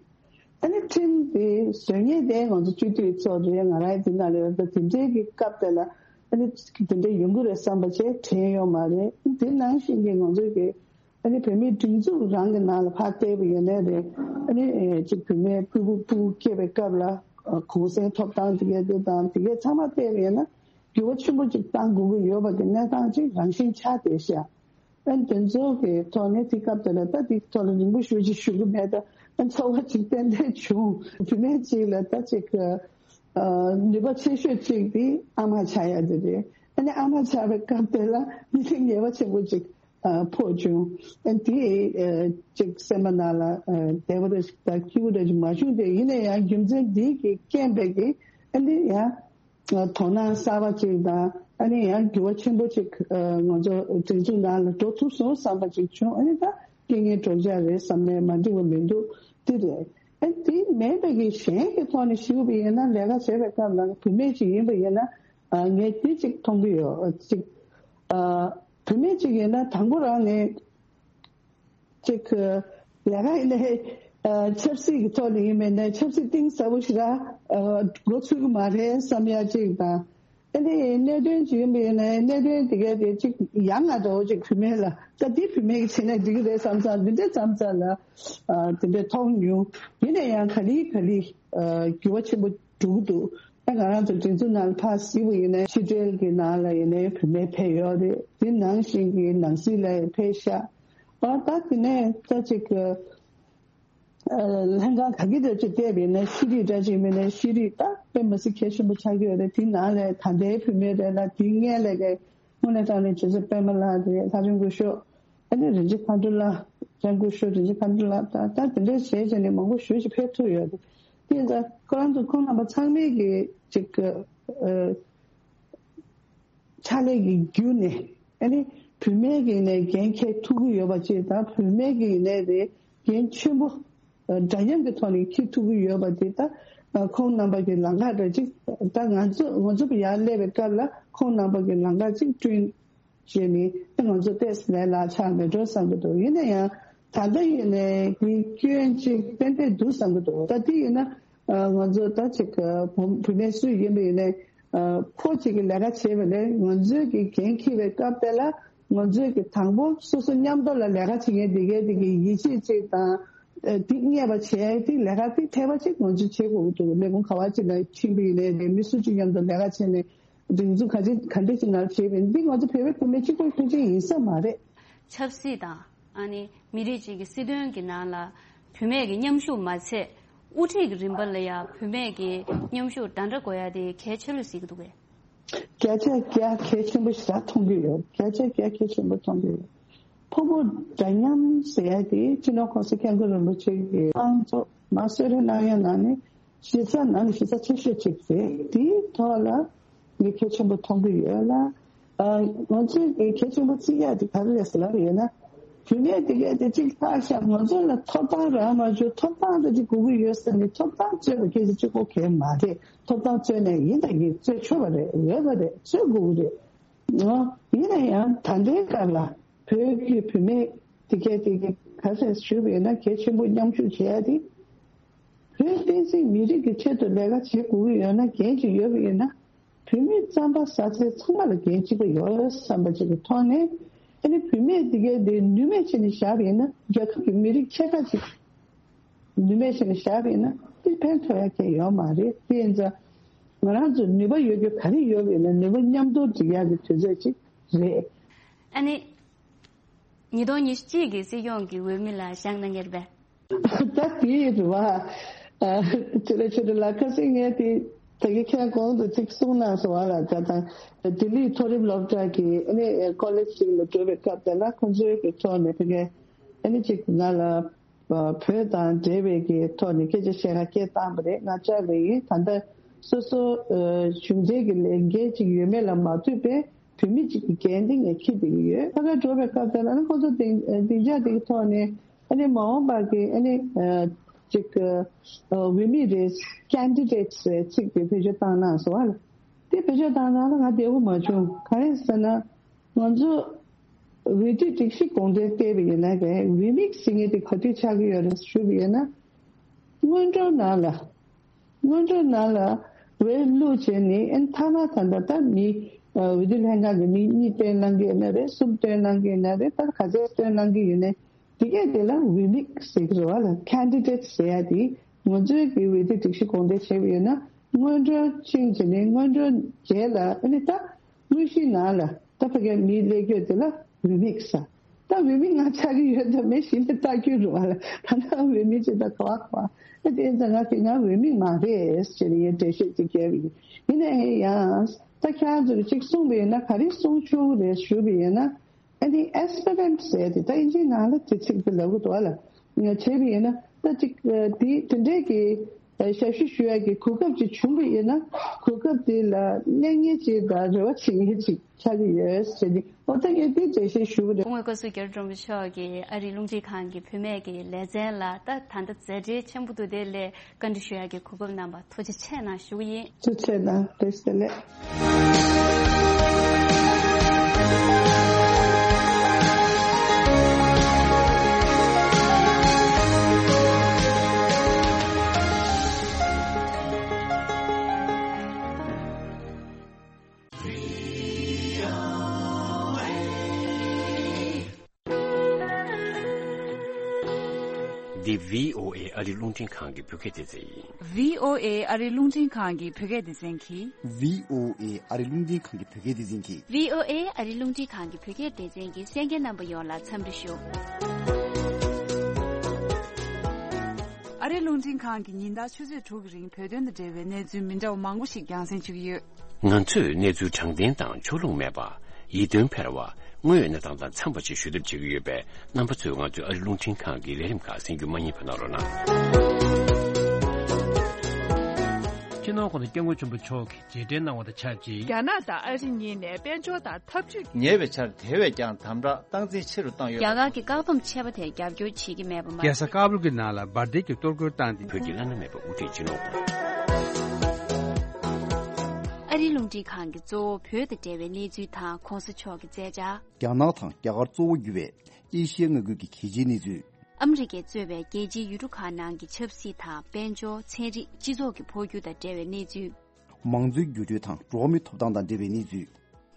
ཨ་ནི་ཁྲིམས་དེ་བཟོ་མཁན་དེ་ང་ཚོ་སྤྱི་འཐུས་ཚོ་རེད། ང་རང་དེ་ན་ལས་ར་དེ་འདྲའི་གི་སྐབས་དེ་ལ་ཨ་ནི་དེ་འདྲ་ཡོང་གི་རེད་བསམ་པ་བྱས་དྲན་ཡོད་མ་རེད། དེ་ནང་བཞིན་གྱི་ང་ཚོ་གི་ཨ་ནི་བོད་མིའི་སྒྲིག་འཛུགས་རང་གི་ནང་ལ་ཕར་བལྟས་པ་ཡིན་ནའི་རེད། ཨ་ནི་ཨེ་ཅིག་བུད་མེད་ཕྲུ་གུ་ཕྲུ་གུ་སྐྱེས་པའི་སྐབས་ལ་གུང་སེང་ཐོབ་སྟངས་དེ་གས་དེ་དང་དེ་གས་ཚང་མ་བལྟས་པ་ཡིན་ན་འགྱུར་བ་ཆེན་པོ་ཅིག་བཏང་དགོས་ཀྱི་ཡོད་པ་གི་གནས་སྟངས་ཅིག་རང་བཞིན་ཆགས་བསྡད་ཤག་ཨ་ནི་དེ་ཚོ་གི་ཐོག་ནས་དེ་སྐབས་དེ་ལ་ད་དེ་ཐོག་ལ་རིང་པོ་ཞུ་ཅིག་ཞུ་གི་མེད། ད་ཨ་ཚོར་བ་ཅིག་ཏན་ཏན་བྱུང་། བུད་མེད་ཅིག་ལ་ད་ཅིག་ཨ་ནུས་པ་ཆེ་ཤོས་ཅིག་དེ་ཨ་མ་ཆགས་ཡ་དེ་རེད། ཨ་ནི་ཨ་མ་ཆགས་པའི་སྐབས་དེ་ལ་མི་ཚེ་ངལ་བ་ཆེན་པོ་ཅིག་ཨ་ཕོག་བྱུང་། ཨ་དེ་ཨ་ཅིག་སེམས་པ་ནང་ལ་ཨ་བདེ་བ་རེ་ཞིག་དང་སྐྱིད་པོ་རེ་ཞིག་མ་བྱུང་སྟེ། ཡིན་ན་ཡང་རྒྱུ་མཚན་འདི་གི་རྐྱེན་པས་ཀྱི་ཨ་ནི་ཡང་དོ་སྣང་གསར་པ་ཅིག་དང་ཨ་ནི་ཡང་འགྱུར་བ་ཆེན་པོ་ཅིག་ཨ་ང་ཚོ་སྒྲིག་འཛུགས་ནང་ལ་འགྲོ་ཐུབ་སོང་བསམ་པ་ཅིག་བྱུང་། ཨ་ནི་ད་རྐྱེན་ངན་གྲོགས་མཇལ་རེད་བསམ་ནས་མ་འགྲིག་པ་མི་འདུག་དེ་རེད། ཨ་དེ་མེད་པ་གི་གཞན་གྱི་ཐོག་ནས་ཞུས་པ་ཡིན་ན་ལས་ཀ་བྱེད་པའི་སྐབས་ལ་བུད་མེད་ཅིག་ཡིན་པ་ཡིན་ན། ཨ་ངས་དེ་གཅིག་མཐོང་གི་ཡོད། གཅིག་ཨ་བུད་མེད་གཅིག་ཡིན་ན་དང་པོ་རང་ནས་གཅིག་ལས་ཀ་ཡིན་ནའི་ཨ་ཆབ་སྲིད་ཀྱི་ཐོག་ནས་ཡིན་པ་ཡིན་ནའི་ཆབ་སྲིད་གཏིང་ཟབ་པོ་ཞིག་ལ་ཨ་འགོ་ཚུགས་ཀྱི་མ་རེད་བསམ་ཡ་གཅིག་དང་། ཨ་ནི་གནད་དོན་ཅིག་ཡིན་པ་ཡིན་ནའི་གནད་དོན་དེ་གའི་དེ་གཅིག་ཡང་ང་འདྲ་བོ་གཅིག་བུད་མེད་ལ་ད་འདི་བུད་མེད་ཀྱི་བྱས་ན་འགྲིག་གི་རེད་བསམ་ཙང་འདི་འདྲའི་བསམ་ཙང་ལ་ཨ་དེ་འདྲའི་མཐོང་མྱོང་། ཡིན་ན་ཡང་ག་ལེ་ག་ལེ་ཨ་འགྱུར་བ་ཆེན་པོ་འགྲོ་གི་འདུག་ད་ང་རང་ཚོ་སྒྲིག་འཛུགས་ནང་ལ་ཕར་གཟིགས་པ་ཡིན་ནའི་ཕྱི་དྲིལ་གྱི་ནང་ལ་ཡིན་ནའི་བུད་མེད་ཕེབས་ཡོད་རེད། དེ་ནང་བཞིན་གྱི་ནང་སྲིད་ལ་ཕེབས་ཤག་ཨ་ད་དེ་ནས་ད་ཅིག་ཨ་ལྷན་ཁང་ག་གི་འདྲ་ཅིག་བལྟས་པ་ཡིན་ན་ཤེས་རིག་འདྲ་ཅིག་མིན་ན་ཤེས་རིག་ད་དཔེ་མི་སྲིད་གལ་ཆེན་པོ་ཆགས་ཀྱི་ཡོད་རེད། དེ་ནང་ལ་ད་ལྟའི་བུད་མེད་རེད་ལ་དེ་སྔོན་ལ་གི་དངོས་གནས་དྲང་གནས་ཇོ་ཚེ་པད་མ་ལགས་རེད། ལྷ་སྒྲོན་སྐུ་ཞབས། ཨ་ནི་རིན་ཆེན་མཁའ་འགྲོ་ལགས། ལྕམ་སྐུ་ཞབས་རིན་ཆེན་མཁའ་འགྲོ་ལགས། ད་ད་དེ་འདྲ་བྱས་བྱས་ནས་མང་པོ་ཞེ་ཅིག་ཕེབས་ཐུབ་ཡོད་རེད། དེ་ཡིན་ཙང་ཁོ་རང་ཚོ་ཁོང་རྣམ་པ་ཚང་མས་ཀྱི་ཅིག་ཨ་ཕྱག་ལས་ཀྱི་བརྒྱུད་ནས་ཨ་ནི་བུད་མེད་ཀྱི་ནས་འགན་འཁྱེར་ཐུབ་ཀྱི་ཡོད་པ་ཅིག་དང་བུད་མེད་ཀྱི་ནས་རེད་འགན་ཆེན་པོ་འདྲ་མཉམ་གྱི་ཐོག་ནས་འཁྱེར་ཐུབ་ཀྱི་ཡོད་པ་དེ་ད་ཁོང་རྣམ་པ་གི་ལམ་ཁ་འདྲ་ཅིག་ད་ང་ཚོ་ང་ཚོ་ཡར་སླེབས་པའི་སྐབས་ལ་ཁོང་རྣམ་པ་གི་ལམ་ཁ་ཅིག་བསྐྲུན་བྱས་ནས་ད་ང་ཚོ་ཏོག་ཙམ་ལས་སླ་ཆགས་མེད་འགྲོ་བསམ་གྱི་འདུག་ཡིན་ན་ཡང་ད་ལྟ་ཡིན་ནའི་གི་སྐྱོན་ཅིག་ཏན་ཏན་འདུག་བསམ་གྱི་འདུག་ད་དེ་ཡིན་ན་ང་ཚོ་ད་ཅིག་བུད་མེད་སུ་ཡིན་པ་ཡིན་ནའི་ཕོ་གཅིག་གིས་ལས་ཀ་བྱས་པ་ལས་ང་ཚོའི་གི་འགན་འཁྱེར་བའི་སྐབས་དེ་ལ་ང་ཚོའི་གི་དང་པོ་སོ་སོ་མཉམ་དུ་ལ་ལས་ཀ་བྱེད་མཁན་དེ་གའི་དེ་གི་ཡིད་ཆེས་ཅིག་དང་དེ་རྙེད་པ་བྱས་དེ་ལས་ཀ་དེ་འཐད་པ་ཅིག་ང་ཚོས་བྱེད་དགོས་ཀྱི་འདུག་ལས་ཁུངས་ག་བ་ཅིག་ལ་ཕྱིན་པ་ཡིན་ནའི་མི་སུ་གཅིག་མཉམ་དུ་ལས་ཀ་བྱས་ནས། སྒྲིག་འཛུགས་ག་ཅི་ག་འདྲ་ཅིག་ནང་བྱས་པས་འདི་ང་ཚོ་བོད་པའི་བུད་མེད་གཅིག་པོའི་མཐུན་རྐྱེན་ཡིན་ས་མ་རེད། ཆབ་སྲིད་དང་ཨ་ནི་མི་རིགས་གཅིག་གི་སྲིད་དོན་གྱི་ནང་ལ་བུད་མེད་ཀྱི་མཉམ་ཞུགས་མ་ཚད་དབུ་ཁྲིད་ཀྱི་རིམ་པ་ལ་ཡང་བུད་མེད་ཀྱི་མཉམ་ཞུགས་འདྲ་འདྲ་དགོས་ཡ་དེ་གལ་ཆེ་ལོས་གཟིགས་ཀྱི་འདུག་གས། བརྒྱ་ཆ་བརྒྱ་གལ་ཆེན་པོ་ཞེ་དྲག་མཐོང་གི་ཡོད། བརྒྱ་ཆ་བརྒྱ་གལ་ཆེན་པོ་མཐོང་གི་ཡོད། ཕོ་མོ་འདྲ་མཉམ་ཟེར་ཡ་དེ་སྤྱི་ནོར་༸གོང་ས་༸སྐྱབས་མགོན་རིན་པོ་ཆེ་གི་དབང་ཚོ་མ་གསོལ་རས་གནང་ཡ་ནང་ནས་གཞི་རྩ་ནང་ནས་གཞི་རྩ་ཆེ་ཤོས་གཅིག་རེད། དེའི་ཐོག་ལ་ངས་གལ་ཆེན་པོ་མཐོང་གི་ཡོད་ལ། ཨ་ང་ཚོས་ཀྱི་གལ་ཆེན་པོ་བརྩི་ཡ་དེ་ག་རེ་རེད་ཟེར་ལབ་ཡོད་ན། བུད་མེད་དེ་གས་དེ་གཅིག་ལྟ་ཤག་ང་ཚོ་ལ་ཐོབ་ཐང་རག་མ་བྱུང་། ཐོབ་ཐང་དེ་གཅིག་དགོས་ཀྱི་ཡོད་ཟེར་ནས་ཐོབ་ཐང་རྩོད་པ་སྐད་ཆ་གཅིག་པོ་གས་མ་རེད། ཐོབ་ཐང་རྩོད་ནས་ཡིན་དང་ཡིན་རྩོད་ཆོག་པ་རེད། འོས་པ་རེད། རྩོད་དགོས་ཀྱི་རེད། ཡིན་ན་ཡང་ད་ལྟའི་སྐབས་ལ་བོད་ཀྱི་བུད་མེད་དེ་གས་དེ་གས་ག་ཚད་ཞུས་པ་ཡིན་ན་གལ་ཆེན་པོ་མཉམ་ཞུགས་བྱེད་ཡ་དེ། བོད་བསྟན་སྲིད་མི་རིགས་ཀྱི་ཆེད་དུ་ལས་ཀ་བྱེད་དགོས་ཀྱི་ཡོད་ན་འགན་ཅིག་ཡོད་པ་ཡིན་ན། བུད་མེད་རྩམ་པ་ཟ་ཚད་ཚང་མ་ལ་འགན་གཅིག་པ་ཡོད་བསམ་པ་ཅིག་གི་ཐོག་ནས། ཨ་ནི་བུད་མེད་དེ་གས་དེ་ནུས་མེད་བྱས་ནས་བཞག་པ་ཡིན་ན་རྒྱལ་ཁབ་ཀྱི་མི་རིགས་ཕྱེད་ཀ་ཅིག་ནུས་མེད་བྱས་ནས་བཞག་པ་ཡིན་ན་དེ་ཕན་ཐོགས་ཡ་གང་ཡོད་མ་རེད། དེ་ཡིན་ཙང་ང་རང་ཚོ་ནུས་པ་ཡོད་རྒྱུ་ག་རེ་ཡོད་པ་ཡིན་ན་ནུས་པ་མཉམ་དུ་སྒྲིག་ཡག་གི་དུས་ཚོད་ཅིག་རེད། ཨ་ནི། ཉིས་སྟོང་ཉི་ཤུ་གཅིག་གི་སྲིད་སྐྱོང་གི་འོས་མི་ལ་བཞེངས་གནང་གི་རེད་པས། ད་དེ་རེད་བ། ཨ་ཆེ་རེ་ཆེ་རེ་ལ་ཁ་སང་ངས་དེ་ད་གི་ཁྱེད་གོང་དུ་ཅིག་གསུངས་གནང་སོང་བ་ལ། ད་ད་ལྡི་ལི་མཐོ་རིམ་སློབ་གྲྭ་གི་ཨ་ནི་ཀོ་ལེཇ་ཅིག་ལ་འགྲོ་བའི་སྐབས་དེ་ལ་ཁོང་ཚོའི་གི་ཐོག་ནས་དེ་གས་ཨ་ནི་ཅིག་ང་ལ་བོད་དང་འབྲེལ་བའི་གི་ཐོག་ནས་སྐད་ཆ་བཤད་ཁ་སྐད་བཏང་བ་རེད། ང་བཅར་བ་ཡིན། ད་ལྟ་སོ་སོ་གཞུང་འབྲེལ་གྱི་ལས་འགན་ཅིག་ཡོད་མེད་ལ་མ་ལྟོས་པའི་བུད་མེད་ཅིག་གི་འགན་དེ་ངས་འཁྱེར་བསྡད་ཀྱི་ཡོད། ཕ་གིར་འགྲོ་བའི་སྐབས་དེ་ལ་ནི་ཁོ་ཚོ་སྡིངས་སྡིངས་ཆ་དེ་གི་ཐོག་ནས་ཨ་ནི་མ་འོངས་པ་གི་ཨ་ནི་ཅིག་འོས་མི་རེད། ཀེན་ཌི་ཌེ་ཊི་སི་ཟེར་ཚིག་དེ་བེད་སྤྱོད་བཏང་གནང་སོང་བ་ལ། དེ་བེད་སྤྱོད་བཏང་གནང་ལ་ང་བདེ་པོ་མ་བྱུང་། ག་རེ་ཟེར་ན། ང་ཚོ་འོས་བསྡུ་སྒྲིག་གཞི་དགོངས་དོན་བལྟས་པ་ཡིན་ན་ཀའི་འོས་མི་ཟེར་མཁན་དེ་ག་དུས་ཆགས་ཀྱི་ཡོད་རེད་ཞུས་པ་ཡིན་ན། སྔོན་འགྲོ་ནང་ལ། སྔོན་འགྲོ་ནང་ལ་འོས་བླུགས་བྱས་ནས་ཨན་མཐའ་མ་ད་ལྟ་ད་མི་འོས་བསྡུ་ལྷན་ཁང་གི་མི་གཉིས་བཏོན་གནང་གི་ཡོད་ན་རེད། གསུམ་བཏོན་གནང་གི་ཡོད་ན་རེད། ད་ག་ཚད་བཏོན་གནང་གི་ཡོད་ན་དེ་གས་དེ་ལ་འོས་མི་ཟེར་གི་རེད་བ་ལ། ཀེན་ཌི་ཌེ་ཊི་ཟེར་ཡ་དེ་ང་ཚོའི་གི་འོས་བསྡུ་སྒྲིག་གཞི་དགོངས་དོན་བྱས་པ་ཡིན་ན་སྔོན་འགྲོ་ཕྱིན་བྱས་ནས་སྔོན་འགྲོ་རྗེས་ལ་ཨ་ནི་ད། དངོས་གཞིའི་ནང་ལ་ད་ཕ་གིའི་མིའི་ཀླད་སྐྱོན་དེ་ལ་འོས་མི་ཟེར། ད་འོས་མི་ང་ཆགས་ཀྱི་ཡོད་ད་མེད་གཞི་ནས་ལྟ་རྒྱུ་རུ་བ་ལ་ད་ནང་འོས་མི་ཅིག་ད་ག་བ་ག་བ། ཨ་དེ་ཙང་ང་གི་ང་འོས་མི་མ་རེད་ཟེར་ནས་ངས་འགྲེལ་བཤད་ཅིག་བརྒྱབ་ཡིན། ཡིན་ནའི་ཡང་ད་ཁྱེད་རང་ཚོ་གིས་ཅིག་གསུངས་པ་ཡིན་ན་ག་རེ་གསུང་ཆོག་གི་རེད་ཞུས་པ་ཡིན་ན། ཨ་ནི་ཨེ་སི་པི་རན་ཊི་ཟེར་དེ་ད་ཨིན་ཇིའི་ནང་ལ་དེ་ཚིག་དེ་ལབ་གི་འདུག་བ་ལ། ང་བྱས་པ་ཡིན་ན་ད་ཅིག་དེ་དེ་འདྲའི་གི་ཞབས་ཞུ་ཞུ་ཡག་གི་གོ་སྐབས་ཅིག་བྱུང་བ་ཡིན་ན། གོ་སྐབས་དེ་ལ་གནས་ངེས་ཅིག་དང་རེ་བ་བྱེད་མཁན་ཅིག་ཆགས་ཀྱི་ཡོད་ཟེར་ཏེ། ཨོ་ད་ངས་དེ་འགྲེལ་བཤད་ཞུ་གི་རེད། སྐུ་ངོ་བཀའ་ཟུར་རྒྱ་རི་སྒྲོལ་མ་མཆོག་གིས་ཨ་རིའི་རླུང་འཕྲིན་ཁང་གི་བུད་མེད་ཀྱི་ལེ་ཚན་ལ་ད་ད་ལྟ་མཛད་བྲེལ་ཆེན་པོ་འདུག་དེ་ལས་བཀའ་འདྲི་ཞུ་ཡག་གི་གོ་སྐབས་གནང་བར་ཐུགས་རྗེ་ཆེ་གནང་ཞུ་གི་ཡིན། ཐུགས་རྗེ་ཆེ་གནང་། བཀྲ་ཤིས་བདེ་ལེགས། འདི་བྷི་ཨོ་ཨེ་ཨ་རིའི་རླུང་འཕྲིན་ཁང་གི་བོད་སྐད་སྡེ་ཚན་ཡིན། བྷི་ཨོ་ཨེ་ཨ་རིའི་རླུང་འཕྲིན་ཁང་གི་བོད་སྐད་སྡེ་ཚན་གྱིས། བྷི་ཨོ་ཨེ་ཨ་རིའི་རླུང་འཕྲིན་ཁང་གི་བོད་སྐད་སྡེ་ཚན་གྱིས། བྷི་ཨོ་ཨེ་ཨ་རིའི་རླུང་འཕྲིན་ཁང་གི་བོད་སྐད་སྡེ་ཚན་གྱི་གསན་མཁན་རྣམ་པ་ཡོངས་ལ་འཚམས་འདྲི་ཞུ། ཨ་རིའི་རླུང་འཕྲིན་ཁང་གི་ཉིན་ལྟར་ཆུ་ཚོད་དྲུག་གི་རིང་བོད་དོན་དང་འབྲེལ་བའི་གནས་ཚུལ་མི་འདྲ་བ་མང་པོ་ཞིག་རྒྱང་སྲིང་ཞུ་གི་ཡོད། ང་ཚོས་གནས་ཚུལ་དྲང་བདེན་དང་ཕྱོགས་ལྷུང་མེད་པ། ཡིད་རྟོན་འཕེར་བ། དངོས་ཡོད་གནས་སྟངས་དང་འཚམས་པ་ཞིག་ཞུ་ཐབས་བྱེད་ཀྱི་ཡོད་པས་རྣམ་པ་ཚོས་ང་ཚོའི་ཨ་རིའི་རླུང་འཕྲིན་ཁང་གི་ལས་རིམ་ཁག་གསན་རྒྱུ་མ་བསྙེལ་བ་གནང་རོགས་གནང་། སྤྱི་ནོར་༸གོང་ས་༸སྐྱབས་མགོན་ཆེན་པོ་མཆོག་གིས་རྗེས་དྲན་གནང་བ་དང་ཆབས་ཅིག་རྒྱ་ནག་དང་ཨ་རི་གཉིས་ནས་དཔལ་འབྱོར་དང་འཐབ་ཇུས། ཉེ་བའི་ཆར་དེ་བས་ཀྱང་དམ་དྲག་སྟངས་འཛིན་ཆེ་རུ་བཏང་ཡོད། རྒྱ་གར་གྱི་བཀག་སྡོམ་ཆད་པ་དེར་རྒྱབ་སྐྱོར་བྱེད་ཀྱི་མེད་པ་མ་ཟད། རྒྱལ་ས་ཀ་བུལ་གྱི་ནང་ལ་འབར་མདེལ་གྱི་གཏོར་རྒོལ་བཏང་སྟེ། བོད་ཀྱི་བླ་ན་མེད་པ་དབུ་ཁྲིད་སྤྱི་ནོར་༸གོང་ས། ཨ་རིའི་རླུང་འཕྲིན་ཁང་གིས་གཙོ་བོ་བོད་དང་འབྲེལ་བའི་གནས་ཚུལ་དང་༸གོང་ས་མཆོག་གི་མཛད་འཆར། རྒྱ་ནག་དང་རྒྱ་གར་གཙོ་བོ་གྱུར་བའི་ཨེ་ཤི་ཡའི་མངའ་ཁུལ་གྱི་གལ་ཆེའི་གནས་ཚུལ། ཨ་མི་རི་ཀས་གཙོས་པའི་རྒྱལ་སྤྱིའི་ཡུལ་གྲུ་ཁག་ནང་གི་ཆབ་སྲིད་དང་། དཔལ་འབྱོར། ཚན་རིག་སྤྱི་ཚོགས་ཀྱི་འཕོ་འགྱུར་དང་འབྲེལ་བའི་གནས་ཚུལ། མང་གཙོའི་འགྱུར་འགྲོས་དང་འགྲོ་བ་མིའི་ཐོབ་ཐང་དང་འབྲེལ་བའི་གནས་ཚུལ།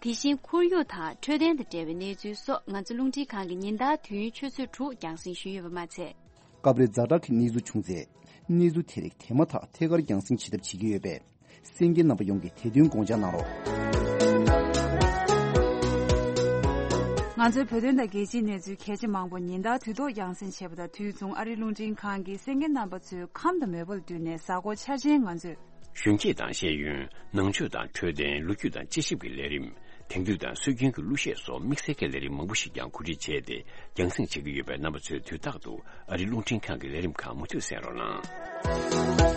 དེ་བཞིན་ཁོར་ཡུག་དང་འཕྲོད་བསྟེན་དང་འབྲེལ་བའི་གནས་ཚུལ་སོགས་ང་ཚོ་རླུང་འཕྲིན་ཁང་གིས་ཉིན་ལྟར་དུས་ཡུན་ཆུ་ཚོད་དྲུག་རྒྱང་སྲིང་ཞུས་ཡོད་པ་མ་ཚད། སྐབས་རེ་ཛ་དྲག་གི་གནས་ཚུལ་བྱུང་ཚེ། གནས་ཚུལ་དེ་རིགས་དེ་མ་ཐག་ཐད་ཀར་རྒྱང་སྲིང་བྱེད་ཐབས་བྱེད་ཀྱི་ཡོད་པས། གསན་མཁན་རྣམ་པ་ཡོངས་ཀྱིས་དེ་དོན་དགོངས་འཇགས་གནང་རོགས། ང་ཚོའི་བོད་དོན་དང་རྒྱལ་སྤྱིའི་གནས་ཚུལ་གལ་ཆེ་མང་པོ་ཉིན་ལྟར་དུས་ཐོག་རྒྱང་སྲིང་བྱེད་པ་དང་དུས་མཚུངས་ཨ་རིའི་རླུང་འཕྲིན་ཁང་གིས་གསན་མཁན་རྣམ་པ་ཚོའི་ཁམས་དང་མོས་པ་ལ་བསྟུན་ནས་གཟའ་འཁོར་འཆར་ཅན་ང་ཚོས། གཞོན་སྐྱེས་དང་ཤེས་ཡོན། ནང་ཆོས་དང་འཕྲོད་བསྟེན། ལོ་རྒྱུས་དང་དཔྱད་ཞིབ་ཀྱི་ལས་རིམ། དེང་དུས་དང་སྲོལ་རྒྱུན་གྱི་གླུ་གཞས་སོགས་དམིགས་བསལ་གྱི་ལས་རིམ་མང་པོ་ཞིག་ཀྱང་གོ་སྒྲིག་བྱས་ཏེ་རྒྱང་སྲིང་བྱེད་ཀྱི་ཡོད་པས་རྣམ་པ་ཚོས་དུས་རྟག་ཏུ་ཨ་རིའི་རླུང་འཕྲིན་ཁང་གི་ལས་རིམ་ཁག་མུ་མཐུད་གསན་རོགས་གནང་།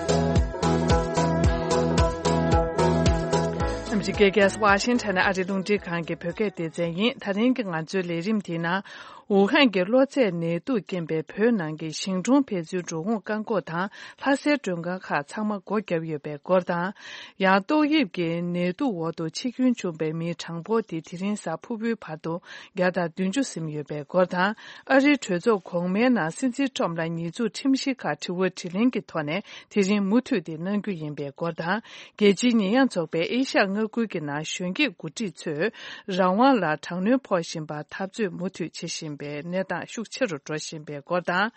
ཨ་མི་རི་ཀའི་རྒྱལ་ས་ཝ་ཤིང་ཊོན་ནས་ཨ་རིའི་རླུང་འཕྲིན་ཁང་གི་བོད་སྐད་སྡེ་ཚན་ཡིན། ད་རིང་གི་ང་ཚོའི་ལས་རིམ་དེའི་ནང་། ཝུ་ཧན་གྱི་གློ་ཚད་ནད་དུག་རྐྱེན་པས་བོད་ནང་གི་ཞིང་གྲོང་ཕན་ཚུན་འགྲོ་འོང་བཀག་འགོག་དང་ལྷ་སའི་མགྲོན་ཁང་ཁག་ཚང་མ་སྒོ་བརྒྱབ་ཡོད་པའི་སྐོར་དང་། ཡང་ཏོག་དབྱིབས་ཀྱི་ནད་དུག་འོག་ཏུ་འཆི་སྐྱོན་བྱུང་བའི་མིའི་གྲངས་འབོར་དེ་དེ་རིང་གཟའ་ཕུར་བུའི་བར་དུ་བརྒྱ་དང་བདུན་ཅུ་ཟིན་ཡོད་པའི་སྐོར་དང་། ཨ་རིའི་གྲོས་ཚོགས་གོང་མའི་ནང་སྲིད་འཛིན་ཁྲོམ་ལ་ཉེས་འཛུགས་ཁྲིམས་གཞི་ཁག་དྲི་བ་དྲིས་ལན་གྱི་ཐོག་ནས་དེ་རིང་མུ་མཐུད་དེ་གནང་རྒྱུ་ཡིན་པའི་སྐོར་དང་། རྒྱལ་སྤྱིའི་ཉེས་ཡངས་ཚོགས་པས་ཨེ་ཤ་ཡ་མངའ་ཁུལ་གྱི་ནང་གཞོན་སྐྱེས་འགོ་ཁྲིད་ཚོས་རང་དབང་ལ་དྲག་གནོན་ཕོག་བཞིན་པར་འཐབ་རྩོད་མུ་མཐུད་བྱེད་བཞིན་པའི་གནས་སྟངས་ཤུགས་ཆེ་རུ་འགྲོ་བཞིན་པའི་སྐོར་དང་།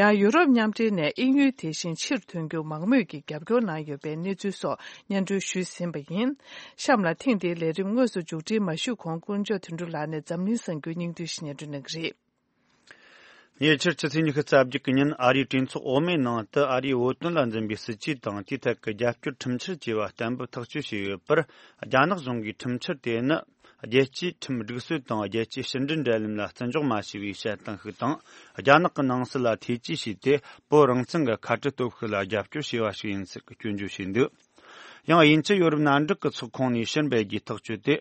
ཡང་ཡུ་རོབ་མཉམ་འབྲེལ་ནས་དབྱིན་ཡུལ་དེ་བཞིན་ཕྱིར་ཐོན་རྒྱུར་མང་མོས་ཀྱིས་རྒྱབ་སྐྱོར་གནང་ཡོད་པའི་གནས་ཚུལ་སོགས་སྙན་སྒྲོན་ཞུས་ཟིན་པ་ཡིན། གཤམ་ལ་ཐེངས་འདིའི་ལས་རིམ་དངོས་སུ་མཇུག་སྒྲིལ་མ་ཞུས་གོང་དཀོན་མཆོག་དོན་གྲུབ་ལགས་ནས་འཛམ་གླིང་གསར་འགྱུར་སྙིང་བསྡུས་ཤིག་སྙན་སྒྲོན་གནང་གི་རེད། ཉེ་ཆར་ཕྱི་ཚེས་ཉི་ཤུ་རྩ་བརྒྱད་ཀྱི་ཉིན་ཨ་རིའི་གྲོས་ཚོགས་འོག་མའི་ནང་དུ་ཨ་རིའི་བོད་དོན་ལ་འཛིན་པའི་སྲིད་ཇུས་དང་དེའི་ཐད་ཀྱི་རྒྱབ་སྐྱོར་ཁྲིམས་འཆར་བཅས་པ་གཏན་འབེབས་ཐག་གཅོད་བྱས་ཡོད་པར། རྒྱ་ནག་གཞུང་གིས་ཁྲིམས་འཆར་དེ་ནི་རྒྱལ་སྤྱིའི་ཁྲིམས་སྒྲིག་སྲོལ་དང་རྒྱལ་སྤྱིའི་ཕྱི་འབྲེལ་འབྲེལ་ལམ་ལ་བརྩི་འཇོག་མ་བྱས་པའི་བཤད་སྟངས་ཤིག་དང་། རྒྱ་ནག་གི་ནང་སྲིད་ལ་ཐེ་ཇུས་བྱས་ཏེ་བོད་རང་བཙན་གྱི་ཁ་བྲལ་སྟོབས་ཤུགས་ལ་རྒྱབ་སྐྱོར་བྱས་པ་ཞིག་ཡིན་ཚུལ་སྐྱོན་བརྗོད་བྱས་འདུག། ཡང་དབྱིན་ཇི་ཡོ་རོབ་མནའ་འབྲེལ་གྱི་ཚོགས་ཁོངས་ནས་ཕྱིར་འབུད་རྒྱུའི་ཐག་གཅོད་དེ།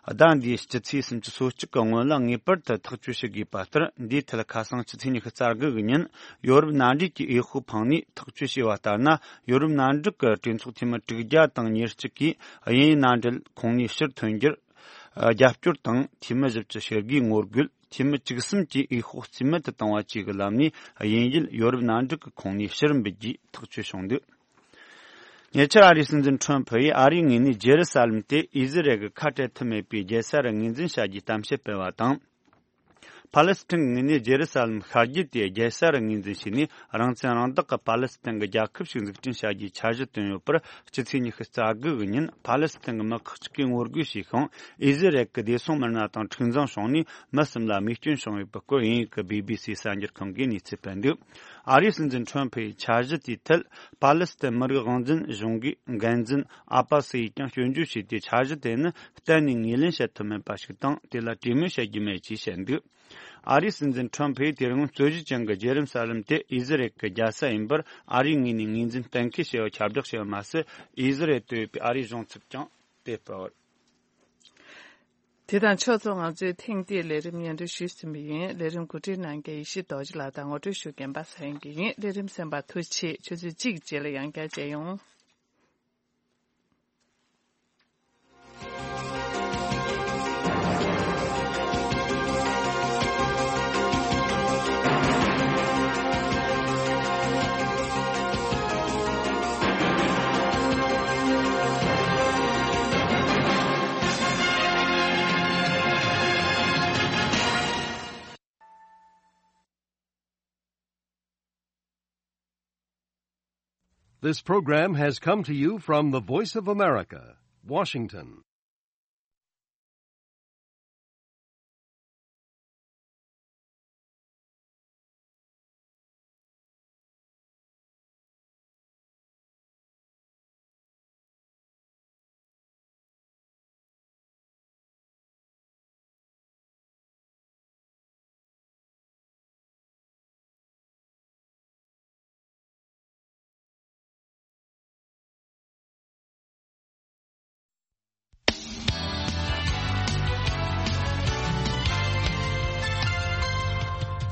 ཟླ་འདིའི་སྤྱི་ཚེས་སུམ་ཅུ་སོ་གཅིག་གི་སྔོན་ལ་ངེས་པར་དུ་ཐག་གཅོད་བྱེད་དགོས་པ་ལྟར། འདིའི་ཐད་ཁ་སང་ཕྱི་ཚེས་ཉི་ཤུ་རྩ་དགུ་གི་ཉིན་ཡོ་རོབ་མནའ་འབྲེལ་གྱི་འོས་ཤོག་འཕངས་ནས་ཐག་གཅོད་བྱས་པ་ལྟར་ན། ཡོ་རོབ་མནའ་འབྲེལ་གྱི་གྲོས་ཚོགས་འཐུས་མི་དྲུག་བརྒྱ་དང་ཉེར་གཅིག་གིས་དབྱིན་ཡུལ་མནའ་འབྲེལ་ཁོངས་ནས་ཕྱིར་ཐོན་རྒྱུར་རྒྱབ་སྐྱོར་དང་། འཐུས་མི་བཞི་བཅུ་ཞེ་དགུས་ངོ་རྒོལ། འཐུས་མི་བཅུ་གསུམ་གྱིས་འོས་ཤོག་རྩིས་མེད་དུ་བཏང་བ་བཅས་ཀྱི་ལམ་ནས་དབྱིན་ཡུལ་ཡོ་རོབ་མནའ་འབྲེལ་གྱི་ཁོངས་ནས་ཕྱིར་འབུད་རྒྱུའི་ཐག་གཅོད་བྱུང་འདུག། ཉེ་ཆར་ཨ་རིའི་སྲིད་འཛིན་ཁྲོམ་ཕུ་ཡིས་ཨ་རིའི་ངོས་ནས་ཇེ་རུ་ས་ལམ་དེ་ཨི་ཟི་རལ་གྱི་ཁ་བྲལ་ཐབས་མེད་པའི་རྒྱལ་ས་རུ་ངོས་འཛིན་བྱ་རྒྱུའི་གཏམ་བཤད་སྤེལ་བ་དང་། ཕཱ་ལེ་སི་ཐན་གྱི་ངོས་ནས་ཇེ་རུ་ས་ལམ་ཤར་རྒྱུད་དེ་རྒྱལ་ས་རུ་ངོས་འཛིན་བྱས་ནས། རང་བཙན་རང་བདག་གི་ཕཱ་ལེ་སི་ཐན་གྱི་རྒྱལ་ཁབ་ཞིག་འཛུགས་སྐྲུན་བྱ་རྒྱུའི་འཆར་གཞི་བཏོན་ཡོད་པར། སྤྱི་ཚེས་ཉི་ཤུ་རྩ་དགུ་གི་ཉིན་ཕཱ་ལེ་སི་ཐན་གྱི་མི་ཁག་ཅིག་གིས་ངོ་རྒོལ་བྱས་ཤིང་། ཨི་ཟི་རལ་གྱི་བདེ་སྲུང་མི་སྣ་དང་འཁྲུག་འཛིང་བྱུང་ནས་མི་གསུམ་ལ་རྨས་སྐྱོན་བྱུང་ཡོད་པའི་སྐོར། དབྱིན་ཡུལ་གྱི་བི་བི་སི་གསར་འགྱུར་ཁང་གིས་གནས་ཚུལ་སྤེལ་འདུག། ཨ་རིའི་སྲིད་འཛིན་ཁྲོམ་ཕུ་ཡིས་འཆར་གཞི་དེའི་ཐད་ཕཱ་ལེ་སི་ཐན་མི་རིགས་དབང་འཛིན་གཞུང་གི་འགན་འཛིན་ཨ་པ་སི་ཡིས་ཀྱང་སྐྱོན་བརྗོད་བྱས་ཏེ། འཆར་གཞི་དེ་ནི་གཏན་ནས་ངོས་ལེན་བྱེད་ཐུབ་མེད་པ་ཞིག་དང་། དེ་ལ་གྲོས་མོལ་བྱེད་རྒྱུ་མེད་ཅེས་བཤད་འདུག། ཨ་རིའི་སྲིད་འཛིན་ཁྲོམ་ཕུས་དེ་རིང་རྩོད་གཞི་ཅན་གྱི་རྗེས་རིམ་གསར་ལམ་དེ་ཨི་ཟི་རལ་གྱི་རྒྱལ་ས་ཡིན་པར་ཨ་རིའི་ངོས་ནས་ངོས་འཛིན་གཏན་འཁེལ་བྱས་པ་ཁྱབ་བསྒྲགས་བྱས་པ་མ་ཟད། ཨི་ཟི་རལ་དུ་ཡོད་པའི་ཨ་རིའི་གཞུང་ཚབ་ཀྱང་དེ་སྤེལ་བ་རེད། དེ་དང་ཕྱོགས་མཚུངས། ང་ཚོས་ཐེངས་འདིའི་ལས་རིམ་སྙན་སྒྲོན་ཞུས་ཟིན་པ་ཡིན། ལས་རིམ་གོ་སྒྲིག་གནང་མཁན་ཡེ་ཤེས་རྡོ་རྗེ་ལགས་དང་ངོ་སྤྲོད་ཞུ་མཁན་པ་ས་ཡན་གྱི་ཡིན། ལས་རིམ་གསན་པར་ཐུགས་རྗེ་ཆེ། ཆུ་ཚོད་གཅིག་རྗེས་ལ་ཡང་བསྐྱར་མཇལ་ཡོང་། This program has come to you from the Voice of America, Washington.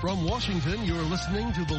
From Washington, you're listening to the